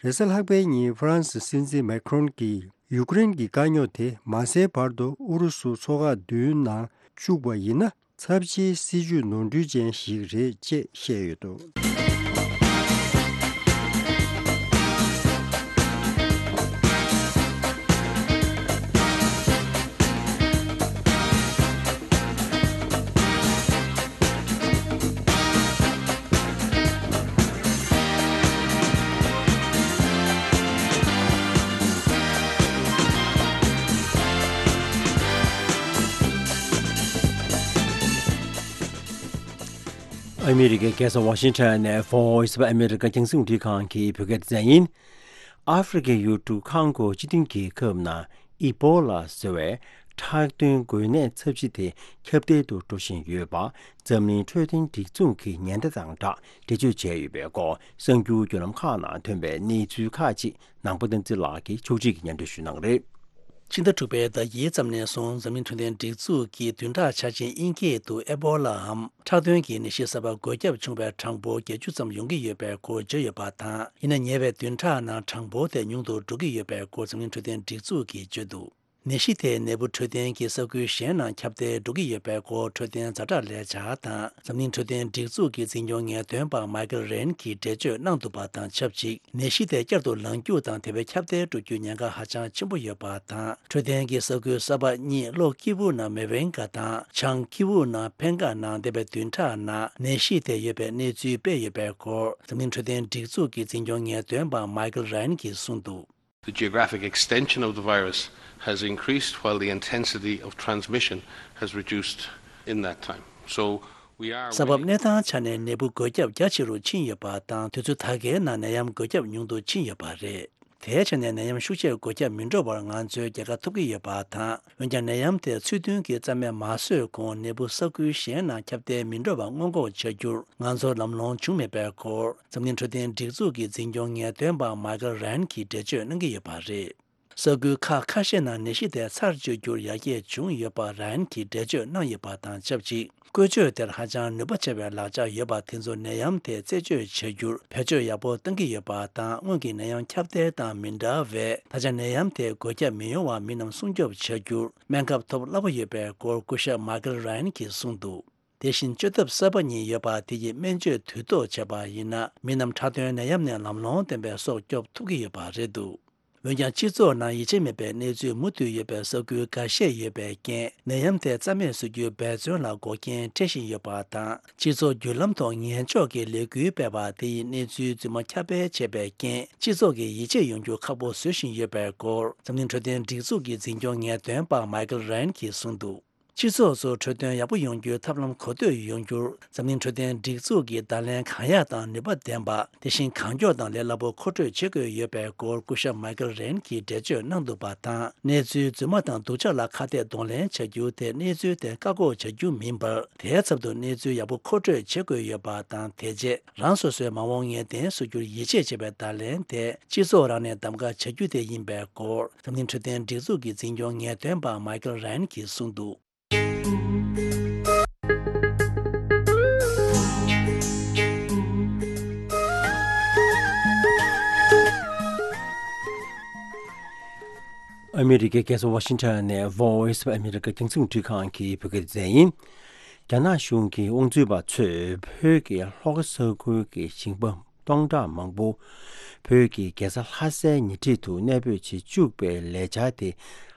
རེས་གཟའ་ལྷག་པའི་ཉིན་ཧྥ་རན་སི་སྲིད་འཛིན་མེ་ཁྲོན་གྱིས་ཡུཀ་རེན་གྱི་དཀའ་རྙོག་དེ་མ་སེལ་བར་དུ་ཨུ་རུ་སུ་མཚོ་ཁག་བདུན་ནང་བཅུག་པ་ཡིན་ན། ཚབས་ཆེའི་སྲིད་ཇུས་ནོར་འཁྲུལ་ཅན་ཞིག་རེད་ཅེས་བཤད་ཡོད་འདུག་ཨ་མི་རི་ཀའི་རྒྱལ་ས་ཝ་ཤིང་ཊོན་ནས་Voice of America རྒྱང་སྲིང་རླུང་འཕྲིན་ཁང་གི་བོད་སྐད་སྡེ་ཚན་ཡིན། ཨ་ཧྥེ་རི་ཁའི་ཡུལ་གྲུ་ཁོང་གོ་སྤྱི་མཐུན་རྒྱལ་ཁབ་ནང་ཨི་པོ་ལ་ཟེར་བའི་ཁྲག་འདོན་འགོས་ནད་ཚབས་ཆེ་དེ་ཁྱབ་གདལ་དུ་འགྲོ་བཞིན་ཡོད་པ། འཛམ་གླིང་འཕྲོད་བསྟེན་སྒྲིག་འཛུགས་ཀྱི་ཉེན་བརྡ་དང་སྦྲགས་འགྲེལ་བརྗོད་བྱས་ཡོད་པའི་སྐོར། གསར་འགྱུར་བརྒྱུད་ལམ་ཁག་ནང་ཐོན་པའི་གནས་ཚུལ་ཁག་ཅིག་ནང་པ་བསྟན་འཛིན་ལགས་ཀྱིས་ཕྱོགས་སྒྲིག་གིས་སྙན་སྒྲོན་ཞུ་གནང་གི་རེད། ཕྱི་ཟླ་དྲུག་པའི་ཟླ་དཀྱིལ་ཙམ་ནས་བཟུང་འཛམ་གླིང་འཕྲོད་བསྟེན་སྒྲིག་འཛུགས་ཀྱིས་བདུན་ཕྲག་འཆར་ཅན་དབྱིན་སྐད་དུ་ཨེ་པོ་ལ་འམ་ཁྲག་འདོན་གྱི་ནད་གཞི་གསར་པ་འགོས་ཁྱབ་བྱུང་བའི་གྲངས་འབོར་བརྒྱད་ཅུ་ཙམ་ཡོང་གི་ཡོད་པའི་སྐོར་བརྗོད་ཡོད་པ་དང་། ཡིན་ན་ཉེ་བའི་བདུན་ཕྲག་ནང་གྲངས་འབོར་དེ་ཉུང་དུ་འགྲོ་གི་ཡོད་པའི་སྐོར་འཛམ་གླིང་འཕྲོད་བསྟེན་སྒྲིག་འཛུགས་ཀྱིས་བརྗོད་འདུག་ནད་གཞི་དེ་ནད་འབུ་འཕྲོད་བསྟེན་གྱི་ས་ཁུལ་གཞན་ནང་ཁྱབ་གདལ་འགྲོ་གི་ཡོད་པའི་སྐོར་འཕྲོད་བསྟེན་ཛ་དྲག་ལས་འཆར་དང་འཛམ་གླིང་འཕྲོད་བསྟེན་སྒྲིག་འཛུགས་ཀྱི་འཛིན་སྐྱོང་ངེས་སྟོན་པ་མའི་ཀལ་རན་གྱིས་འགྲེལ་བརྗོད་གནང་འདུག་པ་དང་ཆབས་ཅིག་ནད་གཞི་དེ་བསྐྱར་དུ་ལངས་རྒྱུ་དང་དེ་བས་ཁྱབ་གདལ་འགྲོ་རྒྱུའི་ཉེན་ཁ་ཧ་ཅང་ཆེན་པོ་ཡོད་པ་དང་། འཕྲོད་བསྟེན་གྱི་ས་ཁུལ་གསར་པ་གཉིས་ལྷོ་ཀི་ཝུ་ནང་མེ་ཝེན་ག་དང་བྱང་ཀི་ཝུ་ནང་ཕེན་ག་ནང་འདས་པའི་བདུན་ཕྲག་ནང་ནད་གཞི་དེ་ཡོད་པའི་གནས་ཚུལ་སྤེལ་ཡོད་པའི་སྐོར་འཛམ་གླིང་འཕྲོད་བསྟེན་སྒྲིག་འཛུགས་ཀྱི་འཛིན་སྐྱོང་ངེས་སྟོན་པ་མའི་ཀལ་རན་གྱིས་གསུངས་འདུག། The geographic extension of the virus has increased while the intensity of transmission has reduced in that time. So we are ས་བབ་waiting གནས་སྟངས་ཆ་ནས་ནད་འབུ་འགོས་ཁྱབ་རྒྱ་ཆེ་རུ་ཕྱིན་ཡོད་པ་དང་དུས་ཚོད་ད་གའི་ནང་ནད་ཡམས་འགོས་ཁྱབ་ཉུང་དུ་ཕྱིན་ཡོད་པ་རེད། དེའི་ཆ་ནས་ནད་ཡམས་ཤུགས་ཆེར་འགོས་ཁྱབ་མི་འགྲོ་བར་ང་ཚོས་རྒྱལ་ཁ་ཐོབ་ཀྱི་ཡོད་པ་དང་། འོན་ཀྱང་ནད་ཡམས་དེ་ཚུལ་མཐུན་གྱིས་རྩ་མེད་མ་བཟོས་གོང་ནད་འབུ་ས་ཁུལ་གཞན་ནང་ཁྱབ་གདལ་མི་འགྲོ་བ་སྔོན་འགོག་བྱ་རྒྱུར་ང་ཚོར་ལམ་ལྷོང་བྱུང་མེད་པའི་སྐོར་འཛམ་གླིང་འཕྲོད་བསྟེན་སྒྲིག་འཛུགས་ཀྱི་འཛིན་སྐྱོང་ངེས་སྟོན་པ་མའི་ཀལ་རན་གྱིས་འགྲེལ་བརྗོད་གནང་གི་ཡོད་པ་རེད། ས་ཁུལ་ཁག་ཁ་ཤས་ནང་ནད་གཞི་དེ་ཚར་གཅོད་རྒྱུར་ཡར་རྒྱས་བྱུང་ཡོད་པ་རན་གྱིས་འགྲེལ་བརྗོད་གནང་ཡོད་པ་དང་ཆབས་ཅིག་བཀོལ་སྤྱོད་དེར་ཧ་ཅང་ནུས་པ་ཆེ་བའི་ལག་ཆ་ཡོད་པ་དེ་ཚོ་ནད་ཡམས་དེ་རྩད་གཅོད་བྱ་རྒྱུར་བེད་སྤྱོད་ཡག་པོ་གཏང་གི་ཡོད་པ་དང་། སྔོན་གྱི་ནད་ཡམས་ཁྱབ་གདལ་དང་མི་འདྲ་བས་ད་ཆ་ནད་ཡམས་དེ་འགོས་ཁྱབ་མི་ཡོང་བར་མི་རྣམས་སྲུང་སྐྱོབ་བྱ་རྒྱུར་སྨན་ཁབ་ཐོབ་སླ་པོ་ཡོད་པའི་སྐོར་སྐུ་ཞབས་མའི་ཀལ་རན་གྱིས་གསུངས་འདུག། དེ་བཞིན་བཅོས་ཐབས་གསར་པ་གཉིས་ཡོད་པ་དེ་ཡིས་སྨན་བཅོས་དུས་ཐོག་བྱས་པ་ཡིན་ན་མི་རྣམས་འཁྲབ་སྟོན་ནད་ཡམས་ནས་ལམ་ལྷོང་ལྡན་པའི་སྲོག་སྐྱོབ་ཐུབ་ཀྱི་ཡོད་པ་རེད་འདུག། འོན་ཀྱང་སྤྱི་ཚོགས་ནང་ཡིད་ཆེས་མེད་པའི་གནས་ཚུལ་མུ་མཐུད་ཡོད་པའི་ས་ཁུལ་འགའ་ཤས་ཡོད་པའི་རྐྱེན་ནད་ཡམས་དེ་རྩ་མེད་བཟོ་རྒྱུའི་འབད་བརྩོན་ལ་འགོག་རྐྱེན་འཕྲད་བཞིན་ཡོད་པ་དང་། སྤྱི་ཚོགས་བརྒྱུད་ལམ་ཐོག་ངན་ཕྱོགས་ཀྱི་ལས་འགུལ་སྤེལ་བ་དེ་ཡིས་གནས་ཚུལ་རྫུན་མ་ཁྱབ་སྤེལ་བྱས་པའི་རྐྱེན་སྤྱི་ཚོགས་ཀྱི་ཡིད་ཆེས་ཡོང་རྒྱུ་ཁག་པོ་བཟོ་བཞིན་ཡོད་པའི་སྐོར་འཛམ་གླིང་འཕྲོད་བསྟེན་སྒྲིག་འཛུགས་ཀྱི་འཛིན་སྐྱོང་ངེས་སྟོན་པ་མའི་ཀལ་རན་གྱིས་གསུངས་འདུག། སྤྱི་ཚོགས་སུ་འཕྲོད་བསྟེན་ཡག་པོ་ཡོང་རྒྱུའི་ཐབས་ལམ་གོ་ཐོས་ཡོང་རྒྱུར་འཛམ་གླིང་འཕྲོད་བསྟེན་སྒྲིག་འཛུགས་ཀྱིས་བརྡ་ལན་གང་ཡག་དང་ནུས་པ་ལྡན་པ། དེ་བཞིན་གང་མགྱོགས་དང་ལས་སླ་པོ་མཁོ་སྤྲོད་བྱེད་དགོས་ཡོད་པའི་སྐོར་སྐུ་ཞབས་མའི་ཀལ་རན་གྱིས་འགྲེལ་བརྗོད་གནང་འདུག་པ་དང་། གནས་ཚུལ་རྫུན་མ་དང་སྡུག་ཅག་ལ་ཁ་གཏད་གདོང་ལེན་བྱ་རྒྱུ་དེ་གནས་ཚུལ་དེ་བཀག་འགོག་བྱ་རྒྱུ་མིན་པར། དེའི་ཚབ་ཏུ་གནས་ཚུལ་ཡག་པོ་མཁོ་སྤྲོད་བྱེད་དགོས་ཡོད་པ་དང་། དེ་རྗེས་རང་སོ་སོའི་མ་འོངས་ངེས་གཏན་བཟོ་རྒྱུར་ཡིད་ཆེས་བྱེད་པའི་བརྡ་ལན་དེ་སྤྱི་ཚོགས་རང་ནས་གདམ་ག་བྱ་རྒྱུ་དེ་ཡིན་པའི་སྐོར་འཛམ་གླིང་འཕྲོད་བསྟེན་སྒྲིག་འཛུགས་ཀྱི་འཛིན་སྐྱོང་ངེས་སྟོན་པ་མའི་ཀལ་རན་གྱིས་གསུངས་འདུག། ཨ་མི་རི་ཀའི་རྒྱལ་ས་ཝ་ཤིང་ཊོན་ནས་Voice of America རྒྱང་སྲིང་འཕྲིན་ཁང་གི་བོད་སྐད་སྡེ་ཚན་ཡིན། རྒྱ་ནག་གཞུང་གི་དབང་འཛུལ་པ་ཚོས་བོད་ཀྱི་ལྷོ་ཁ་ས་ཁུལ་གྱི་ཞིང་པ་སྟོང་ཕྲག་མང་པོ་བོད་ཀྱི་རྒྱལ་ས་ལྷ་སའི་ཉེ་འཁྲིས་དུ་གནས་སྤོས་བྱེད་བཅུག་པའི་ལས་འཆར་དེ་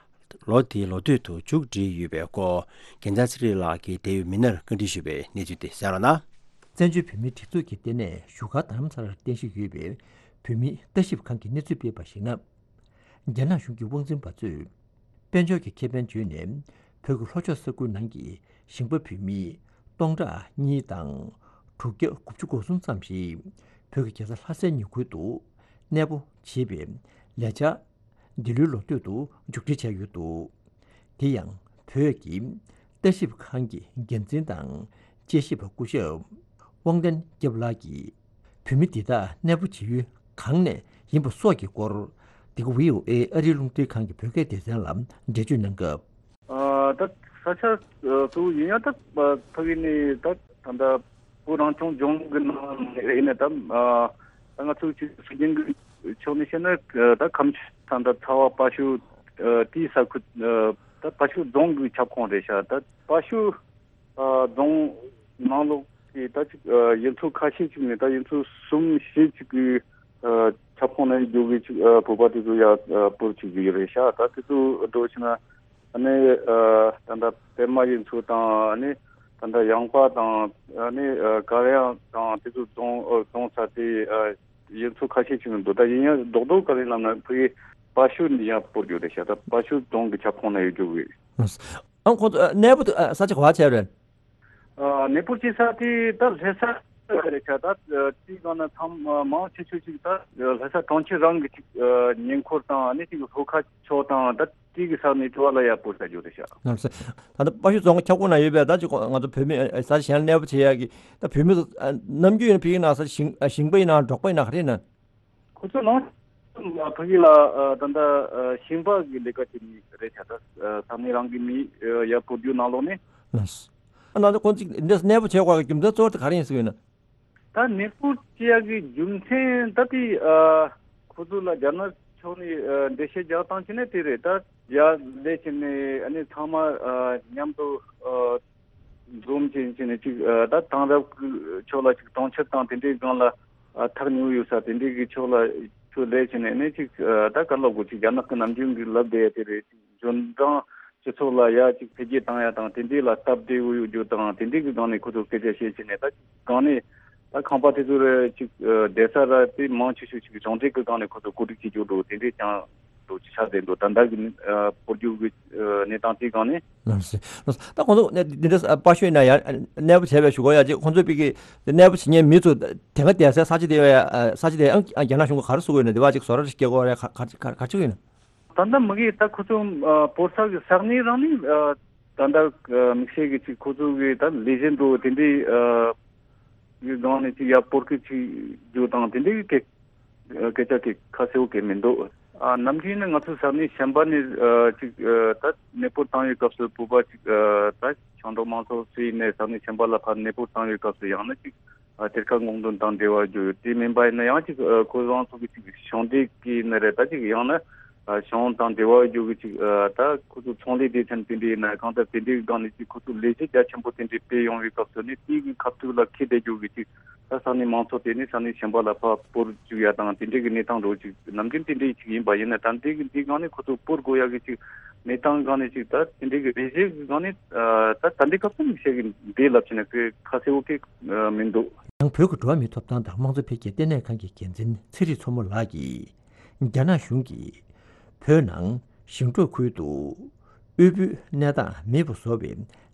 ལོ་འདིའི་ལོ་སྟོད་དུ་མཇུག་སྒྲིལ་ཡོད་པའི་སྐོར་རྒྱལ་མཚན་ཚེ་རིང་ལགས་ཀྱིས་འབྲེལ་ཡོད་མི་སྣར་བཀའ་འདྲི་ཞུས་པའི་གནས་ཚུལ་དེ་གསན་རོགས་གནང་། བཙན་བྱོལ་བོད་མིའི་སྒྲིག་འཛུགས་ཀྱི་ལྟེ་གནས་བཞུགས་སྒར་རྡ་རམ་ས་ལར་རྟེན་གཞི་ཡོད་པའི་བོད་མིའི་ལྟ་ཞིབ་ཁང་གིས་གནས་ཚུལ་སྤེལ་བར་གཞིགས་ན། རྒྱ་ནག་གཞུང་གི་དབང་འཛིན་པ་ཚོས་དཔལ་འབྱོར་གྱི་ཁེ་ཕན་བརྗོད་ནས་བོད་ཀྱི་ལྷོ་ཕྱོགས་ས་ཁུལ་ནང་གི་ཞིང་པ་བོད་མི་སྟོང་ཕྲག་གཉིས་དང་དྲུག་བརྒྱ་དགུ་བཅུ་གོ་གསུམ་ཙམ་ཞིག་བོད་ཀྱི་རྒྱལ་ས་ལྷ་སའི་ཉེ་ཁུལ་དུ་གནས་སྤོ་བྱེད་པའི་ལས་འཆར་འདི་ལོའི་ལོ་སྟོད་དུ་མཇུག་སྒྲིལ་བྱས་ཡོད་འདུག། དེ་ཡང་བོད་ཀྱི་ལྟ་ཞིབ་ཁང་གི་འགན་འཛིན་དང་དཔྱད་ཞིབ་པ་སྐུ་ཞབས་དབང་ལྡན་སྐྱབས་ལགས་ཀྱིས་བོད་མི་འདི་དག་གནས་སྤོ་བྱེད་ཡུལ་གང་ནས་ཡིན་པ་སོགས་ཀྱི་སྐོར་འདི་ག་བྷི་ཨོ་ཨེ་ཨ་རིའི་རླུང་འཕྲིན་ཁང་གི་བོད་སྐད་སྡེ་ཚན་ལ་འགྲེལ་བརྗོད་གནང་སྐབས། ཨ་ད་ས་ཆ་གཙོ་བོ་ཡིན་ཡང་ད་ཕ་གི་ནས་ད་ད་ལྟ་བོད་རང་སྐྱོང་ལྗོངས་ཀྱི་ནང་ནས་ཡིན་ནའི་ད་ཨ་ད་ང་ཚོ་ཅིག་སྲིད་འཛིན་གྱི་ཕྱོགས་ནས་བཤད་ན་ད་ཁམས་ད་ད་ཚ་བ་བར་ཤུལ་དེའི་ས་ཁུལ་ད་བར་ཤུལ་རྫོང་གི་ཁྱབ་ཁོངས་རེད་ཤག། ད་བར་ཤུལ་རྫོང་ནང་ལོགས་ཀྱི་ད་ཅིག་ཡུལ་ཚོ་ཁ་ཤས་ཅིག་ནས་ད་ཡུལ་ཚོ་གསུམ་བཞི་ཅིག་གི་ཁྱབ་ཁོངས་ནས་རྒྱུ་གི་ཅིག་བོད་པ་དེ་ཚོ་ཡར་སྤོར་བྱེད་ཀྱི་ཡོད་རེད་ཤག། ད་དེ་ཚོ་འགྲོ་ཕྱིན་ན་ཨ་ནི་ད་ལྟ་པད་མ་ཡུལ་ཚོ་དང་ཨ་ནི་ད་ལྟ་ཡངས་པ་དང་ཨ་ནི་དཀར་ཡང་དང་དེ་ཚོ་རྫོང་རྫོང་ས་དེ་ཡུལ་ཚོ་ཁ་ཤས་ཅིག་ནས་འདུག། ད་ཡིན་ཡང་རྡོག་རྡོག་ག་རེ་ལབ་ན་ཕ་གི་བར་ཤུལ་ནས་ཡར་སྤོར་རྒྱུ་རེད་ཤག། ད་བར་ཤུལ་རྫོང་གི་ཁྱབ་ཁོངས་ནས་ཡོད་རྒྱུ་གི། ཨང་ཁོང་ཚོ་གནས་སྤོ་ས་ཆ་ག་བ་བྱས་རེད། ཨ་གནས་སྤོ་བྱེད་ས་དེ་ད་ལྷ་ས་རེད་ཤག། ད་དེའི་ནང་ན་ཚང་མ་མང་ཆེ་ཤོས་ཅིག་ད་ལྷ་ས་གྲོང་ཁྱེར་རང་གི་ཅིག་ཉེ་འཁོར་དང་ཨ་ནི་ཅིག་ལྷོ་ཁ་ཕྱོགས་དང་ད་དེ་གི་ས་ནས་དྲོ་བ་ལ་ཡར་སྤོ་བྱ་རྒྱུ་རེད་ཤག། ལགས་སོ། ད་ལྟ་བར་ཤུལ་རྫོང་ཁྱབ་ཁོངས་ན་ཡོད་པའི་ད་ཅིག་ང་ཚོ་བོད་མི་ས་ཆ་གཞན་ལ་གནས་སྤོ་བྱེད་ཡག་གི་ད་བོད་མི་ནམ་རྒྱུན་ཡིན་ན་ཕ་གི་ནང་ས་ཞིང་ཞིང་པ་ཡིན་ན་འབྲོག་པ་ཡིན་ན་ག་རེ་ཡིན་ན། ཁོ་ཚོ་ནང་ཕ་གི་ལ་ད་ལྟ་ཞིང་པ་གི་ལས་ཀ་བྱེད་མི་རེད་ཤག། ད་ས་གནས་རང་གི་མི་ཡར་སྤོ་རྒྱུ་ནང་ལོགས་ནས། ལགས་སོ། ཨ་ནང་ཁོང་ཚོ་འདིར་གནས་སྤོ་བྱེད་དགོས་ཀྱི་རྒྱུ་མཚན་གཙོ་བོ་དེ་ག་རེ་ཡིན་ཟེར་བ་ཡིན་ན། ད་གནས་སྤོ་བྱེད་ཡག་གི་རྒྱུ་མཚན་ད་དེ་ཁོ་ཚོ་ལ་རྒྱ་ནག་ ཐོག་ནས་ཨ་འགྲེལ་བཤད་རྒྱག་སྟངས་བྱས་ན་དེ་རེད། ད་ཡར་སླེབས་བྱས་ནས་ཨ་ནི་ཚང་མ་ཨ་མཉམ་དུ་ཨ་འཛོམས་བྱས་བྱས་ནས་ཅིག་ཨ་ད་དེང་རབས་ཀྱི་ཕྱོགས་ལ་ཅིག་གྲོང་ཁྱེར་དང་དེ་འདྲའི་སྒང་ལ་ཨ་ཐག་ཉེ་བོ་ཡོད་ས་དེ་འདྲའི་གི་ཕྱོགས་ལ་ཚུར་སླེབས་བྱས་ནས་ཨ་ནི་ཅིག་ཨ་ད་ག་ལབ་དགོས། ཅིག་རྒྱ་ནག་གི་ནམ་རྒྱུན་གྱི་ལབ་བསྡད་ཡ་དེ་རེད། ཅིག་འབྱོར་འབྲིང་སྤྱི་ཚོགས་ལ་ཡ་ཅིག་འཕེལ་རྒྱས་བཏང་ཡ་དང་དེ་འདྲའི་ལ་སྟབས་བདེ་བོ་ཡོད་རྒྱུ་དང་དེ་འདྲའི་གི་སྒང་ནས་ཁོ་ཚོ་སྐད་ཆ་བཤད་བྱས་ནས། ད་སྒང་ནས་ད་ཁང་པ་དེ་ཚོ་རེ་ཅིག་ཨ་བསྡད་ས་ར་དེ་མང་ཆེ་ཤོས་ཅིག་གཞུང་འབྲེལ་གྱི་སྒང་ནས་ཁོ་ཚོ་བཀོད་སྒྲིག་བྱེད་རྒྱུ་འགྲོ་དེ་འདྲའི་ཀྱང་འགྲོ་ཅིག་ཆགས་བསྡད་འདུག་ད་ལྟ་གི་ཨ་སྤོ་རྒྱུ་གི་ཨ་གནས་སྟངས་དེའི་སྒང་ནས། ལགས་སོ། ལགས་སོ། ད་ཁོང་ཚོ་ནས་འདི་འདྲ་ཨ་པར་ཤོད་ན་ཡང་གནས་སྤོ་བྱས་པའི་ཞུ་གོ་ཡ་ཅིག་ཁོང་ཚོ་པི་ཀི་གནས་སྤོ་བྱེད་མཁན་མི་ཚོ་དེ་ག་བསྡད་སའི་ས་ཆ་དེ་བས་ས་ཆ་དེ་ཡང་རྒྱ་ནག་གཞུང་གིས་ག་རེ་བཟོ་གི་ཡོད་ན། དེ་བ་ཅིག་བཟོ་གྲྭ་རེ་སྐྱེལ་དགོས་རེད། ག་ག་ག་ག་ཅིག་ཡོད་ན། ད་ལྟ་མ་གི་ད་ཁོ་ཚོ་ཨ་སྤོར་ས་གི་ས་གནས་རང་ནི་ཨ་ད་ལྟ་ཨ་དམིགས་བསལ་གི་ཅིག་ཁོ་ཚོ་གི་ད་ལས་བྱེད་འགྲོ་དེ་འདྲའི་ཨ་གི་སྒང་ནས་ཅིག་ཡར་སྤོར་གི་ཅིག་རྒྱུ་དང་དེ་འདྲའི་གི་སྐད་སྐད་ཆ་གི་ཁ་གསལ་བོ་གི་མི་འདུག་ཨ་ནམ་རྒྱུན་ནི་ང་ཚོ་ས་གནས་གཞན་པ་ནས་ཨ་ཅིག་ཨ་ད་གནས་སྤོར་བཏང་བའི་སྐབས་སུ་བོད་པ་ཅིག་ཨ་ད་ཞིང་འབྲོག་མང་ཚོགས་སུ་ཡིན་ནའི་ས་གནས་གཞན་པ་ལ་ཕར་གནས་སྤོར་བཏང་བའི་སྐབས་སུ་ཡང་ན་ཅིག་ཨ་གཏེར་ཁ་སྔོག་འདོན་དང་འབྲེལ་བ་ཡོད་དེ་མིན་པ་ཡིན་ན་ཡང་ཅིག་ཨ་ཁོ་རང་ཚོ་གི་ཅིག་ཞིང་སྡེ་གི་ནི་རེད། ད་ཅིག་ཡང་ན་ཨ་ཞིང་དང་འབྲེལ་བ་ཡོད་གི་ཅིག་ཨ་ད་ཁོ་ཚོ་ཚོང་ལས་སྡེ་ཚན་དེ་འདྲའི་ཡིན་ན་གང་ལྟར་དེ་འདྲའི་སྒང་ནས་ཅིག་ཁོ་ཚོ་ལས་གཞི་རྒྱ་ཆེན་པོ་དེ་འདྲའི་སྤེལ་ཡོང་བའི་སྐབས་སུ་ནི་དེའི་གི་ཁ་ཐུག་ལ་ཁེ་བསྡད་རྒྱུ་གི་ཅིག་ད་ས་གནས་མང་ཚོགས་དེ་ནི་ས་གནས་གཞན་པ་ལ་ཕར་སྤོར་བཅུག་ཡ་དང་དེ་འདྲའི་གི་གནས་སྟངས་འགྲོ་ཅིག་ནམ་རྒྱུན་དེ་འདྲའི་ཅིག་ཡིན་པ་ཡིན་ན། ད་འདི་གི་འདི་སྒང་ནས་ཁོ་ཚོ་སྤོར་དགོས་ཡ་གི་ཅིག་གནས་སྟངས་སྒང་ནས་ཅིག་ད་དེ་འདྲའི་གི་ལས་གཞི་གི་སྒང་ནས་ཨ་ད་ད་འདི་སྐབས་སུ་མི་ཤེས་གི་འདི་ལབ་བྱས་ན་ཁོས་ཁ་གསལ་བོ་གི་ཨ་མི་འདུག་ཡང་བོད་ཀྱི་འགྲོ་བ་མིའི་ཐོབ་ཐང་དང་དམངས་གཙོ་འཕེལ་རྒྱས་ལྟེ་གནས་ཁང་གི་འགན་འཛིན་ཚེ་རིང་མཚོ་མོ་ལགས་ཀྱིས། རྒྱ་ནག་གཞུང་གིས་བོད་ནང་ཞིང་འབྲོག་ཁུལ་དུ་དབུལ་པོའི་གནས་སྟངས་མེད་པ་བཟོ་བའི་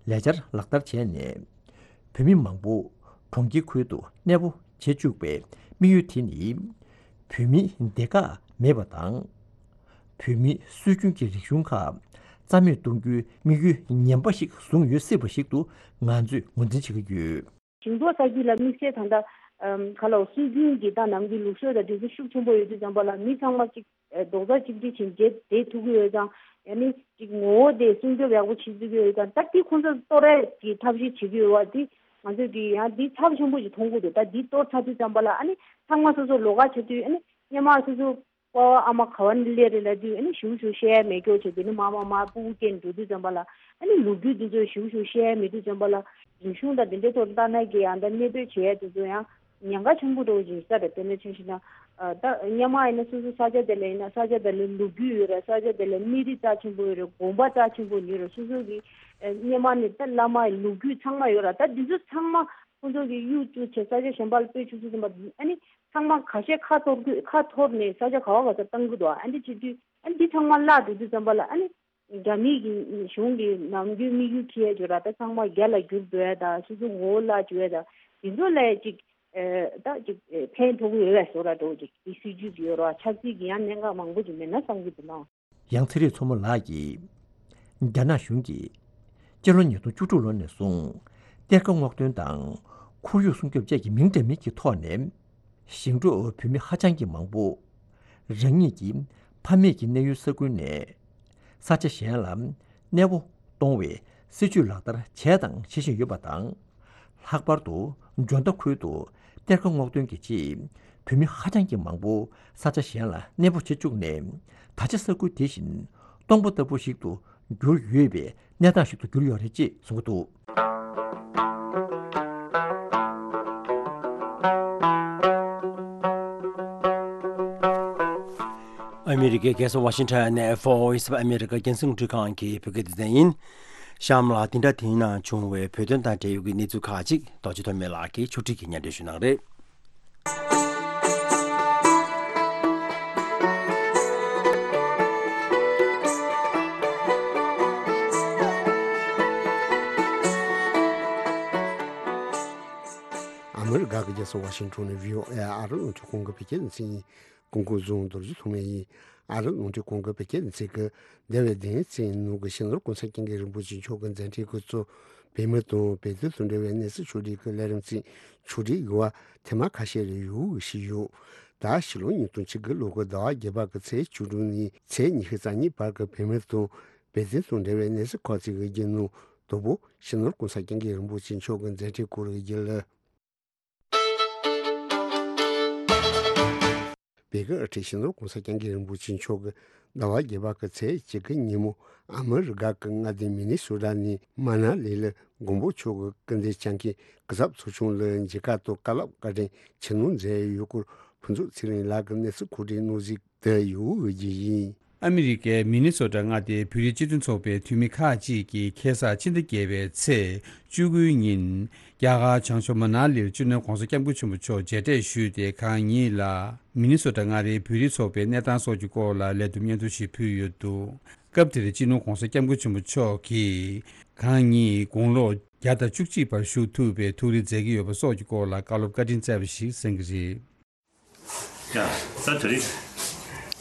ལས་འཆར་ལག་བསྟར་བྱས་ནས། བོད་མི་མང་པོ་གྲོང་ཁྱེར་ཁུལ་དུ་གནས་སྤོ་བྱེད་བཅུག་པའི་དམིགས་ཡུལ་དེ་ནི། བོད་མིའི་སྡེ་ཁག་མེད་པ་དང་། བོད་མིའི་སྲོལ་རྒྱུན་གྱི་རིག་གཞུང་ཁག་རྩ་མེད་གཏོང་རྒྱུའི་དམིགས་ཡུལ་ངན་པ་ཞིག་བཟུང་ཡོད་སྲིད་པ་ཞིག་ཏུ་ང་ཚོས་ངོས་འཛིན་བྱེད་ཀྱི་ཡོད། ཞིང་འབྲོག་ས་ཁུལ་ལ་དམིགས་བསལ་ད་ལྟ་ཨམ་ག་ལ་སྲོལ་རྒྱུན་གྱི་ད་ནང་གི་ལུགས་སྲོལ་དང་འདྲ་མིན་ཤུགས་ཆེན་པོ་ཡོད་དུས་ཙམ་པ་ལ་མི་ཚང་མ་གཅིག་ཨ་རྡོག་རྩ་གཅིག་སྒྲིལ་བྱས་བྱས་བསྡད་ཐུབ་ཀྱི་ཡོད་ཙང་། ཡང་ན་གཅིག་ངོ་བོ་དེ་སྲུང་སྐྱོབ་ཡག་པོ་བྱེད་ཐུབ་ཀྱི་ཡོད་ཙང་། ད་དེ་ཁོང་ཚོ་གཏོར་ཡས་ཀྱི་ཐབས་ཤེས་བྱེད་ཀྱི་ཡོད་པ་དེ་ང་ཚོས་ཀྱི་ཡང་དེ་ཚབས་ཆེན་པོ་ཞིག་མཐོང་གི་འདུག་ད་དེ་གཏོར་ཚར་དུས་ཙམ་པ་ལ་ཨ་ནི་ཚང་མ་སོ་སོ་ལོགས་ཀ་བྱེད་དུས་ཨ་ནི་སྔོན་མ་སོ་སོ་པ་ཕ་ཨ་མ་ག་བ་ནས་སླེབས་རེད་ལབ་དུས་ཨ་ནི་ཞུ་ཞུ་བཤད་ཡ་མེད་སྐྱོ་བྱས། དེ་ནི་མ་མ་མ་སྤུ་གུ་སྐྱེས་འགྲོ་དུས་ཙམ་པ་ལ་ཨ་ནི་ལོ་རྒྱུས་འདི་ཚོ་ཞུ་ཞུ་བཤད་ཡ་མེད་དུས་ཙམ་པ་ལ་རིག་གཞུང་དང་དེ་འདྲའི་ཐོག་ལྟ་ན་གི་ཡང་ད་གནས་སྤོས་བྱེད་ཡ་དེ་ཚོ་ཡང་ཉེན་ཁ་ཆེན་པོ་འགྲོ་བཞིན་ས་རེད། དེ་ནས་ཆ་བཞག་ན་ཨ་ད་སྔོན་མ་ཡིན་ན་སོ་སོ་ས་ཆ་དེ་ལ་ཡིན་ན་ས་ཆ་དེ་ལ་ལོ་རྒྱུས་ཡོད་རེད། ས་ཆ་དེ་ལ་མི་རིགས་རྩ་ཆེན་པོ་ཡོད་རེད། དགོན་པ་རྩ་ཆེན་པོ་ཡོད་རེད། སོ་སོ་གི་ཨ་སྔོན་མ་ནས་ད་བླ་མ་ཡི་ལོ་རྒྱུས་ཚང་མ་ཡོད་རེད། ད་འདི་ཚོ་ཚང་མ་ཁོང་ཚོ་གི་གཡུག་བཅུག་བྱས་ས་ཆ་གཞན་པ་ལ་སྤོས་བཅུག་ཚུལ་ཙམ་པ་ཨ་ནི། ཚང་མ་ཁ་ཤས་ཁ་འཐོར་དུས་ཁ་འཐོར་ནས་ས་ཆ་ག་བ་ག་ས་བཏང་གི་འདུག་ཨ་འདི་བྱེད་དུས་ཨ་འདི་ཚང་མ་བརླག་འགྲོ་དུས་ཙམ་པ་ལ་ཨ་ནི་རྒྱ་མི་གི་གཞུང་གི་ནམ་རྒྱུན་དམིགས་ཡུལ་ཁྱེར་ཡ་ཅིག་ཡོད་ར། ད་ཚང་མ་རྒྱ་ལ་བསྒྱུར་འགྲོ་ཡ་དང་སོ་སོ་ངོ་བོ་བརླག་འགྲོ་ཡ་དང་དེ་ཚོ་ལ་ཅིག་ཨེ་ད་ཅིག་ཨེ་ཕན་ཐོགས་ཀྱི་ཡོད་པའི་བཟོ་འདྲ་འདྲ་བོ་ཅིག་དེ་སྲིད་ཇུས་ཅིག་ཡོད་ར། ཆབ་སྲིད་ཀྱི་ཡང་གནད་འགག་མང་པོ་ཅིག་མེད་ན་བསམ་གྱི་འདུག་ལགས། ཡང་ཚེ་རིང་མཚོ་མོ་ལགས་ཀྱིས། རྒྱ་ནག་གཞུང་གིས་སྤྱི་ལོ་ཉིས་སྟོང་བཅུ་དྲུག་ལོ་ནས་བཟུང་གཏེར་ཁ་སྔོག་འདོན་དང་ཁོར་ཡུག་སྲུང་སྐྱོབ་བཅས་ཀྱི་མིང་འདྲ་མིན་གྱི་ཐོག་ནས་ཞིང་འབྲོག་བོད་མི་ཧ་ཅང་གི་མང་པོ་རང་ཉིད་ཀྱི་ཕ་མེས་ཀྱི་གནས་ཡུལ་ས་ཁུལ་ནས་ས་ཆ་གཞན་ལ་གནས་སྤོ་གཏོང་བའི་སྲིད་ཇུས་ལག་བསྟར་བྱས་དང་བྱེད་བཞིན་ཡོད་པ་དང་། ལྷག་པར་དུ་ཇོ་མདའ་ཁུལ་དུ་གཏེར་ཁ་སྔོག་འདོན་གྱི་ཆེད་བོད་མི་ཧ་ཅང་གི་མང་པོ་ས་ཆ་གཞན་ལ་གནས་སྤོ་བྱེད་བཅུག་ནས་ད་ཆ་ས་ཁུལ་དེ་བཞིན་སྟོང་པ་ལྟ་བུ་ཞིག་ཏུ་གྱུར་ཡོད་པའི་གནས་སྟངས་ཤིག་ཏུ་གྱུར་ཡོད་རེད་ཅེས་གསུངས་ཀྱི་འདུག་ཨ་མི་རི་ཀའི་རྒྱལ་ས་ཝ་ཤིང་ཊོན་ནས་Voice of America་རྒྱང་སྲིང་རླུང་འཕྲིན་ཁང་གི་བོད་སྐད་སྡེ་ཚན་ཡིན། གཤམ་ལ་འདི་འདྲ་དེའི་ནང་བྱུང་བའི་བོད་དོན་དང་འབྲེལ་ཡོད་ཀྱི་གནས་ཚུལ་ཁག་ཅིག་རྡོ་རྗེ་ཐོགས་མེད་ལགས་ཀྱིས་ཕྱོགས་སྒྲིག་གིས་སྙན་སྒྲོན་ཞུ་གནང་རེད། ཨ་མི་རི་ཀ་གི་རྒྱལ་ས་ཝ་ཤིང་ཊོན་ནས་བྷི་ཨོ་ཨེ་ཨ་རི་རླུང་འཕྲིན་ཁང་གི་བོད་སྐད་སྡེ་ཚན་ཡིན། སྐུ་ངོ་རྫོང་རྡོ་རྗེ་ཐོགས་མེད་ཡིན། ཨ་རི་རླུང་འཕྲིན་ཁང་གི་བོད་སྐད་སྡེ་ཚན་གྱིས་འདས་པའི་བདུན་ཕྲག་ནང་གི་སྤྱི་ནོར་གོང་ས་སྐྱབས་མགོན་རིན་པོ་ཆེ་མཆོག་གི་མཛད་འཕྲིན་སྐབས་སུ་བོད་མི་དང་བོད་དོན་དང་འབྲེལ་བའི་གནས་ཚུལ་ཕྱོགས་སྒྲིག་གི་ལས་རིམ་ཅིག་ཕྱོགས་སྒྲིག་ཡོད་པ་ཐེངས་མ་ཁ་ཤས་རེ་ཡོད་ཞུས་ཡོད། ད་ཕྱི་ལོ་ཉིས་སྟོང་བཅུ་དགུ་ལོ་གི་ཟླ་བ་བརྒྱད་པ་གི་ཚེས་བཅུ་དྲུག་ནས་ཚེས་ཉི་ཤུ་རྩ་གཉིས་བར་གྱི་བོད་མི་དང་བོད་དོན་དང་འབྲེལ་བའི་གནས་ཚུལ་ཁག་ཅིག་གི་རྒྱུན་ནང་དང་པོ་སྤྱི་ནོར་གོང་ས་སྐྱབས་མགོན་རིན་པོ་ཆེ་མཆོག་གི་མཛད་འཕྲིན་སྐོར་གྱི་རྒྱུན་ལས། བོད་ཀྱི་དབུ་ཁྲིད་སྤྱི་ནོར་༸གོང་ས་༸སྐྱབས་མགོན་རིན་པོ་ཆེ་མཆོག་གིས་ཟླ་བ་བརྒྱད་པ་གི་ཚེས་གཅིག་གི་ཉིན་མོ་ཨ་མི་རི་ཀ་གི་མངའ་སྡེ་མི་ནི་སོ་ཊ་ནས་མ་ན་ལི་ལ་མགོན་པོ་མཆོག་གི་སྐུ་ཚེ་སྐྱབས་མགོན་གུས་ཚབ་ཚོགས་ཆུང་ལ་མཇལ་ཁ་དང་བཀའ་སློབ་བཀའ་དྲིན་ཆེ་མནོ་མཛད་ཡོད་སྐོར་ཕུན་ཚོགས་ཚེ་རིང་ལགས་ཀྱིས་གནས་ཚུལ་མཁོ་སྒྲིག་གནང་གཟིགས་དེ་ཡོད་རྒྱུ་ཡིན། ཨ་མི་རི་ཀའི་མི་ནི་སོ་ཊ་མངའ་སྡེའི་བོད་རིགས་སྤྱི་མཐུན་ཚོགས་པའི་འཐུས་མི་ཁག་ཅིག་གིས་ཁ་སང་ཕྱི་ཟླ་བརྒྱད་པའི་ཚེས་བཅུ་དགུའི་ཉིན་རྒྱ་གར་བྱང་ཕྱོགས་མ་ན་ལིར་སྤྱི་ནོར་༸གོང་ས་༸སྐྱབས་མགོན་ཆེན་པོ་མཆོག་མཇལ་འཕྲད་ཞུས་ཏེ། གང་ཉིད་ལ་མི་ནི་སོ་ཊ་མངའ་སྡེའི་བོད་རིགས་ཚོགས་པའི་གནས་སྟངས་སོགས་ཀྱི་སྐོར་ལ་ལས་བསྡོམས་སྙན་ཐོ་ཞིག་ཕུལ་ཡོད་འདུག་སྐབས་དེར་སྤྱི་ནོར་༸གོང་ས་༸སྐྱབས་མགོན་ཆེན་པོ་མཆོག་གིས་གང་ཉིད་དགུང་ལོ་བརྒྱ་དང་བཅུ་གཅིག་པར་བཞུགས་ཐུབ་པའི་ཐུགས་རེ་མཛད་ཀྱི་ཡོད་པ་སོགས་ཀྱི་སྐོར་ལ་བཀའ་སློབ་བཀའ་དྲིན་སྩལ་བ་ཞིག་གསན་གྱི་རེད། ཡ། ད་དེ་རིང་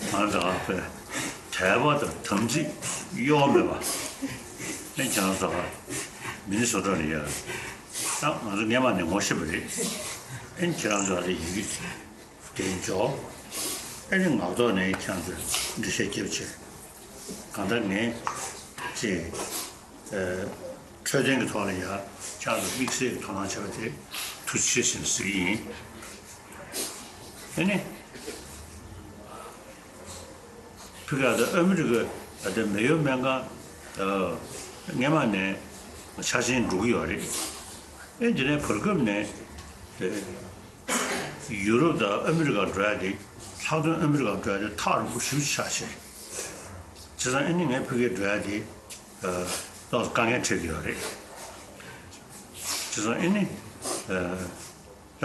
ང་རང་ཚོ་དད་པ་དང་དམ་ཚིག་གཡོ་མེད་པ། ཨེ་ཁྱེད་རང་ཚོ་མི་ནི་སོ་ཊ་ལ་ཡ། ད་ང་ཚོ་སྔས་མ་ནས་ངོ་ཤེས་པ་རེད། ཨེ་ཁྱེད་རང་ཚོ་ལ་ཡི་གེ་དེ་འཇོག་ཨེ་ནི་ངག་ཐོག་ནས་ཁྱེད་རང་ཚོས་འགྲེལ་བཤད་རྒྱབ་བྱས། གང་ལྟར་ངས་ཅིག་ཨ། འཕྲོད་བསྟེན་གྱི་ཐོག་ལ་ཡ་ཁྱེད་རང་ཚོ་དམིགས་བསལ་གྱི་དོ་སྣང་བྱས་པ་དེ་ཐུགས་རྗེ་ཆེ་ཞེས་ཟེར་གྱི་ཡིན། ཨ་ནི། ཕི་ག་ད་ཨ་མི་རི་ཀ་ད་མེ་ཡོ་སྨན་ཁང་ཨ། སྔས་མ་ནས་འཆར་ཅན་འགྲོ་གི་ཡོད་རེད། ཨེ་འདི་ནས་བར་སྐབས་ནས་ཨེ། ཡུ་རོབ་དང་ཨ་མི་རི་ཀར་འགྲོ་ཡ་དེ་ལྷག་དོན་ཨ་མི་རི་ཀར་འགྲོ་ཡ་དེ་ཐག་རིང་པོ་ཞེ་པོ་ཆགས་ཤག་བྱས་ཙང་ཨ་ནི་ངས་ཕ་གིར་འགྲོ་ཡ་དེ་ཨ། ཏོག་ཙམ་དཀའ་ངལ་འཕྲད་ཀྱི་ཡོད་རེད། བྱས་ཙང་ཨ་ནི་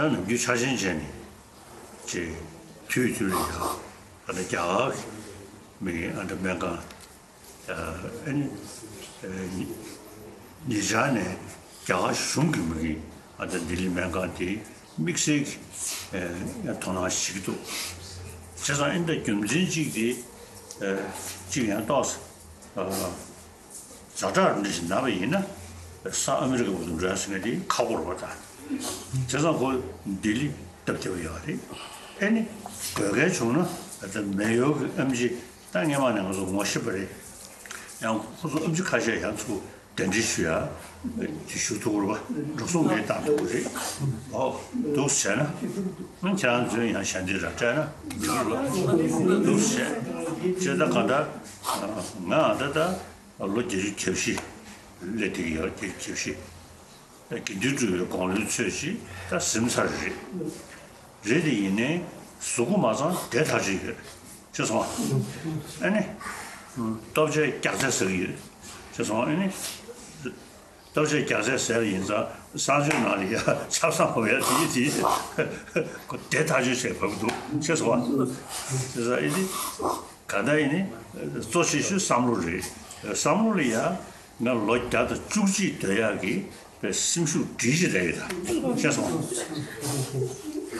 ཨ། ད་ནམ་རྒྱུན་འཆར་ཅན་བྱས་ནས་ཅེས་དུས་དུས་ལ་ཡ་ཨ་ད་རྒྱ་གར་གྱི་མི་ཨ་ད་སྨན་ཁང་ཨ་ནི་ཨ་ཉེ་ཆར་ནས་རྒྱ་གར་གཞུང་གི་མི་གིས་ཨ་ད་ལྡི་ལི་སྨན་ཁང་དེ་དམིགས་བསལ་གྱི་ཨ་དོ་སྣང་བྱེད་ཀྱི་འདུག་བྱས་ཙང་ཨ་ནི་ད་རྒྱུ་མཚན་གཅིག་དེ་ཨ་གཅིག་ཡང་ཏོག་ཙམ་ཨ། ཛ་དྲག་འདྲ་ཞིག་ན་བ་ཡིན་ན། ས་ཨ་མི་རི་ཀ་བར་དུ་འགྲོ་ཡ་ཟེར་མཁན་དེ་ཁག་པོ་རེད་པ་ད། བྱས་ཙང་ཁོ་ལྡི་ལི་སྟབས་བདེ་པོ་ཡོད་རེད། ཨེ་ནི་དགོས་གལ་བྱུང་ན་ད་མེ་ཡོ་གི་ཨེམ་ཆི་ད་སྔས་མ་ནས་ང་ཚོ་ངོ་ཤེས་པ་རེད། ཡང་ཁོ་ཚོ་ཨེམ་ཆི་ཁ་ཤས་ཡང་ཚུར་གདན་འདྲེན་ཞུ་ཡ་དེ་ཞུ་ཐུབ་ཀྱི་རེད་པ། འགྲོ་སོང་ངས་བཏང་ཐུབ་ཀྱི་རེད། ཨོ་འདུག་བྱས་ན་ཨ་ཁྱེད་རང་ཚོས་ཡང་ཞལ་འདེབས་ར་སྤྲད་ན་འགྲིག་གི་རེད་པ། འདུག་བྱས་བྱས་ད་གང་ལྟར་ང་ད་ལྟ། ལོ་བརྒྱད་ཅུ་གྱ་བཞི་སླེབས་བསྡད་ཀྱི་ཡོད། བརྒྱད་ཅུ་གྱ་བཞི། དགེ་འདུན་གྲུབ་པའི་དགུང་ལོའི་ཚོད་ཅིག་ད་ཟིན་ཚར་རེད། རེད་དེ་ཡིན་ནའི་གཟུགས་པོ་མ་ཚང་བདེ་ཐག་ཆོད་ཡོད། ཤེས་སོང་ཨ། ཨ་ནི། ལྟོ་ཆས་རྒྱགས་ཚད་ཟ་གི་ཡོད། ཤེས་སོང་ཨ་ནི། ལྟོ་ཆས་རྒྱགས་ཚད་ཟས་ཡིན་ཙང་གསང་སྤྱོད་ནང་ལ་ཡ་ཆབ་གསང་འོ་ཡ་དེ་དེ་ཁོ་བདེ་ཐག་ཆོད་བྱས་བབས་འདུག་ཤེས་སོང་ཨ། ཤེས་སོང་ཨ་ནི། ག་ད་ཡིན་ནི། གཙོ་ཆེ་ཤོས་བསམ་བློ་རེད། བསམ་བློ་ལ་ཡ། ང་ལོ་བརྒྱ་དང་བཅུ་གཅིག་སྡོད་ཡག་གི་པའི་སེམས་ཤུགས་སྒྲིལ་ཞིག་རེད་ད། ཤེས་སོང་།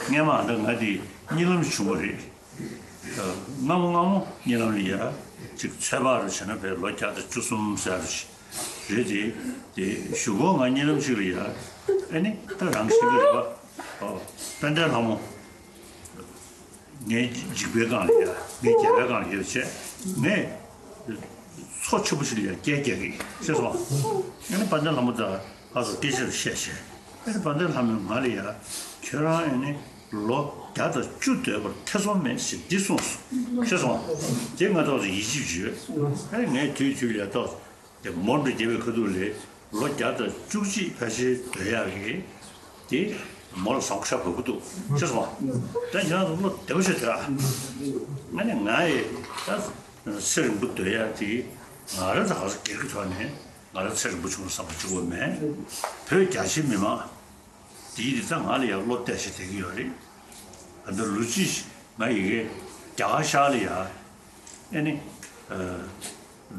སྔས་མ་ད་ང་དེ་གཉིད་ལམ་བྱུང་བ་རེད། སྔ་མོ་སྔ་མོ་གཉིད་ལམ་ལ་ཡ། ཅིག་ཚོད་དཔག་རུ་བྱས་ན་པའི་ལོ་བརྒྱ་དང་བཅུ་གསུམ་ཟེར་རེད་དེ། དེ་གཞུག་གུ་ང་གཉིད་ལམ་ཅིག་ལ་ཡ། ཨེ་ནི་ད་རང་ཤི་གི་རེད་པ། དཔལ་ལྡན་ལྷ་མོ། ངའི་འཇིགས་པའི་སྒང་ལ་ཡ། ངའི་རྒྱལ་བའི་སྒང་ལ་ཡ་བྱས། ངས་མཚོ་ཆེན་པོ་ཞིག་ལ་ཡ་སྐད་རྒྱག་གི་ཤེས་སོང་། ཨ་ནི་དཔལ་ལྡན་ལྷ་མོ་དང་ཨ་ཚོ་སྐད་ཆ་རེ་བཤད་བྱས། ཨ་ནི་དཔལ་ལྡན་ལྷ་མོས་ང་ལ་ཡ། ཁྱོད་རང་ཨ་ནི་ལོ་བརྒྱ་དང་བཅུ་སྡོད་པར་ཐེ་ཚོམ་མེད་ཞེས་འདི་གསུངས་སོ། ཤེས་སོང་། དེ་ང་ཏོག་ཙམ་ཡིད་ཆེས་བྱོས། ཨ་ནི་ངས་དུས་དུས་ལ་ཡ་ཏོག་ཙམ། དེ་མོ་འདྲ་རྒྱལ་བའི་ཁ་ཐུག་ལས་ལོ་བརྒྱ་དང་བཅུ་གཅིག་ཕལ་ཆེར་སྡོད་ཡག་གི་དེ་མོ་ལ་བཟང་པོ་ཤ་བབས་ཀྱི་འདུག་ཤེས་སོང་། ད་ཁྱེད་རང་ཚོ་བློ་བདེ་པོ་བྱེད་དྲ། ང་ནི་ང་ཡི་ད་ཚེ་རིང་པོ་སྡོད་ཡག་དེ་ང་རང་ཚོ་ག་ཚོད་སྒེར་གྱི་ཐོག་ནས་ང་རང་ཚེ་རིང་པོ་བྱུང་བསམ་པ་བྱུང་བ་མེད། བོད་རྒྱ་ཆེ་མི་མང་དེའི་རིགས་ད་ང་ལ་ཡང་བློ་གཏད་བྱེད་བསྡད་ཀྱི་ཡོད་རེད། ད་ལྟ་ལོ་གཅིག་ང་ཡི་གེ་རྒྱ་གར་ཤར་ལ་ཡ། ཨེ་ནི། ཨ།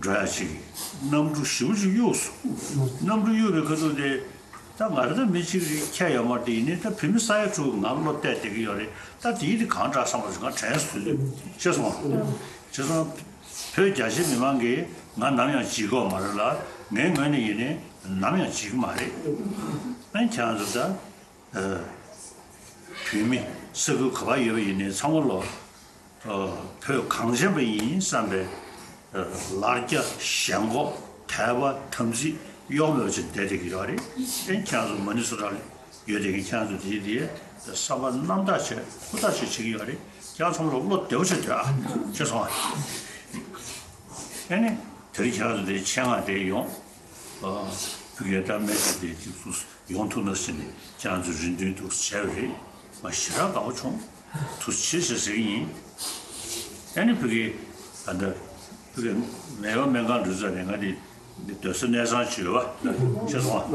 འགྲོ་ཡ་ཅིག་གནམ་གྲུ་ཞེ་པོ་ཅིག་གཡུགས་སོང་། གནམ་གྲུ་གཡུགས་པའི་ཁ་ཐུག་དེ། ད་ང་རང་ད་མི་གཅིག་རེད་ཁྱད་ཡོད་མ་རེད་དེ་ཡིན་ནའི་ད་བོད་མི་ས་ཡ་དྲུག་ང་བློ་གཏད་བསྡད་ཀྱི་ཡོད་རེད། ད་དེའི་རིགས་གང་དྲག་བསམ་པ་ཞིག་ང་དྲན་སོང་། ཤེས་སོང་། བྱས་ཙང་། བོད་རྒྱ་ཆེ་མི་མང་གིས་ང་ནམ་ཡང་བརྗེད་ཀྱི་ཡོད་མ་རེད་ལ། ངའི་ངོས་ནས་ཡིན་ནའི་ནམ་ཡང་བརྗེད་ཀྱི་མ་རེད། ཨ་ནི་ཁྱེད་རང་ཚོ་ད། ཨ། བོད་མི་ས་ཁུལ་ག་པར་ཡོད་པ་ཡིན་ནའི་ཚང་མ་ལོ། ཨ། བོད་གངས་ཅན་པ་ཡིན་བསམ་པའི། ཨ། ལར་རྒྱ་ཞེན་ཁོག་དད་པ་དམ་ཚིག་གཡོ་མེད་ཅིག་བསྡད་བསྡད་ཀྱི་ཡོད་རེད། ཨ་ནི་ཁྱེད་རང་ཚོ་མ་ནི་སོ་ཊ་ལ་ཡོད་བསྡད་མཁན་ཁྱེད་རང་ཚོ་དེ་དེ་བསམ་པ་རྣམ་དག་བྱས་ཧུར་ཐག་བྱས་བྱེད་ཀྱི་ཡོད་རེད། ཁྱེད་རང་ཚང་མ་ལ་བློ་བདེ་པོ་བྱས་སྡོད་ཨ། ཤེས་སོང་ཨ། ཨེ་ནི། དེ་རིང་ཁྱེད་རང་ཚོ་དེ་ཆེད་མངགས་དེ་ཡོང་། ཨ། བོད་སྐད་ལྟ་སྨན་ཞིག་དེ་ཅིག་སུ་ཡོང་ཐུབ་ན་ཟེར་ནས་ཁྱེད་རང་ཚོ་རེ་འདུན་འདུག་བྱས་པ་རེད། ང་ཞེ་དྲག་དགའ་པོ་བྱུང་། ཐུགས་རྗེ་ཆེ་ཟེར་གྱི་ཡིན། ཨེ་ནི་བོད་སྐད་ད་ལྟ་བོད་སྐད་མེད་པ་སྨན་ཁང་འགྲོ་ཚར་ནས་ང་དེ་སྡོད་ས་གནས་ཚང་ཅིག་ཡོད་པ་ཤེས་སོང་ཨ།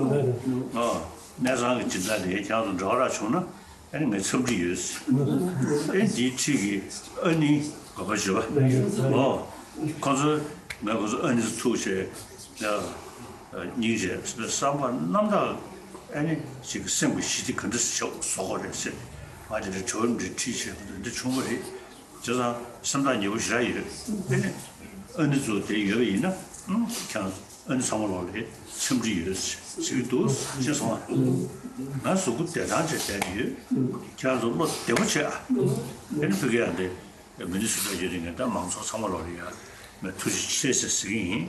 ཨ། གནས་ཚང་གི་སྦྱིན་བདག་དེ་ཁྱེད་རང་ཚོ་འདྲ་བ་རག་བྱུང་ན། ཨ་ནི་ངས་འཚམས་འདྲི་ཡོད། ཨེ་འདིའི་འཁྲིས་ཀྱི་ཨ་ནི་ག་པར་བྱེད་པ། ཨོ། ཁོ་ཚོས་ངས་ཁོ་ཚོ་ཨ་ནི་ཐུག་བྱས། ཡ། སྙིང་རྗེ་བསམ་པ་རྣམ་དག་ཨ་ནི་ཞིག་གི་སེམས་ཀྱི་ཞི་བདེ་ག་འདྲ་ཞིག་བཟོ་དགོས་རེད་ཟེར། ང་དེ་འདྲ་དྲི་བ་འདྲ་དྲིས་བྱས་ཁོ་ཚོ་འདི་བྱུང་བ་རེད། བྱས་ཙང་སེམས་ཐག་ཉེ་པོ་ཞེ་དྲག་ཡོད། ཨ་ནི་ཨ་ནི་ཚོ་དེ་ཡོད་པ་ཡིན་ན། ཁྱེད་རང་ཨ་ནི་ཚང་མ་ལོག་ལ་འཚམས་འདྲི་ཡོད་ཟེར་གྱི་འདུག་ཤེས་སོང་ཨ། ང་གཟུགས་པོ་བདེ་ཐང་བྱས་བསྡད་ཀྱི་ཡོད། ཁྱེད་རང་ཚོ་བློ་བདེ་པོ་བྱས་ཨ། ཨ་ནི་བོད་སྐད་ཡང་དེ་མི་ནི་སུ་འདྲ་ཡོད་རེད། ངས་ད་མང་ཚོགས་ཚང་མ་ལོག་ལ་ཡ་ངས་ཐུགས་རྗེ་ཆེ་ཟེར་ཟེར་གྱི་ཡིན།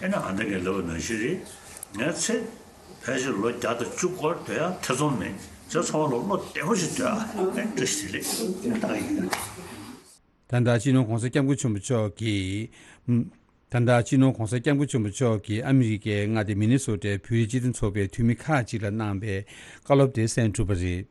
ཨ་ནི་ཨ་འདྲ་ངས་ལབ་པ་ནང་བཞིན་རེད། ངས་ཚེ་ཕལ་ཆེར་ལོ་བརྒྱ་དང་བཅུ་སྐོར་སྡོད་ཡ་ཐེ་ཚོམ་མེད། ཚེ་ཚང་མ་ལོག་བློ་བདེ་པོ་ཞིག་སྡོད་ཨ། ཨ་ནི་བཀྲ་ཤིས་བདེ་ལེགས་ད་ག་ཡིན། ད་ལྟ་སྤྱི་ནོར་༸གོང་ས་༸སྐྱབས་མགོན་ཆེན་པོ་མཆོག་གིས། ད་ལྟ་སྤྱི་ནོར་༸གོང་ས་༸སྐྱབས་མགོན་ཆེན་པོ་མཆོག་གིས་ཨ་མི་རི་ཀའི་མངའ་སྡེ་མི་ནི་སོ་ཊའི་བོད་རིགས་སྤྱི་མཐུན་ཚོགས་པའི་འཐུས་མི་ཁག་ཅིག་ལ་གནང་བའི་བཀའ་སློབ་དེ་གསན་གྲུབ་པ་རེད།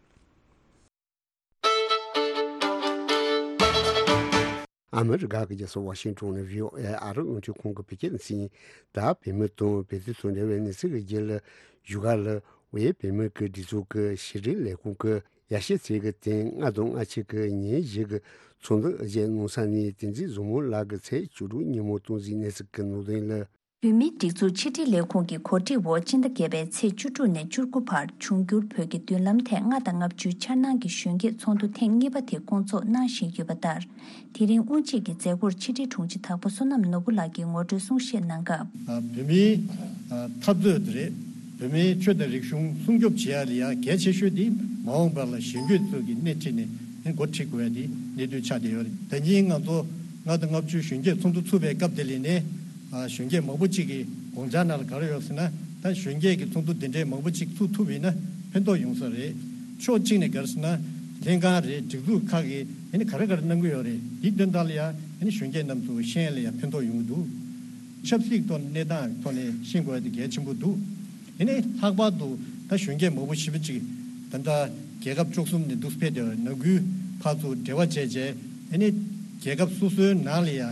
ཨ་མི་རི་ཀ་གི་རྒྱལ་ས་ཝ་ཤིང་ཊོན་ནས་བྷི་ཨོ་ཨེ་ཨ་རི་རླུང་འཕྲིན་ཁང་གི་བོད་སྐད་སྡེ་ཚན་ཡིན། ད་བོད་མི་དང་བོད་དོན་དང་འབྲེལ་བའི་གནས་ཚུལ་གྱི་རྒྱུད་ལ་བཞུགས་སྒར་ལ་ཝེ་བོད་མི་གི་སྒྲིག་འཛུགས་ཀྱི་ཕྱི་དྲིལ་ལས་ཁུངས་ཀྱི་ཡར་ཞུ་ཚིག་གི་སྟེང་ལྔ་དང་ལྔ་གཅིག་གི་ཉིན་བཞི་གི་ཚོགས་འདུ་བརྗེས་གནང་ས་ནས་བསྟན་འཛིན་བཟང་མོ་ལགས་ཀྱི་ཚེས་བཅུ་དྲུག་ཉིན་མོ་སྟངས་འཛིན་གནས་ཚུལ་གྱི་ནང་དོན་ལ། བོད་མིའི་སྒྲིག་འཛུགས་ཕྱི་དྲིལ་ལས་ཁུངས་ཀྱིས་གོ་སྒྲིག་འོག་སྤྱི་ཟླ་བརྒྱད་པའི་ཚེས་བཅུ་དྲུག་ནས་བཅུ་དགུ་བར་འབྱུང་འགྱུར་བོད་ཀྱི་མདུན་ལམ་ཐད་ལྔ་དང་ལྔ་བཅུའི་འཆར་སྣང་གི་གཞོན་སྐྱེས་ཚོགས་འདུ་ཐེངས་གཉིས་པ་དེ་སྐོང་ཚོགས་གནང་བཞིན་ཡོད་པ་ལྟར། དེ་རིང་དབུ་འབྱེད་ཀྱི་མཛད་སྒོར་ཕྱི་དྲིལ་དྲུང་ཆེ་དྭགས་པོ་བསོད་ནམས་ནོར་བུ་ལགས་ཀྱིས་ངོ་སྤྲོད་གསུང་བཤད་གནང་སྐབས། བོད་མིའི་འཐབ་རྩོད་དེ་རེད། བོད་མིའི་ཆོས་དང་རིག་གཞུང་སྲུང་སྐྱོབ་བྱེད་ཡ་ལ་ཡ་གལ་ཆེ་ཤོས་དེ་མ་འོངས་པ་ལ་གཞོན་སྐྱེས་ཚོ་གི་སྣེ་ཁྲིད་ནས་འགོ་ཁྲིད་དགོས་ཡ་དེ་གནད་དོན་ཆགས་བསྡད་ཡོད་རེད། ད་གིན་ང་ཚོ་ལྔ་དང་ལྔ་བཅུ་གཞོན་སྐྱེས་ཚོགས་འདུ་ཚུགས་པའི་སྐབས་དེ་ལ་ནས་གཞོན་སྐྱེས་མང་པོ་ཅིག་གི་དགོངས་འཆར་ནང་ལ་ག་རེ་ཡོད་ཟེར་ན། ད་གཞོན་སྐྱེས་ཀྱི་ཚོགས་འདུ་འདི་འདྲའི་མང་པོ་ཅིག་ཚུགས་ཐུབ་ཡིན་ན་ཕན་ཐོགས་ཡོང་ས་རེད། ཕྱོགས་གཅིག་ནས་ག་རེ་ཟེར་ན་ལྷན་ཁང་རེད། སྒྲིག་འཛུགས་ཁག་གིས་ཨ་ནི་ག་རེ་ག་རེ་གནང་གི་ཡོད་རེད། འདིའི་དོན་དག་ལ་ཡང་ཨ་ནི་གཞོན་སྐྱེས་རྣམས་ཚོ་ཤེས་ཡ་ལ་ཡང་ཕན་ཐོགས་ཡོང་གི་འདུག་ཆབ་སྲིད་ཐོག་གནས་སྟངས་ཐོག་ནས་ཤེས་དགོས་ཡ་དེ་གལ་ཆེན་པོ་འདུག་དེ་ནས་ལྷག་པར་དུ་ད་གཞོན་སྐྱེས་མང་པོ་ཞེ་པོ་ཅིག་ད་ལྟ་རྒྱལ་ཁབ་བཅུ་གསུམ་ནས་འདུག་ཕེབས་བསྡད་པ་ནང་ཁུལ་ཕར་ཚུར་འབྲེལ་བ་བྱས་བྱས་ཨ་ནི་རྒྱལ་ཁབ་སོ་སོའི་ནང་ལ་ཡང་ཨ་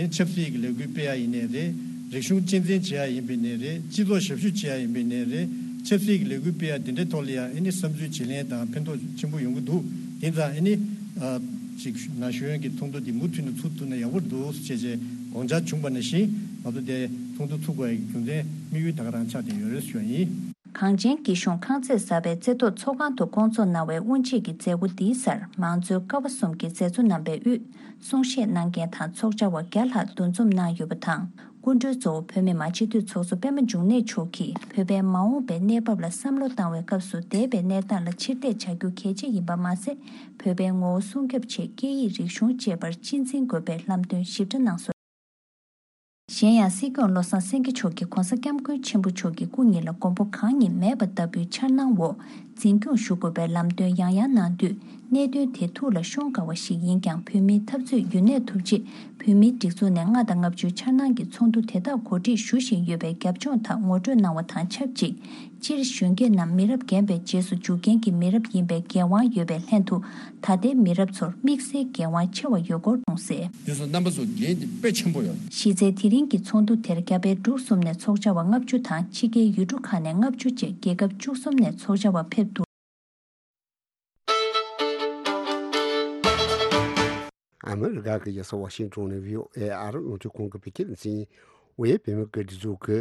ནི་ཆབ་སྲིད་ཀྱི་ལས་འགུལ་སྤེལ་ཡ་ཡིན་ནའི་རེད། རིག་གཞུང་གཅེས་འཛིན་བྱེད་ཡ་ཡིན་པའི་ནའི་རེད། སྤྱི་ཚོགས་ཞབས་ཞུ་བྱེད་ཡ་ཡིན་པའི་ནའི་རེད། ཆབ་སྲིད་ཀྱི་ལས་འགུལ་སྤེལ་ཡ་དེ་འདྲའི་ཐོག་ལ་ཡང་ཨ་ནི་བསམ་ཚུལ་བརྗེ་ལེན་དང་ཕན་ཐོགས་ཆེན་པོ་ཡོང་གི་འདུག་དེ་ཙང་ཨ་ནི་ཅིག་ན་གཞོན་གྱི་ཚོགས་འདུ་འདི་མུ་མཐུད་ནས་ཚུགས་ཐུབ་ན་ཡག་པོ་འདུག་ཅེས་བྱས་དགོངས་འཆར་བྱུང་བ་ནང་བཞིན་ང་ཚོ་དེ་ཚོགས་འདུ་ཚུགས་དགོས་ཡ་གི་རྒྱུ་མཚན་དམིགས་ཡུལ་ད་ག་རང་ཆགས་བསྡད་ཡོད་རེད་ཞུ་ཡ་ཡིན། གངས་ཅན་སྐྱིད་གཤོངས་ཁང་བརྩེགས་གསར་པའི་རྩེ་ཐོག་ཚོགས་ཁང་དུ་བསྐོང་ཚོགས་གནང་བའི་དབུ་འབྱེད་ཀྱི་མཛད་སྒོ་འདིའི་སར་མང་གཙོའི་ཀ་བ་གསུམ་གྱི་མཛད་གཙོ་རྣམ་པའི་དབུས་གསུང་བཤད་གནང་མཁན་དང་ཚོགས་བཅར་བ་བརྒྱ་ལྷག་འདུ་འཛོམས་གནང་ཡོད་པ་དང་། སྐུ་མགྲོན་གཙོ་བོ་བོད་མི་མང་སྤྱི་འཐུས་ཚོགས་གཙོ་པད་མ་འབྱུང་གནས་མཆོག་གིས་བོད་པའི་མ་འོངས་པའི་གནས་བབ་ལ་བསམ་བློ་བཏང་བའི་སྐབས་སུ་འདས་པའི་གནས་སྟངས་ལ་ཕྱིར་བལྟས་བྱ་རྒྱུ་གལ་ཆེ་ཡིན་པ་མ་ཟད། བོད་པའི་ངོ་བོ་སྲུང་སྐྱོབ་ཆེད་སྐད་ཡིག་རིག་གཞུང་བཅས་པར་གཅེས་འཛིན་དགོས་པའི་ལམ་སྟོན་ཞིབ་ཕྲ་གནང་སོང་། གཞན་ཡང་སྲིད་སྐྱོང་བློ་བཟང་སེང་གེ་མཆོག་གིས་༸གོང་ས་༸སྐྱབས་མགོན་ཆེན་པོ་མཆོག་གི་སྐུ་ཉིད་ལ་མགོན་པོ་གང་ཉིད་མེད་པ་ལྟ་བུའི་འཆར་སྣང་འོག་འཛིན་སྐྱོང་ཞུ་དགོས་པའི་ལམ་སྟོན་ཡང་ཡང་གནང་དུས། གནད་དོན་དེ་ཐུགས་ལ་ཤོང་དཀའ་བ་ཞིག་ཡིན་ཀྱང་། བོད་མིའི་འཐབ་རྩོད་ཡུན་གནས་ཐུབ་ཆེད་བོད་མིའི་སྒྲིག་འཛུགས་ནས་ལྔ་དང་ལྔ་བཅུའི་འཆར་སྣང་གི་ཚོགས་འདུ་དེ་དག་གོ་སྒྲིག་ཞུ་བཞིན་ཡོད་པའི་རྒྱབ་ལྗོངས་དག་ངོ་སྤྲོད་གནང་བ་དང་ཆབས་ཅིག་སྤྱིར་གཞོན་སྐྱེས་རྣམས་མི་རབས་རྒན་པའི་རྗེས་སུ་འཇུག་མཁན་གྱི་མི་རབས་ཡིན་པའི་འགན་དབང་ཡོད་པའི་ལྷན་དུ། ད་ལྟའི་མི་རབས་ཚོར་དམིགས་བསལ་འགན་དབང་ཆེ་བ་ཡོད་སྐོར་གསུངས་གསལ། དེ་ཚོ་རྣམ་པ་ཚོ་འགན་དེ་དཔེ་ཆེན་པོ་ཡོད། གཞི་རྩའི་དེ་རིང་གི་ཚོགས་འདུ་དེར་རྒྱ་བལ་འབྲུག་གསུམ་ནས་ཚོགས་བཅར་བ་ལྔ་བཅུ་དང་ཕྱི་རྒྱལ་ཡུལ་གྲུ་ཁག་ནས་ལྔ་བཅུ་བཅས་རྒྱལ་ཁབ་བཅུ་གསུམ་ནས་ཚོགས་བཅར་བ་ཕེབས་འདུག་ཨ་མི་རི་ཀ་གི་རྒྱལ་ས་ཝ་ཤིང་ཊོན་ནས་བྷི་ཨོ་ཨེ་ཨ་རི་རླུང་འཕྲིན་ཁང་གི་བོད་སྐད་སྡེ་ཚན་ཡིན། ཝེ་བོད་མི་གི་སྒྲིག་འཛུགས་ཀྱི་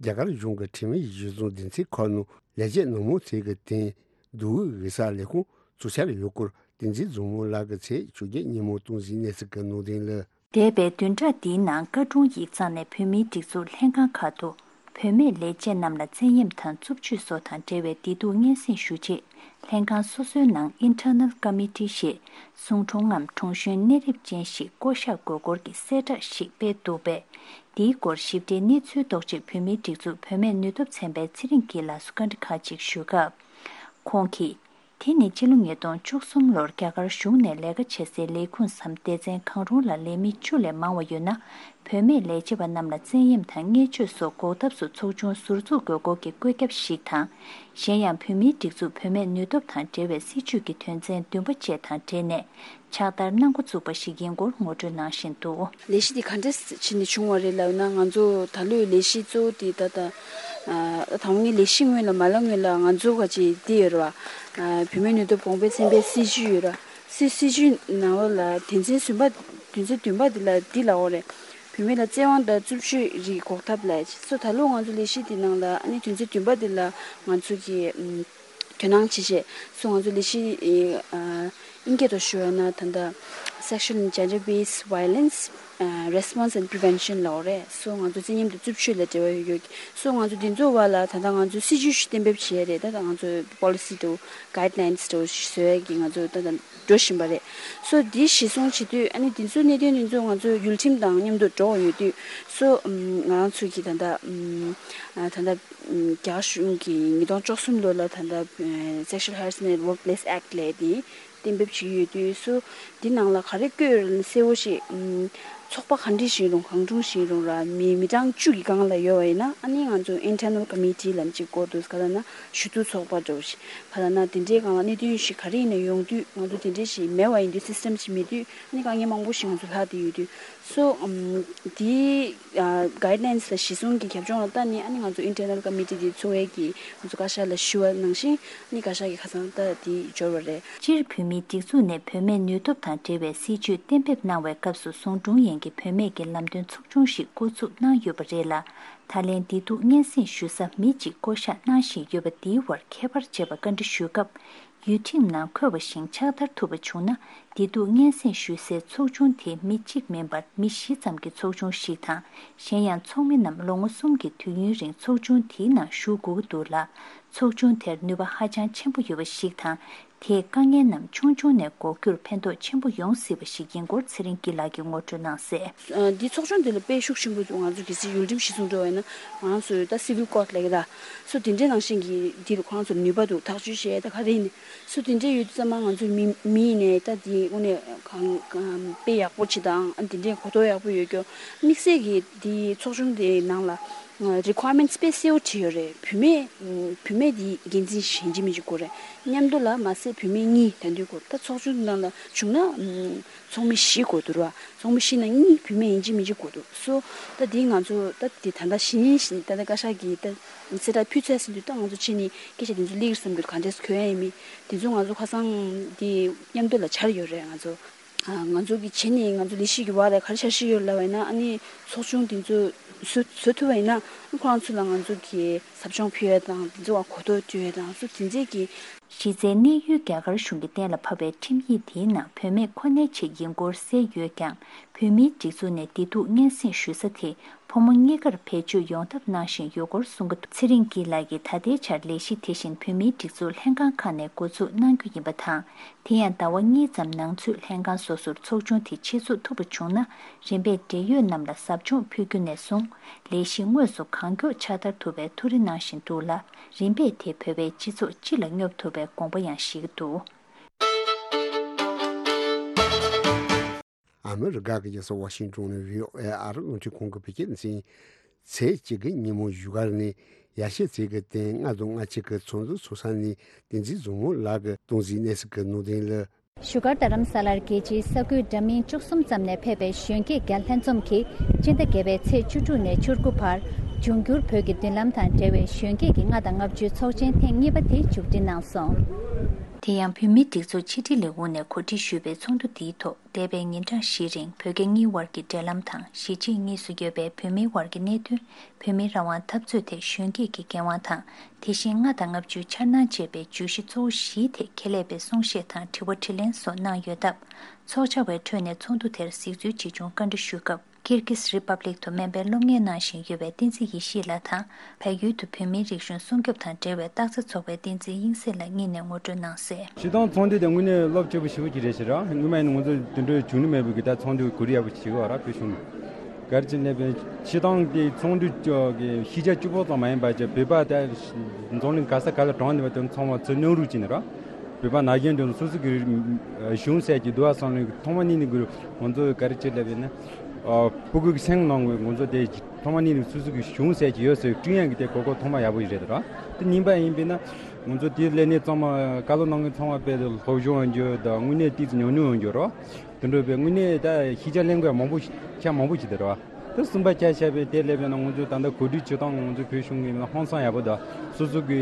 རྒྱ་གར་གཞུང་གི་འཐུས་མི་ཡི་གཞི་བཟུང་སྡེ་ཚན་ཁག་ནང་ལས་བྱེད་ནང་མང་ཚོས་ཀྱི་སྟེང་འདུག་གི་ས་ལས་ཁུངས་བཙུགས་འཆར་ཡོད་སྐོར་བསྟན་འཛིན་བཟང་མོ་ལགས་ཀྱི་ཚེས་བཅོ་བརྒྱད་ཉིན་མོ་སྟངས་འཛིན་གནས་ཚུལ་གྱི་ནང་དོན་ལ། འདས་པའི་བདུན་ཕྲག་འདིའི་ནང་བཀའ་དྲུང་ཡིག་ཚང་ནས་བོད་མིའི་སྒྲིག་འཛུགས་ལྷན་ཁང་ཁག་ཏུ་བུད་མེད་ལས་བྱེད་རྣམས་ལ་བཙན་གཡེམ་དང་རྩུབ་སྤྱོད་སོགས་དང་འབྲེལ་བའི་བདེ་སྡུག་སྙན་སེང་ཞུ་ཆེད་ལྷན་ཁང་སོ་སོའི་ནང་Internal Committee ཞེས་གསུང་གྲོང་ངམ་གྲོང་གཞོན་གནས་རིམ་ཅན་ཞིག་བསྐོ་གཞག་དགོས་སྐོར་གྱི་གསལ་བསྒྲགས་ཤིག་སྤེལ་འདུག་པས། འདིའི་སྐོར་ཞིབ་ཕྲའི་གནས་ཚུལ་རྟོགས་ཆེད་བོད་མིའི་སྒྲིག་འཛུགས་བུད་མེད་ནུས་སྟོབས་ཚན་པའི་ཚེ་རིང་སྐྱིད་ལགས་སུ་བཀའ་འདྲི་ཁག་ཅིག་ཞུས་སྐབས། ཁོང་གིས། དེ་ནི་ཕྱི་ལོ་ཉིས་སྟོང་བཅུ་གསུམ་ལོར་རྒྱ་གར་གཞུང་ནས་ལས་ཀ་བྱེད་སའི་ལས་ཁུངས་སམ་སྡེ་ཚན་གང་རུང་ལ་ལས་མི་བཅུ་ལས་མང་བ་ཡོད་ན། བུད་མེད་ལས་བྱེད་པ་རྣམས་ལ་བཙན་གཡེམ་དང་བརྙས་བཅོས་སོགས་འགོག་ཐབས་སུ་ཚོགས་ཆུང་ཟུར་འཛུགས་དགོས་སྐོར་གྱི་བཀོད་ཁྱབ་ཞིག་དང་། གཞན་ཡང་བུད་མེད་སྒྲིག་འཛུགས་བུད་མེད་ནུས་སྟོབས་དང་འབྲེལ་བའི་སྲིད་ཇུས་ཀྱི་དོན་ཚན་བདུན་པ་བཅས་དང་འབྲེལ་ནས་ཕྱག་བསྟར་གནང་འགོ་བཙུགས་པ་ཞིག་ཡིན་སྐོར་ངོ་སྤྲོད་གནང་བཞིན་འདུག། ལས་གཞི་འདི་ག་འདྲས་བྱས་ནས་བྱུང་བ་རེད་ལབ་ན། ང་ཚོ་ད་ལོའི་ལས་གཞི་གཙོ་བོ་དེ་ད་ལྟ་ཨ་ད་ངའི་ལས་གཞི་སྔོན་ལ་མ་ལ་སྔོན་ལ་ང་ཚོ་ག་ཅིག་འདི་ཡོད་རེད་བ། ཨ་བུད་མེད་ནུས་སྟོབས་གོང་འཕེལ་ཚན་པའི་སྲིད་ཇུས་ཡོད་རེད། སྲིད་སྲིད་ཇུས་ནང་ལོགས་ལ་དོན་ཚན་གསུམ་པ་དོན་ཚན་བདུན་པ་འདི་ལ་འདི་ལབ་ཡོད་རེད། བུད་མེད་ལ་བཙན་དབང་དང་རྩུབ་སྤྱོད་རིགས་འགོག་ཐབས་ལ་སོ། ད་ལོ་ང་ཚོ་ལས་གཞི་འདི་ནང་ལ་ཨ་ནི་དོན་ཚན་བདུན་པ་འདི་ལ་ང་ཚོ་གི་ཨམ་དོ་སྣང་བྱེད་ཆེད་སོ། ང་ཚོ་ལས་གཞི་ཨ་ཨིན་སྐད་ཐོག་ཞུ་བ་ན་ད་ལྟ་Sexual and Gender Based Violence Response and Prevention ལབ་ཡོད་རེད། སོ་ང་ཚོ་བཙན་གཡེམ་དང་རྩུབ་སྤྱོད་ལ་འབྲེལ་བ་ཡོད་ཡོད། སོ་ང་ཚོ་འདི་ཚོའི་བར་ལ་ད་ལྟ་ང་ཚོ་སྲིད་ཇུས་ཤིག་གཏན་འབེབས་བྱས་རེད། ད་ལྟ་ང་ཚོ་པོ་ལི་སི་དང་གྷའིཌ་ལའིན་སི་དང་བཟོ་ཡས་ཀྱི་ང་ཚོ་ད་ལྟ་འགྲོ་བཞིན་པ་རེད། སོ་འདི་གཞི་བཟུང་བྱེད་དུས་ཨ་ནི་འདི་ཚོའི་གནད་དོན་འདི་ཚོ་ང་ཚོ་ཡུལ་ཁྲིམས་དང་མཉམ་དུ་འགྲོ་བ་ཡོད་དུས་སོ། ཨམ་ང་རང་ཚོ་གི་ད་ལྟ་ཨམ་ཨ་ད་ལྟ་ཨམ་རྒྱ་གཞུང་གི་ཉིས་སྟོང་བཅུ་གསུམ་ལོ་ལ་ད་ལྟ་ཨ་Sexual Harassment at Workplace Act ལབ་དེ་གཏན་འབེབས་བྱེད་ཀྱི་ཡོད་དུས་སོ། འདི་ནང་ལ་ག་རེ་བཀོད་ཡོད་རེད་ན་གསལ་བོ་ཞིག་ཨམ་ཚོགས་པ་ག་འདྲ་ཞིག་རུང་གང་རུང་ཞིག་རུང་ར་མི་མི་གྲངས་བཅུ་གི་སྒང་ལ་ཡོད་པ་ཡིན་ན་ཨ་ནི་ང་ཚོ་Internal Committee ལབ་ཅིག་དགོས་འདུག། ག་ལབ་ན་ཞུ་གཏུག་ཚོགས་པ་འདྲ་བོ་ཞིག་ག་ལབ་ན་དེ་འདྲའི་སྒང་ལ་གནད་དོན་ཞིག་ག་རེ་ཡིན་ན་ཡོང་དུས་ང་ཚོ་དེ་འདྲའི་ཞིག་མེད་པ་ཡིན་དུས་སི་སི་ཊམ་ཞིག་མེད་དུས་ཨ་ནི་དཀའ་ངལ་མང་པོ་ཞིག་ང་ཚོ་ལྷག་བསྡད་ཡོད་དུས་སོ། ཨམ་དེའི་ཨ་གྷའིཌ་ལའིན་སི་ལ་གཞི་བཟུང་གི་རྒྱབ་ལྗོངས་ལ་ལྟ་ནས་ཨ་ནི་ང་ཚོ་Internal Committee དེ་ཚོགས་པའི་གི་ང་ཚོ་བཀའ་ཤག་ལ་ཞུ་བ་ནང་བཞིན་ཨ་ནི་བཀའ་ཤག་གི་ཁ་སང་ལྟ་དེ་འབྱོར་བ་རེད། སྤྱིར་བོད་མིའི་སྒྲིག་འཛུགས་ནས་བུད་མེད་ནུས་སྟོབས་དང་འབྲེལ་བའི་སྲིད་ཇུས་གཏན་འབེབས་གནང་བའི་སྐབས་སུ་ཟུང་ཀྲུང་ཡན་གྱི་བུད་མེད་ཀྱི་ལམ་སྟོན་ཚོགས་ཆུང་ཞིག་བསྐོ་འཛུགས་གནང་ཡོད་པ་རེད་ལ། ད་ལན་བདེ་སྡུག་སྙན་སེང་ཞུ་ས་མི་གཅིག་བསྐོ་གཞག་གནང་བཞིན་ཡོད་པ་འདིའི་བར་ཁྱད་པར་འབྱེད་པ་བཀའ་འདྲི་ཞུས་སྐབས། ཡུལ་ཁྲིམས་ནང་འཁོད་པ་བཞིན་ཕྱག་བསྟར་ཐུབ་པ་བྱུང་ན། བདེ་སྡུག་སྙན་སེང་ཞུ་སའི་ཚོགས་ཆུང་དེ་མི་གཅིག་མིན་པར་མི་བཞི་ཙམ་གྱི་ཚོགས་ཆུང་ཞིག་དང་། གཞན་ཡང་ཚོགས་མི་རྣམས་ལོ་ངོ་གསུམ་གྱི་དུས་ཡུན་རིང་ཚོགས་ཆུང་དེའི་ནང་ཞུགས་དགོས་ཀྱི་འདུག་ལ། ཚོགས་ཆུང་དེར་ནུས་པ་ཧ་ཅང་ཆེན་པོ་ཡོད་པ་ཞིག་དང་། དེས་དཀའ་ངལ་རྣམས་ཆུང་ཆུང་ནས་འགོག་རྒྱུར་ཕན་ཐོགས་ཆེན་པོ་ཡོང་སྲིད་པ་ཞིག་ཡིན་སྐོར་ཚེ་རིང་སྐྱིད་ལགས་ཀྱིས་ངོ་སྤྲོད་གནང་གསལ། ཨ་འདི་ཚོགས་ཆུང་འདི་ལ་དཔེ་ཤུགས་ཆེན་པོ་འདུག། ང་ཚོ་གལ་སྲིད་ཡུལ་ཁྲིམས་གཞི་བཟུང་འགྲོ་བ་ཡིན་ན་ང་རང་ཚོའི་ད་སི་ཝིལ་ཀོཌ་ལབ་ཀྱི་ད་སོ་དེ་འདྲའི་ནང་བཞིན་གྱི་འདི་ལ་ཁོ་རང་ཚོར་ནུས་པ་འདུག། ཐག་གཅོད་བྱས་ད་ག་རེ་ཡིན། སོ་དེ་འདྲའི་ཡོད་དུས་ཙམ་པ་ང་ཚོའི་མི་མི་ཡིན་ནའི་ད་དེ་དངོས་གནས་གང་གང་དཔེ་ཡག་པོ་བྱེད་དང་ཨ་དེ་འདྲའི་གོ་རྟོགས་ཡག་པོ་ཡོད་རྒྱུ། དམིགས་བསལ་གྱི་དེ་ཚོགས་ཆུང་དེའི་ནང་ལ་རི་ཀོ་ཡར་མེན་ཊི་སི་དཔེ་གསལ་པོ་བྲིས་ཡོད་རེད། བུད་མེད་བུད་མེད་དེ་འགན་འཛིན་ཞིག་ཡིན་གཅིག་མིན་གཅིག་དགོས་རེད། མཉམ་དུ་ལ་མ་ཟད་བུད་མེད་གཉིས་ད་འདོད་དགོས། ད་ཚོགས་ཆུང་དེ་ནང་ལ་བྱུང་ན་ཚོགས་མི་བཞི་དགོས་འདུག་ར། ཚོགས་མི་བཞི་ནང་གཉིས་བུད་མེད་ཡིན་གཅིག་མིན་གཅིག་དགོས་འདུག། སོ་ད་དེ་ང་ཚོ་ད་དེ་ད་ལྟ་གཞི་ནས་ད་ལྟ་བཀའ་ཤག་གིས་ད་གསལ་བསྒྲགས་ཕུལ་ཚར་ཟིན་དུས་ད་ང་ཚོ་ཕྱི་ནས་སྐད་ཆ་དེ་ཚོ་སླེབས་ཀྱི་བསམ་གྱི་འདུག། ག་འདྲས་གོ་ཡ་ཡིན་མིན་དེ་ཚོ་ང་ཚོ་ཁ་སང་དེ་མཉམ་དུ་ལ་འཆར་ཡོད་རེད། ང་ཚོ་ཨ་ང་ཚོ་གི་བྱས་ནས་ང་ཚོ་ལས་གཞི་གི་བར་ལ་ག་རེ་འཆར་གཞི་ཡོད་ལབ་པ་ཡིན་ན་ཨ་ནི་ཚོགས་ཆུང་དེ་ཚོ་བཟོ་བཟོ་ཐུབ་པ་ཡིན་ན་ཁོ་རང་ཚོ་ལ་ང་ཚོ་གི་ཟབ་སྦྱོང་ཕུལ་ཡ་དང་དེ་ཚོ་བ་གོ་རྟོགས་སྤྲོད་ཡ་དང་སོ་དེ་ཚོའི་གི་གཞི་རྩའི་གནས་ཡུལ་རྒྱ་གར་གཞུང་གིས་གཏན་ལ་ཕབ་པའི་ཁྲིམས་ཡིག་དེའི་ནང་བུད་མེད་ཁོ་ནའི་ཆེད་ཡིན་སྐོར་གསལ་ཡོད་ཀྱང་། བོད་མིའི་སྒྲིག་འཛུགས་ནས་བདེ་སྡུག་སྙན་སེང་ཞུ་ས་དེ་ཕོ་མོ་གཉིས་ཀར་བེད་སྤྱོད་ཡོང་ཐབས་གནང་བཞིན་ཡོད་སྐོར་གསུང་གི་འདུག། ཚེ་རིང་སྐྱིད་ལགས་ཀྱིས་ད་ལྟའི་ཆར་ལས་གཞི་དེ་བཞིན་བོད་མིའི་སྒྲིག་འཛུགས་ལྷན་ཁང་ཁག་ནས་འགོ་འཛུགས་གནང་རྒྱུ་ཡིན་པ་དང་། དེ་ཡང་ཟླ་བ་གཉིས་ཙམ་ནང་ཚུད་ལྷན་ཁང་སོ་སོར་ཚོགས་ཆུང་དེ་ཆེད་འཛུགས་ཐུབ་པ་བྱུང་ན། རིམ་པས་འབྲེལ་ཡོད་རྣམས་ལ་ཟབ་སྦྱོང་ཕུལ་རྒྱུ་ནས་བཟུང་། ལས་གཞི་དངོས་སུ་གང་མགྱོགས་ཕྱག་བསྟར་ཐུབ་པའི་ཐུགས་རེ་གནང་བཞིན་འདུག་ལ། རིམ་པས་དེ་བོད་པའི་སྤྱི་ཚོགས་སྤྱི་ལ་སྙོབ་ཐུབ་པའི་དགོངས་པ་ཡང་བཞེས་ཀྱི་འདུག། ཨ་མི་རི་ཀ་གི་རྒྱལ་ས་ཝ་ཤིང་ཏོན་ནས་བྷི་ཨོ་ཨེ་ཨ་རི་རླུང་འཕྲིན་ཁང་གི་བོད་སྐད་སྡེ་ཚན། ཚེས་གཅིག་གི་ཉིན་མོ་བཞུགས་སྒར་ནས་ཡར་ཞུ་ཚིག་གི་སྟེང་ལྔ་དང་ལྔ་གཅིག་གི་ཚོགས་འདུ་ཚོགས་ས་ནས་བསྟན་འཛིན་བཟང་མོ་ལགས་ཀྱིས་གཏོང་གཟིགས་གནང་ས་གི་ནང་དོན་ལ། བཞུགས་སྒར་རྡ་རམ་ས་ལར་རྒྱལ་སྤྱིའི་ས་ཁུལ་འདྲ་མིན་བཅུ་གསུམ་ཙམ་ནས་ཕེབས་པའི་གཞོན་སྐྱེས་བརྒྱ་ལྷན་འཛོམས་ཀྱིས་སྤྱི་ཟླ་བརྒྱད་པའི་ཚེས་བཅུ་དྲུག་ནས་བཅུ་དགུ་བར་འབྱུང་འགྱུར་བོད་ཀྱི་མདུན་ལམ་དང་འབྲེལ་བའི་གཞོན་སྐྱེས་ཀྱི་ལྔ་དང་ལྔ་བཅུའི་ཚོགས་ཆེན་ཐེངས་གཉིས་པ་དེ་མཇུག་སྒྲིལ་གནང་སོང་། དེ་ཡང་བོད་མིའི་སྒྲིག་འཛུགས་ཕྱི་དྲིལ་ལས་ཁུངས་ནས་གོ་སྒྲིག་ཞུས་པའི་ཚོགས་འདུ་འདིའི་ཐོག་འདས་པའི་ཉིན་གྲངས་བཞིའི་རིང་བོད་རྒྱ་གཉིས་དབར་གྱི་འབྲེལ་ལམ་དང་གཞིས་བྱེས་གཉིས་སུ་ཡོད་པའི་བོད་མིའི་དབར་གྱི་གནད་དོན། བོད་མིའི་རང་དབང་འཐབ་རྩོད་ཐད་གཞོན་སྐྱེས་ཀྱི་འགན་དབང་དང་། དེ་བཞིན་ལྔ་དང་ལྔ་བཅུའི་འཆར་སྣང་བཅས་པའི་བརྗོད་གཞི་གཙོ་བོ་བཞིའི་ཐད་ཁྱད་ལས་པའི་གསུང་བཤད་དང་དྲི་བ་དྲིས་ལན་སོགས་གནང་ཡོད་སྟབས། ཚོགས་བཅར་བའི་ཁྲོད་ནས་ཚོགས་འདུ་དེར་གཟིགས་ཚུལ་ཇི་བྱུང་བཀའ་འདྲི་ཞུས་སྐབས། ཀིར་ཀིས་རི་པབ་ལིག་ཏུ་སྨན་པའི་སློབ་གཉེར་གནང་བཞིན་ཡོད་པའི་བསྟན་འཛིན་ཡེ་ཤེས་ལགས་དང་། བལ་ཡུལ་དུ་བོད་མིའི་རིག་གཞུང་སྲུང་སྐྱོབ་དང་འབྲེལ་བའི་རྟགས་རྩེ་ཚོགས་པའི་བསྟན་འཛིན་དབྱིངས་གསལ་ལགས་གཉིས་ནས་ངོ་སྤྲོད་གནང་གསལ། སྤྱིར་བཏང་ཚོགས་འདུ་དེ་དངོས་གནས་རླབས་ཆེ་པོ་ཞེ་པོ་ཅིག་རེད་ཤག་ར། སྔོན་མ་ཡིན་ན་ང་ཚོ་དེ་འདྲའི་བྱུང་ནི་མེད་པའི་གི་ད་ཚོགས་འདུ་གོ་རིམ་ཡག་པོ་ཞིག་བྱེད་དགོས་ར། བོད་གཞུང་ག་རེ་བྱས་ནས་བྱས་ཙང་དེ་ཚོགས་འདུ་གི་ཤེས་བྱ་སྐྱོ་པོ་ཙམ་མ་ཡིན་པ་ཅིག་བོད་པ་ད་འཛམ་གླིང་ག་ས་ག་ལ་གྲོངས་ནས་པ་དེ་ཚང་མ་ཚུར་སྣང་རུག་བྱས་ནས་ར། བོད་པ་ན་གཞོན་དེ་ཚོ་སོ་སོ་གི་གཞུང་ཟེར་གྱི་འདུག་བསམ་ལེ་ཐོག་མ་ཉིད་ནས་གི་ང་ཚོ་ག་རེ་བྱེད་ལབ་ཡིན་ན། ཕྲུ་གུ་གི་སེམས་ནང་གི་ང་ཚོ་དེ་ཐོག་མ་ཉིད་ནས་སོ་སོ་གི་གཞུང་ཟེར་གྱི་ཡོད་ཟེར་བསྐྲུན་ཡག་གི་དེ་གོ་སྐབས་ཐོག་མ་ཡག་པོ་ཞིག་རེད་ར། དེ་གཉིས་པ་ཡིན་པས་ན་ང་ཚོ་དེ་སླེབས་ནས་ཚང་མ་བཀའ་སློབ་གནང་མཁན་ཚང་མ་དཔེ་སློབ་སྦྱོང་ཡོང་རྒྱུ་དང་དངོས་གནས་ཏོག་ཙམ་ཉུང་ཉུང་ཡོང་རྒྱུ་ར། དེ་འདྲ་བའི་དངོས་གནས་ད་ཤེས་བྱ་ལེན་དགོས་མང་པོ་ཞིག་ཆ་མང་པོ་ཞིག་དེ་རེད་བ། དེ་གསུམ་པ་ཆ་བཞག་པའི་དེ་སླེབས་པས་ན་ང་ཚོས་ད་ལྟ་གོ་སྒྲིག་བྱེད་སྟངས་ང་ཚོའི་བོད་གཞུང་གི་ཧང་སང་ཡག་པོ་དང་སོ་སོ་གི་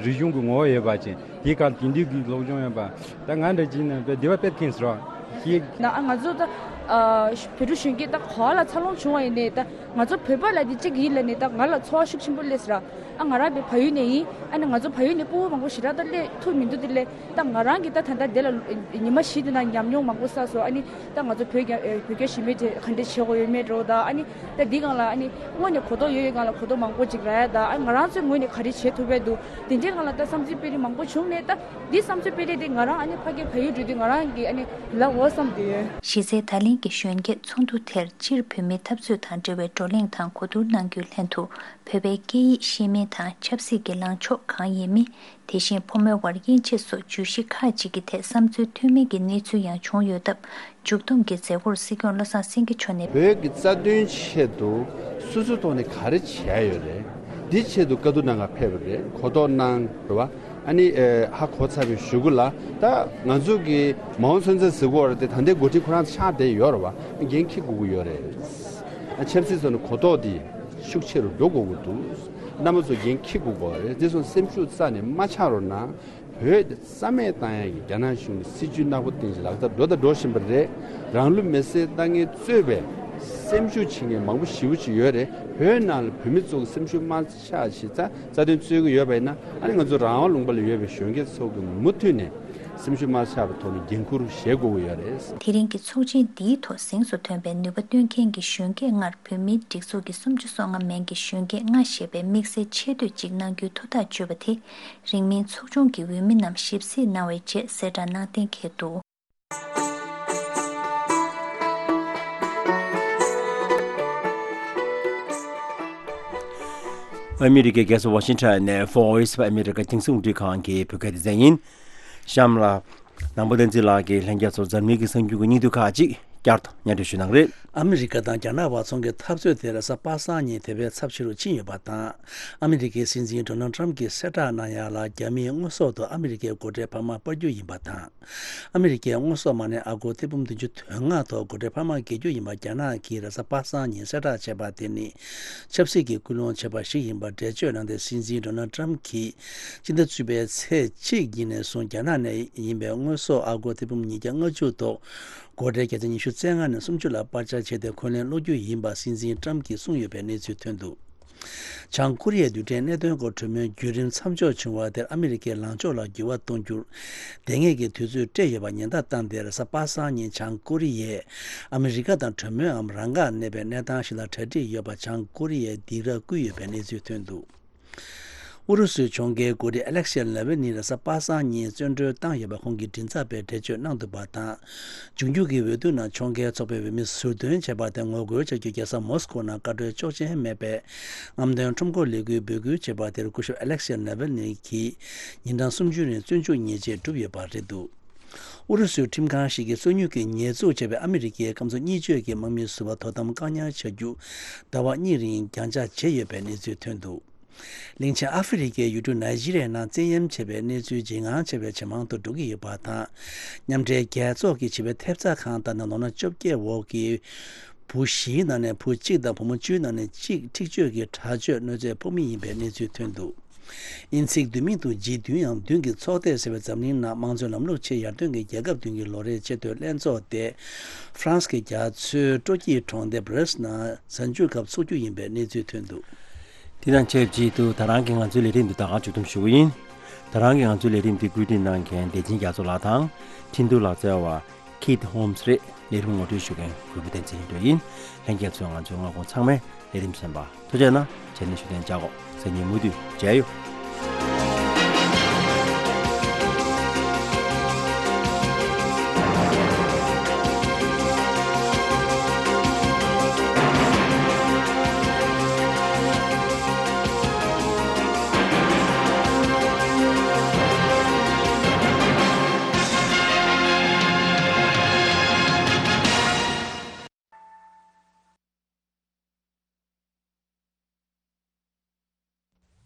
རིག་གཞུང་གི་ངོ་བོ་ཡོད་པ་ཅན་དེའི་ཁར་དེང་དུས་ཀྱི་སློབ་སྦྱོང་ཡོད་པ་ད་ང་འདྲ་ཅིག་ནས་དཔེ་བདེ་བ་དཔེ་མཁྱེན་ཟེར་བ་ཞིག་ན་ཨ་ང་ཚོ་ད་ཨ་བོད་ཕྲུག་གཞོན་སྐྱེས་ད་ག་ལ་འཚར་ལོངས་བྱུང་བ་ཡིན་ནའི་ད་ང་ཚོ་བོད་པ་ལ་དེ་གཅིག་ཡིན་ལ་ནི་ད་ང་ལ་ཚོར་བ་ཤུགས་ཆེན་པོ་སླེབས་ཟེར་བ། ཨ་ང་རང་དཔེ་བལ་ཡུལ་ནས་ཡིན། ཨ་ནི་ང་ཚོ་བལ་ཡུལ་ནས་སྤུ་གུ་མང་པོ་ཞེ་དྲག་ད་སླེབས་ཐུབ་མི་འདུག་དེ་ལས། ད་ང་རང་གིས་ད་ད་ལྟ་དེ་ལ་ཉི་མ་བཞི་དེ་ན་ཉམས་མྱོང་མང་པོ་བསགས་སོང་། ཨ་ནི་ད་ང་ཚོ་བོད་རྒྱ་ཨེ་བོད་རྒྱ་ཞི་མོལ་དེ་ག་འདྲས་བྱེད་དགོས་ཡོད་མེད་འགྲོ་ད། ཨ་ནི་ད་འདི་སྒང་ལ་ཨ་ནི་དངོས་ནས་གོ་རྟོགས་ཡོད་ཡོད་སྒང་ལ་གོ་རྟོགས་མང་པོ་ཅིག་རག་ཡ་ད། ཨ་ང་རང་ཚོའི་ངོས་ནས་ག་རེ་བྱེད་ཐུབ་པ་འདུག་དེ་འདྲའི་སྒང་ལ་ད་བསམ་ཚུལ་སྤེལ་རིགས་མང་པོ་བྱུང་ནས་ད་འདི་བསམ་ཚུལ་སྤེལ་རིགས་དེ་ང་རང་ཨ་ནི་ཕ་གིར་བལ་ཡུལ་འགྲོ་དུས་ང་རང་གིས་ཨ་ནི་ལབ་འོ་བསམ་དུས། གཞི་རྩའི་ད་ལན་གྱི་གཞོན་སྐྱེས་ཚོགས་འདུ་དེར་སྤྱིར་བོད་མིའི་འཐབ་རྩོད་དང་འབྲེལ་བའི་བགྲོ་གླེང་དང་གོ་བསྡུར་གནང་རྒྱུའི་ལྷན་དུ་བོད་པའི་སྐད་ཡིག་ཤེས་མིན་དང་ཆབ་སྲིད་ཀྱི་ལངས་ཕྱོགས་གང་ཡིན་མིན། དེ་བཞིན་ཕོ་མོའི་དབར་དབྱེ་འབྱེད་སོགས་བརྗོད་གཞི་ཁག་ཅིག་གི་ཐད་བསམ་ཚུལ་མཐུན་མིན་གྱི་གནས་ཚུལ་ཡང་བྱུང་ཡོད་སྟབས། མཇུག་བསྡོམས་ཀྱི་མཛད་སྒོར་སྲིད་སྐྱོང་བློ་བཟང་སེང་གེ་མཆོག་ནས། བོད་ཀྱི་རྩ་དོན་ཆེད་དུ་སོ་སོའི་ཐོག་ནས་ག་རེ་བྱས་ཡོད་རེད། འདི་ཆེད་དུ་བཀའ་བསྡུར་གནང་ག་ཕེབས་པ་རེད། གོ་རྟོགས་གནང་རེད་བ། ཨ་ནི་ཨེ་ཧ་གོ་ཚར་བའི་གཞུག་གུ་ལ་ད་ང་ཚོ་གི་མའོ་སུན་ཚན་ཟེར་གོ་རེད་དེ་ད་ལྟའི་འགོ་ཁྲིད་ཁོ་རང་ཆགས་བསྡད་ཡོད་རེད་བ། འགན་འཁྱེར་དགོས་ཀྱི་ཡོད་རེད། ཨ་ཆབ་སྲིད་ཐོག་ནས་གོ་རྟོགས་འདི་ཤུགས་ཆེ་རུ་འགྲོ་དགོས་ཀྱི་འདུག་རྣམ་པ་ཚོ་འགན་འཁྱེར་དགོས་ཀྱི་རེད། དེ་སོང་སེམས་ཤུགས་རྩ་ནས་མ་ཆག་རོགས་གནང་། བོད་དེ་རྩ་མེད་བཏང་ཡག་གི་རྒྱ་ནག་གཞུང་གི་སྲིད་ཇུས་ནག་པོ་སྟེང་ཞིག་ལག་བསྟར་འགྲོ་དང་འགྲོ་བཞིན་པ་རེད། རང་ལུས་མེར་སྲེག་བཏང་མཁན་གཙོས་པའི་སེམས་ཤུགས་ཆེ་མཁན་མང་པོ་ཞེ་པོ་ཅིག་ཡོད་རེད། བོད་ནང་ལ་བོད་མི་ཚོ་གི་སེམས་ཤུགས་མ་ཆག་ཞིག་རྩ་རྩ་དོན་རྩོད་ཀྱི་ཡོད་པ་ཡིན་ན། ཨ་ནི་ང་ཚོ་རང་དབང་ལུང་པ་ལ་ཡོད་པའི་གཞོན་སྐྱེས་ཚོ་གི་མུ་མཐུད་ནས་སེམས་ཤུགས་མ་ཆག་པའི་ཐོག་ནས་འགན་འཁུར་བཞེས་དགོས་ཀྱི་ཡོད་རེད། དེ་རིང་གི་ཚོགས་ཆེན་འདིའི་ཐོག་གཟེངས་སུ་ཐོན་པའི་ནུས་པ་བཏོན་མཁན་གྱི་གཞོན་སྐྱེས་ལྔར་བོད་མིའི་སྒྲིག་འཛུགས་ཀྱི་སུམ་ཅུ་སོ་ལྔ་མན་གྱི་གཞོན་སྐྱེས་ལྔ་ཞེས་པའི་དམིགས་བསལ་ཆེ་བསྟོད་ཅིག་གནང་རྒྱུའི་ཐུགས་ཐག་གཅོད་པ་དེ། རིང་མིན་ཚོགས་ཆུང་གི་འོས་མི་རྣམས་ཞིབ་གཟིགས་གནང་བའི་རྗེས་གསལ་བསྒྲགས་གནང་གཏན་འཁེལ་འདུག་ཨ་མི་རི་ཀའི་རྒྱལ་ས་ཝ་ཤིང་ཊོན་ནས་Voice of America རྒྱང་སྲིང་རླུང་འཕྲིན་ཁང་གི་བོད་སྐད་སྡེ་ཚན་ཡིན། གཤམ་ལ། ནང་པ་བསྟན་འཛིན་ལགས་ཀྱིས་ལྷན་རྒྱས་ཚོར་འཛམ་གླིང་གི་གསར་འགྱུར་གྱི་སྙིང་བསྡུས་ཁག་ཅིག་བསྐྱར་དུ་སྙན་སྒྲོན་ཞུ་གནང་རེད། ཨ་མི་རི་ཀ་དང་རྒྱ་ནག་བར་ཚོང་གི་འཐབ་རྩོད་དེ་རེས་གཟའ་པ་སངས་ཉིན་དེ་བས་ཚབས་ཆེ་རུ་ཕྱིན་ཡོད་པ་དང་། ཨ་མི་རི་ཀའི་སྲིད་འཛིན་ཌོ་ནལ་ཊམ་གྱིས་གསལ་བསྒྲགས་གནང་ཡ་ལ་རྒྱ་མིས་དངོས་ཟོག་ཏུ་ཨ་མི་རི་ཀའི་སྒོ་ཁྲལ་འཕར་མ་སྤར་རྒྱུ་ཡིན་པ་དང་། ཨ་མི་རི་ཀས་དངོས་ཟོག་མ་གནས་ཨ་སྒོར་ཐེར་འབུམ་བདུན་ཅུ་དོན་ལྔ་ཐོག་སྒོ་ཁྲལ་འཕར་མ་འགེལ་རྒྱུ་ཡིན་པ་རྒྱ་ནག་གིས་རེས་གཟའ་པ་སངས་ཉིན་གསལ་བསྒྲགས་བྱས་པ་དེ་ནི་ཆབ་སྲིད་ཀྱི་སྐུལ་སློང་བྱས་པ་ཞིག་ཡིན་པར་འགྲེལ་བརྗོད་གནང་སྟེ། སྲིད་འཛིན་ཌོ་ནལ་ཊམ་གྱིས་སྤྱི་ཟླ་བཅུ་པའི་ཚེས་གཅིག་ཉིན་ནས་བཟུང་རྒྱ་ནག་ནས་ཡིན་པའི་དངོས་ཟོག་ཨ་སྒོར་ཐེར་འབུམ་ཉིས་བརྒྱ་ལྔ་བཅུ་ཐོག་སྒོ་ཁྲལ་བརྒྱ་ཆ་ཉི་ཤུ་རྩ་ལྔ་ནས་སུམ་ཅུ་ལ་སྤར་ཆ་བྱས་ཏེ་འཁོན་ལན་སློག་རྒྱུ་ཡིན་པ་སྲིད་འཛིན་ཊམ་གྱིས་གསུངས་ཡོད་པའི་གནས་ཚུལ་ཐོན་འདུག་བྱང་ཀོ་རི་ཡའི་རྡུལ་ཕྲན་གནད་དོན་སྐོར་གྲོས་མོལ་བརྒྱུད་རིམ་མཚམས་འཇོག་བྱུང་བ་དེར་ཨ་མི་རི་ཀས་ལངས་ཕྱོགས་ལ་འགྱུར་བ་གཏོང་རྒྱུར་དེ་སྔའི་གི་དུས་ཚོད་སྤྲད་ཡོད་པ་ཉེན་བརྡ་བཏང་སྟེ། རེས་གཟའ་པ་སངས་ཉིན་བྱང་ཀོ་རི་ཡས་ཨ་མི་རི་ཀ་དང་གྲོས་མོལ་འམ་རང་འགུལ་གནས་པའི་གནས་སྟངས་ཤིག་ལ་གྲ་སྒྲིག་ཡོད་པ་བྱང་ཀོ་རི་ཡས་སྡིགས་ར་བསྐུལ་ཡོད་པའི་གནས་ཚུལ་ཐོན་འདུག་ཨུ་རུ་སུའི་གྱོང་གུན་འགོ་ཁྲིད་ཨ་ལེག་ཤེ་ལེ་ཝི་ནི་རེས་གཟའ་པ་སངས་ཉིན་བཙོན་གྲོལ་བཏང་ཡོད་པ་ཁོང་གི་མགྲིན་ཚབ་པས་འགྲེལ་བརྗོད་གནང་འདུག་པ་དང་། འབྱུང་འགྱུར་གྱི་འོས་བསྡུ་ནང་ཕྱོགས་འགལ་ཚོགས་པའི་འོས་མི་ཟུར་འདོན་བྱས་པ་དེ་ངོ་རྒོལ་བྱ་རྒྱུ་རྒྱལ་ས་མོ་སི་ཀོ་ནང་བཀའ་འཁྲོལ་ཆོག་མཆན་མེད་པའི་རྔམ་སྟོན་ཁྲོམ་སྐོར་ལས་འགུལ་འབོད་སྐུལ་བྱས་པ་དེར་སྐུ་ཞབས་ཨ་ལེག་ཤེ་ལེ་ཝི་ནི་གིས་ཉིན་གྲངས་སུམ་ཅུ་རིང་བཙོན་འཇུག་ཉེས་ཆད་བསྒྲུབས་ཡོད་པ་རེད་འདུག་ཨུ་རུ་སུའི་ཁྲིམས་ཁང་ཞིག་གིས་སོ་ཉུལ་གྱི་ཉེས་འཛུགས་བྱས་པའི་ཨ་མི་རི་ཀའི་སྐམ་སོ་གཉིས་བརྗོད་ཀྱི་དམག་མི་ཟུར་པ་དོ་དམ་བཀག་ཉར་བྱ་རྒྱུ་ཟླ་བ་གཉིས་རིང་རྒྱང་བཅག་བྱས་ཡོད་པའི་གནས་ཚུལ་ཐོན་འདུག་གླིང་ཆེན་ཨ་ཧྥེ་རི་ཁའི་ཡུལ་གྲུ་ནཱི་ཇི་རི་ཡའི་ནང་བཙན་གཡེམ་བྱས་པའི་གནས་ཚུལ་ཇེ་ངང་ཆེ་བའི་ཇེ་མང་དུ་འགྲོ་གི་ཡོད་པ་དང་། མཉམ་འབྲེལ་རྒྱལ་ཚོགས་ཀྱི་བྱིས་པའི་ཐེབས་རྩ་ཁང་ལྟར་ན་ལོ་ན་བཅོ་བརྒྱད་འོག་གི་བུ་བཞིའི་ནང་ནས་བུ་གཅིག་དང་བུ་མོ་བཅུའི་ནང་ནས་གཅིག་འཁྲིག་སྤྱོད་ཀྱི་དྲག་སྤྱོད་གནོད་འཚེའི་ཕོགས་མི་ཡིན་པའི་གནས་ཚུལ་ཐོན་འདུག་དབྱིན་ཚིག་བསྡུས་མིང་དུ་ཇི་བདུན་ཡང་བདུན་གྱི་ཚོགས་སྡེས་ཟེར་བའི་འཛམ་གླིང་ནང་དམངས་གཙོའི་ལམ་ལུགས་ཆེས་ཡར་ཐོན་གྱི་རྒྱལ་ཁབ་བདུན་གྱི་ལོ་རེའི་ཆེས་མཐོའི་ལྷན་ཚོགས་དེ་ཧྥ་རན་སི་གི་རྒྱ་མཚོའི་སྤྲོ་སྐྱིད་གྲོང་སྡེ་བྷ་རེ་སི་ནང་གཟའ་མཇུག་སྐབས་འཚོགས་རྒྱུ་ཡིན་པའི་གནས་ཚུལ་ཐོན་འདུག་དེ་དང་ཆབས་ཅིག་ཏུ་ད་རང་གི་ང་ཚོའི་ལས་རིམ་འདི་ད་ག་མཇུག་བསྡོམས་ཞུ་གི་ཡིན། ད་རང་གི་ང་ཚོའི་ལས་རིམ་འདི་བཀོད་སྒྲིག་གནང་མཁན་བདེ་ཆེན་རྒྱ་མཚོ་ལགས་དང་། འཕྲིན་བསྡུར་ལག་རྩལ་བ་Kate Holmes རེད། ལས་རིམ་ངོ་སྤྲོད་ཞུ་མཁན་གུས་པ་བསྟན་འཛིན་ཡིན་འགྲོ་ཡིན། ལྷན་རྒྱས་ཚོས་ང་ཚོའི་སྔ་དགོང་ཚང་མའི་ལས་རིམ་གསན་པ་ཐུགས་རྗེ་གནང་། བྱས་ནས་ཞུ་དོན་བྱ་གོ། སང་ཉིན་མུ་མཐུད་མཇལ་ཡོང་།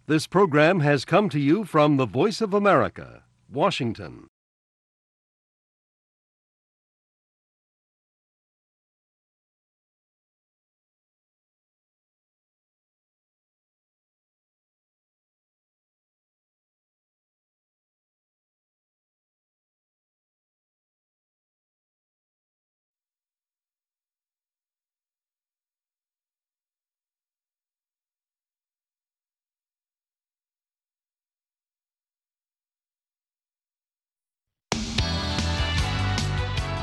This program has come to you from the Voice of America, Washington.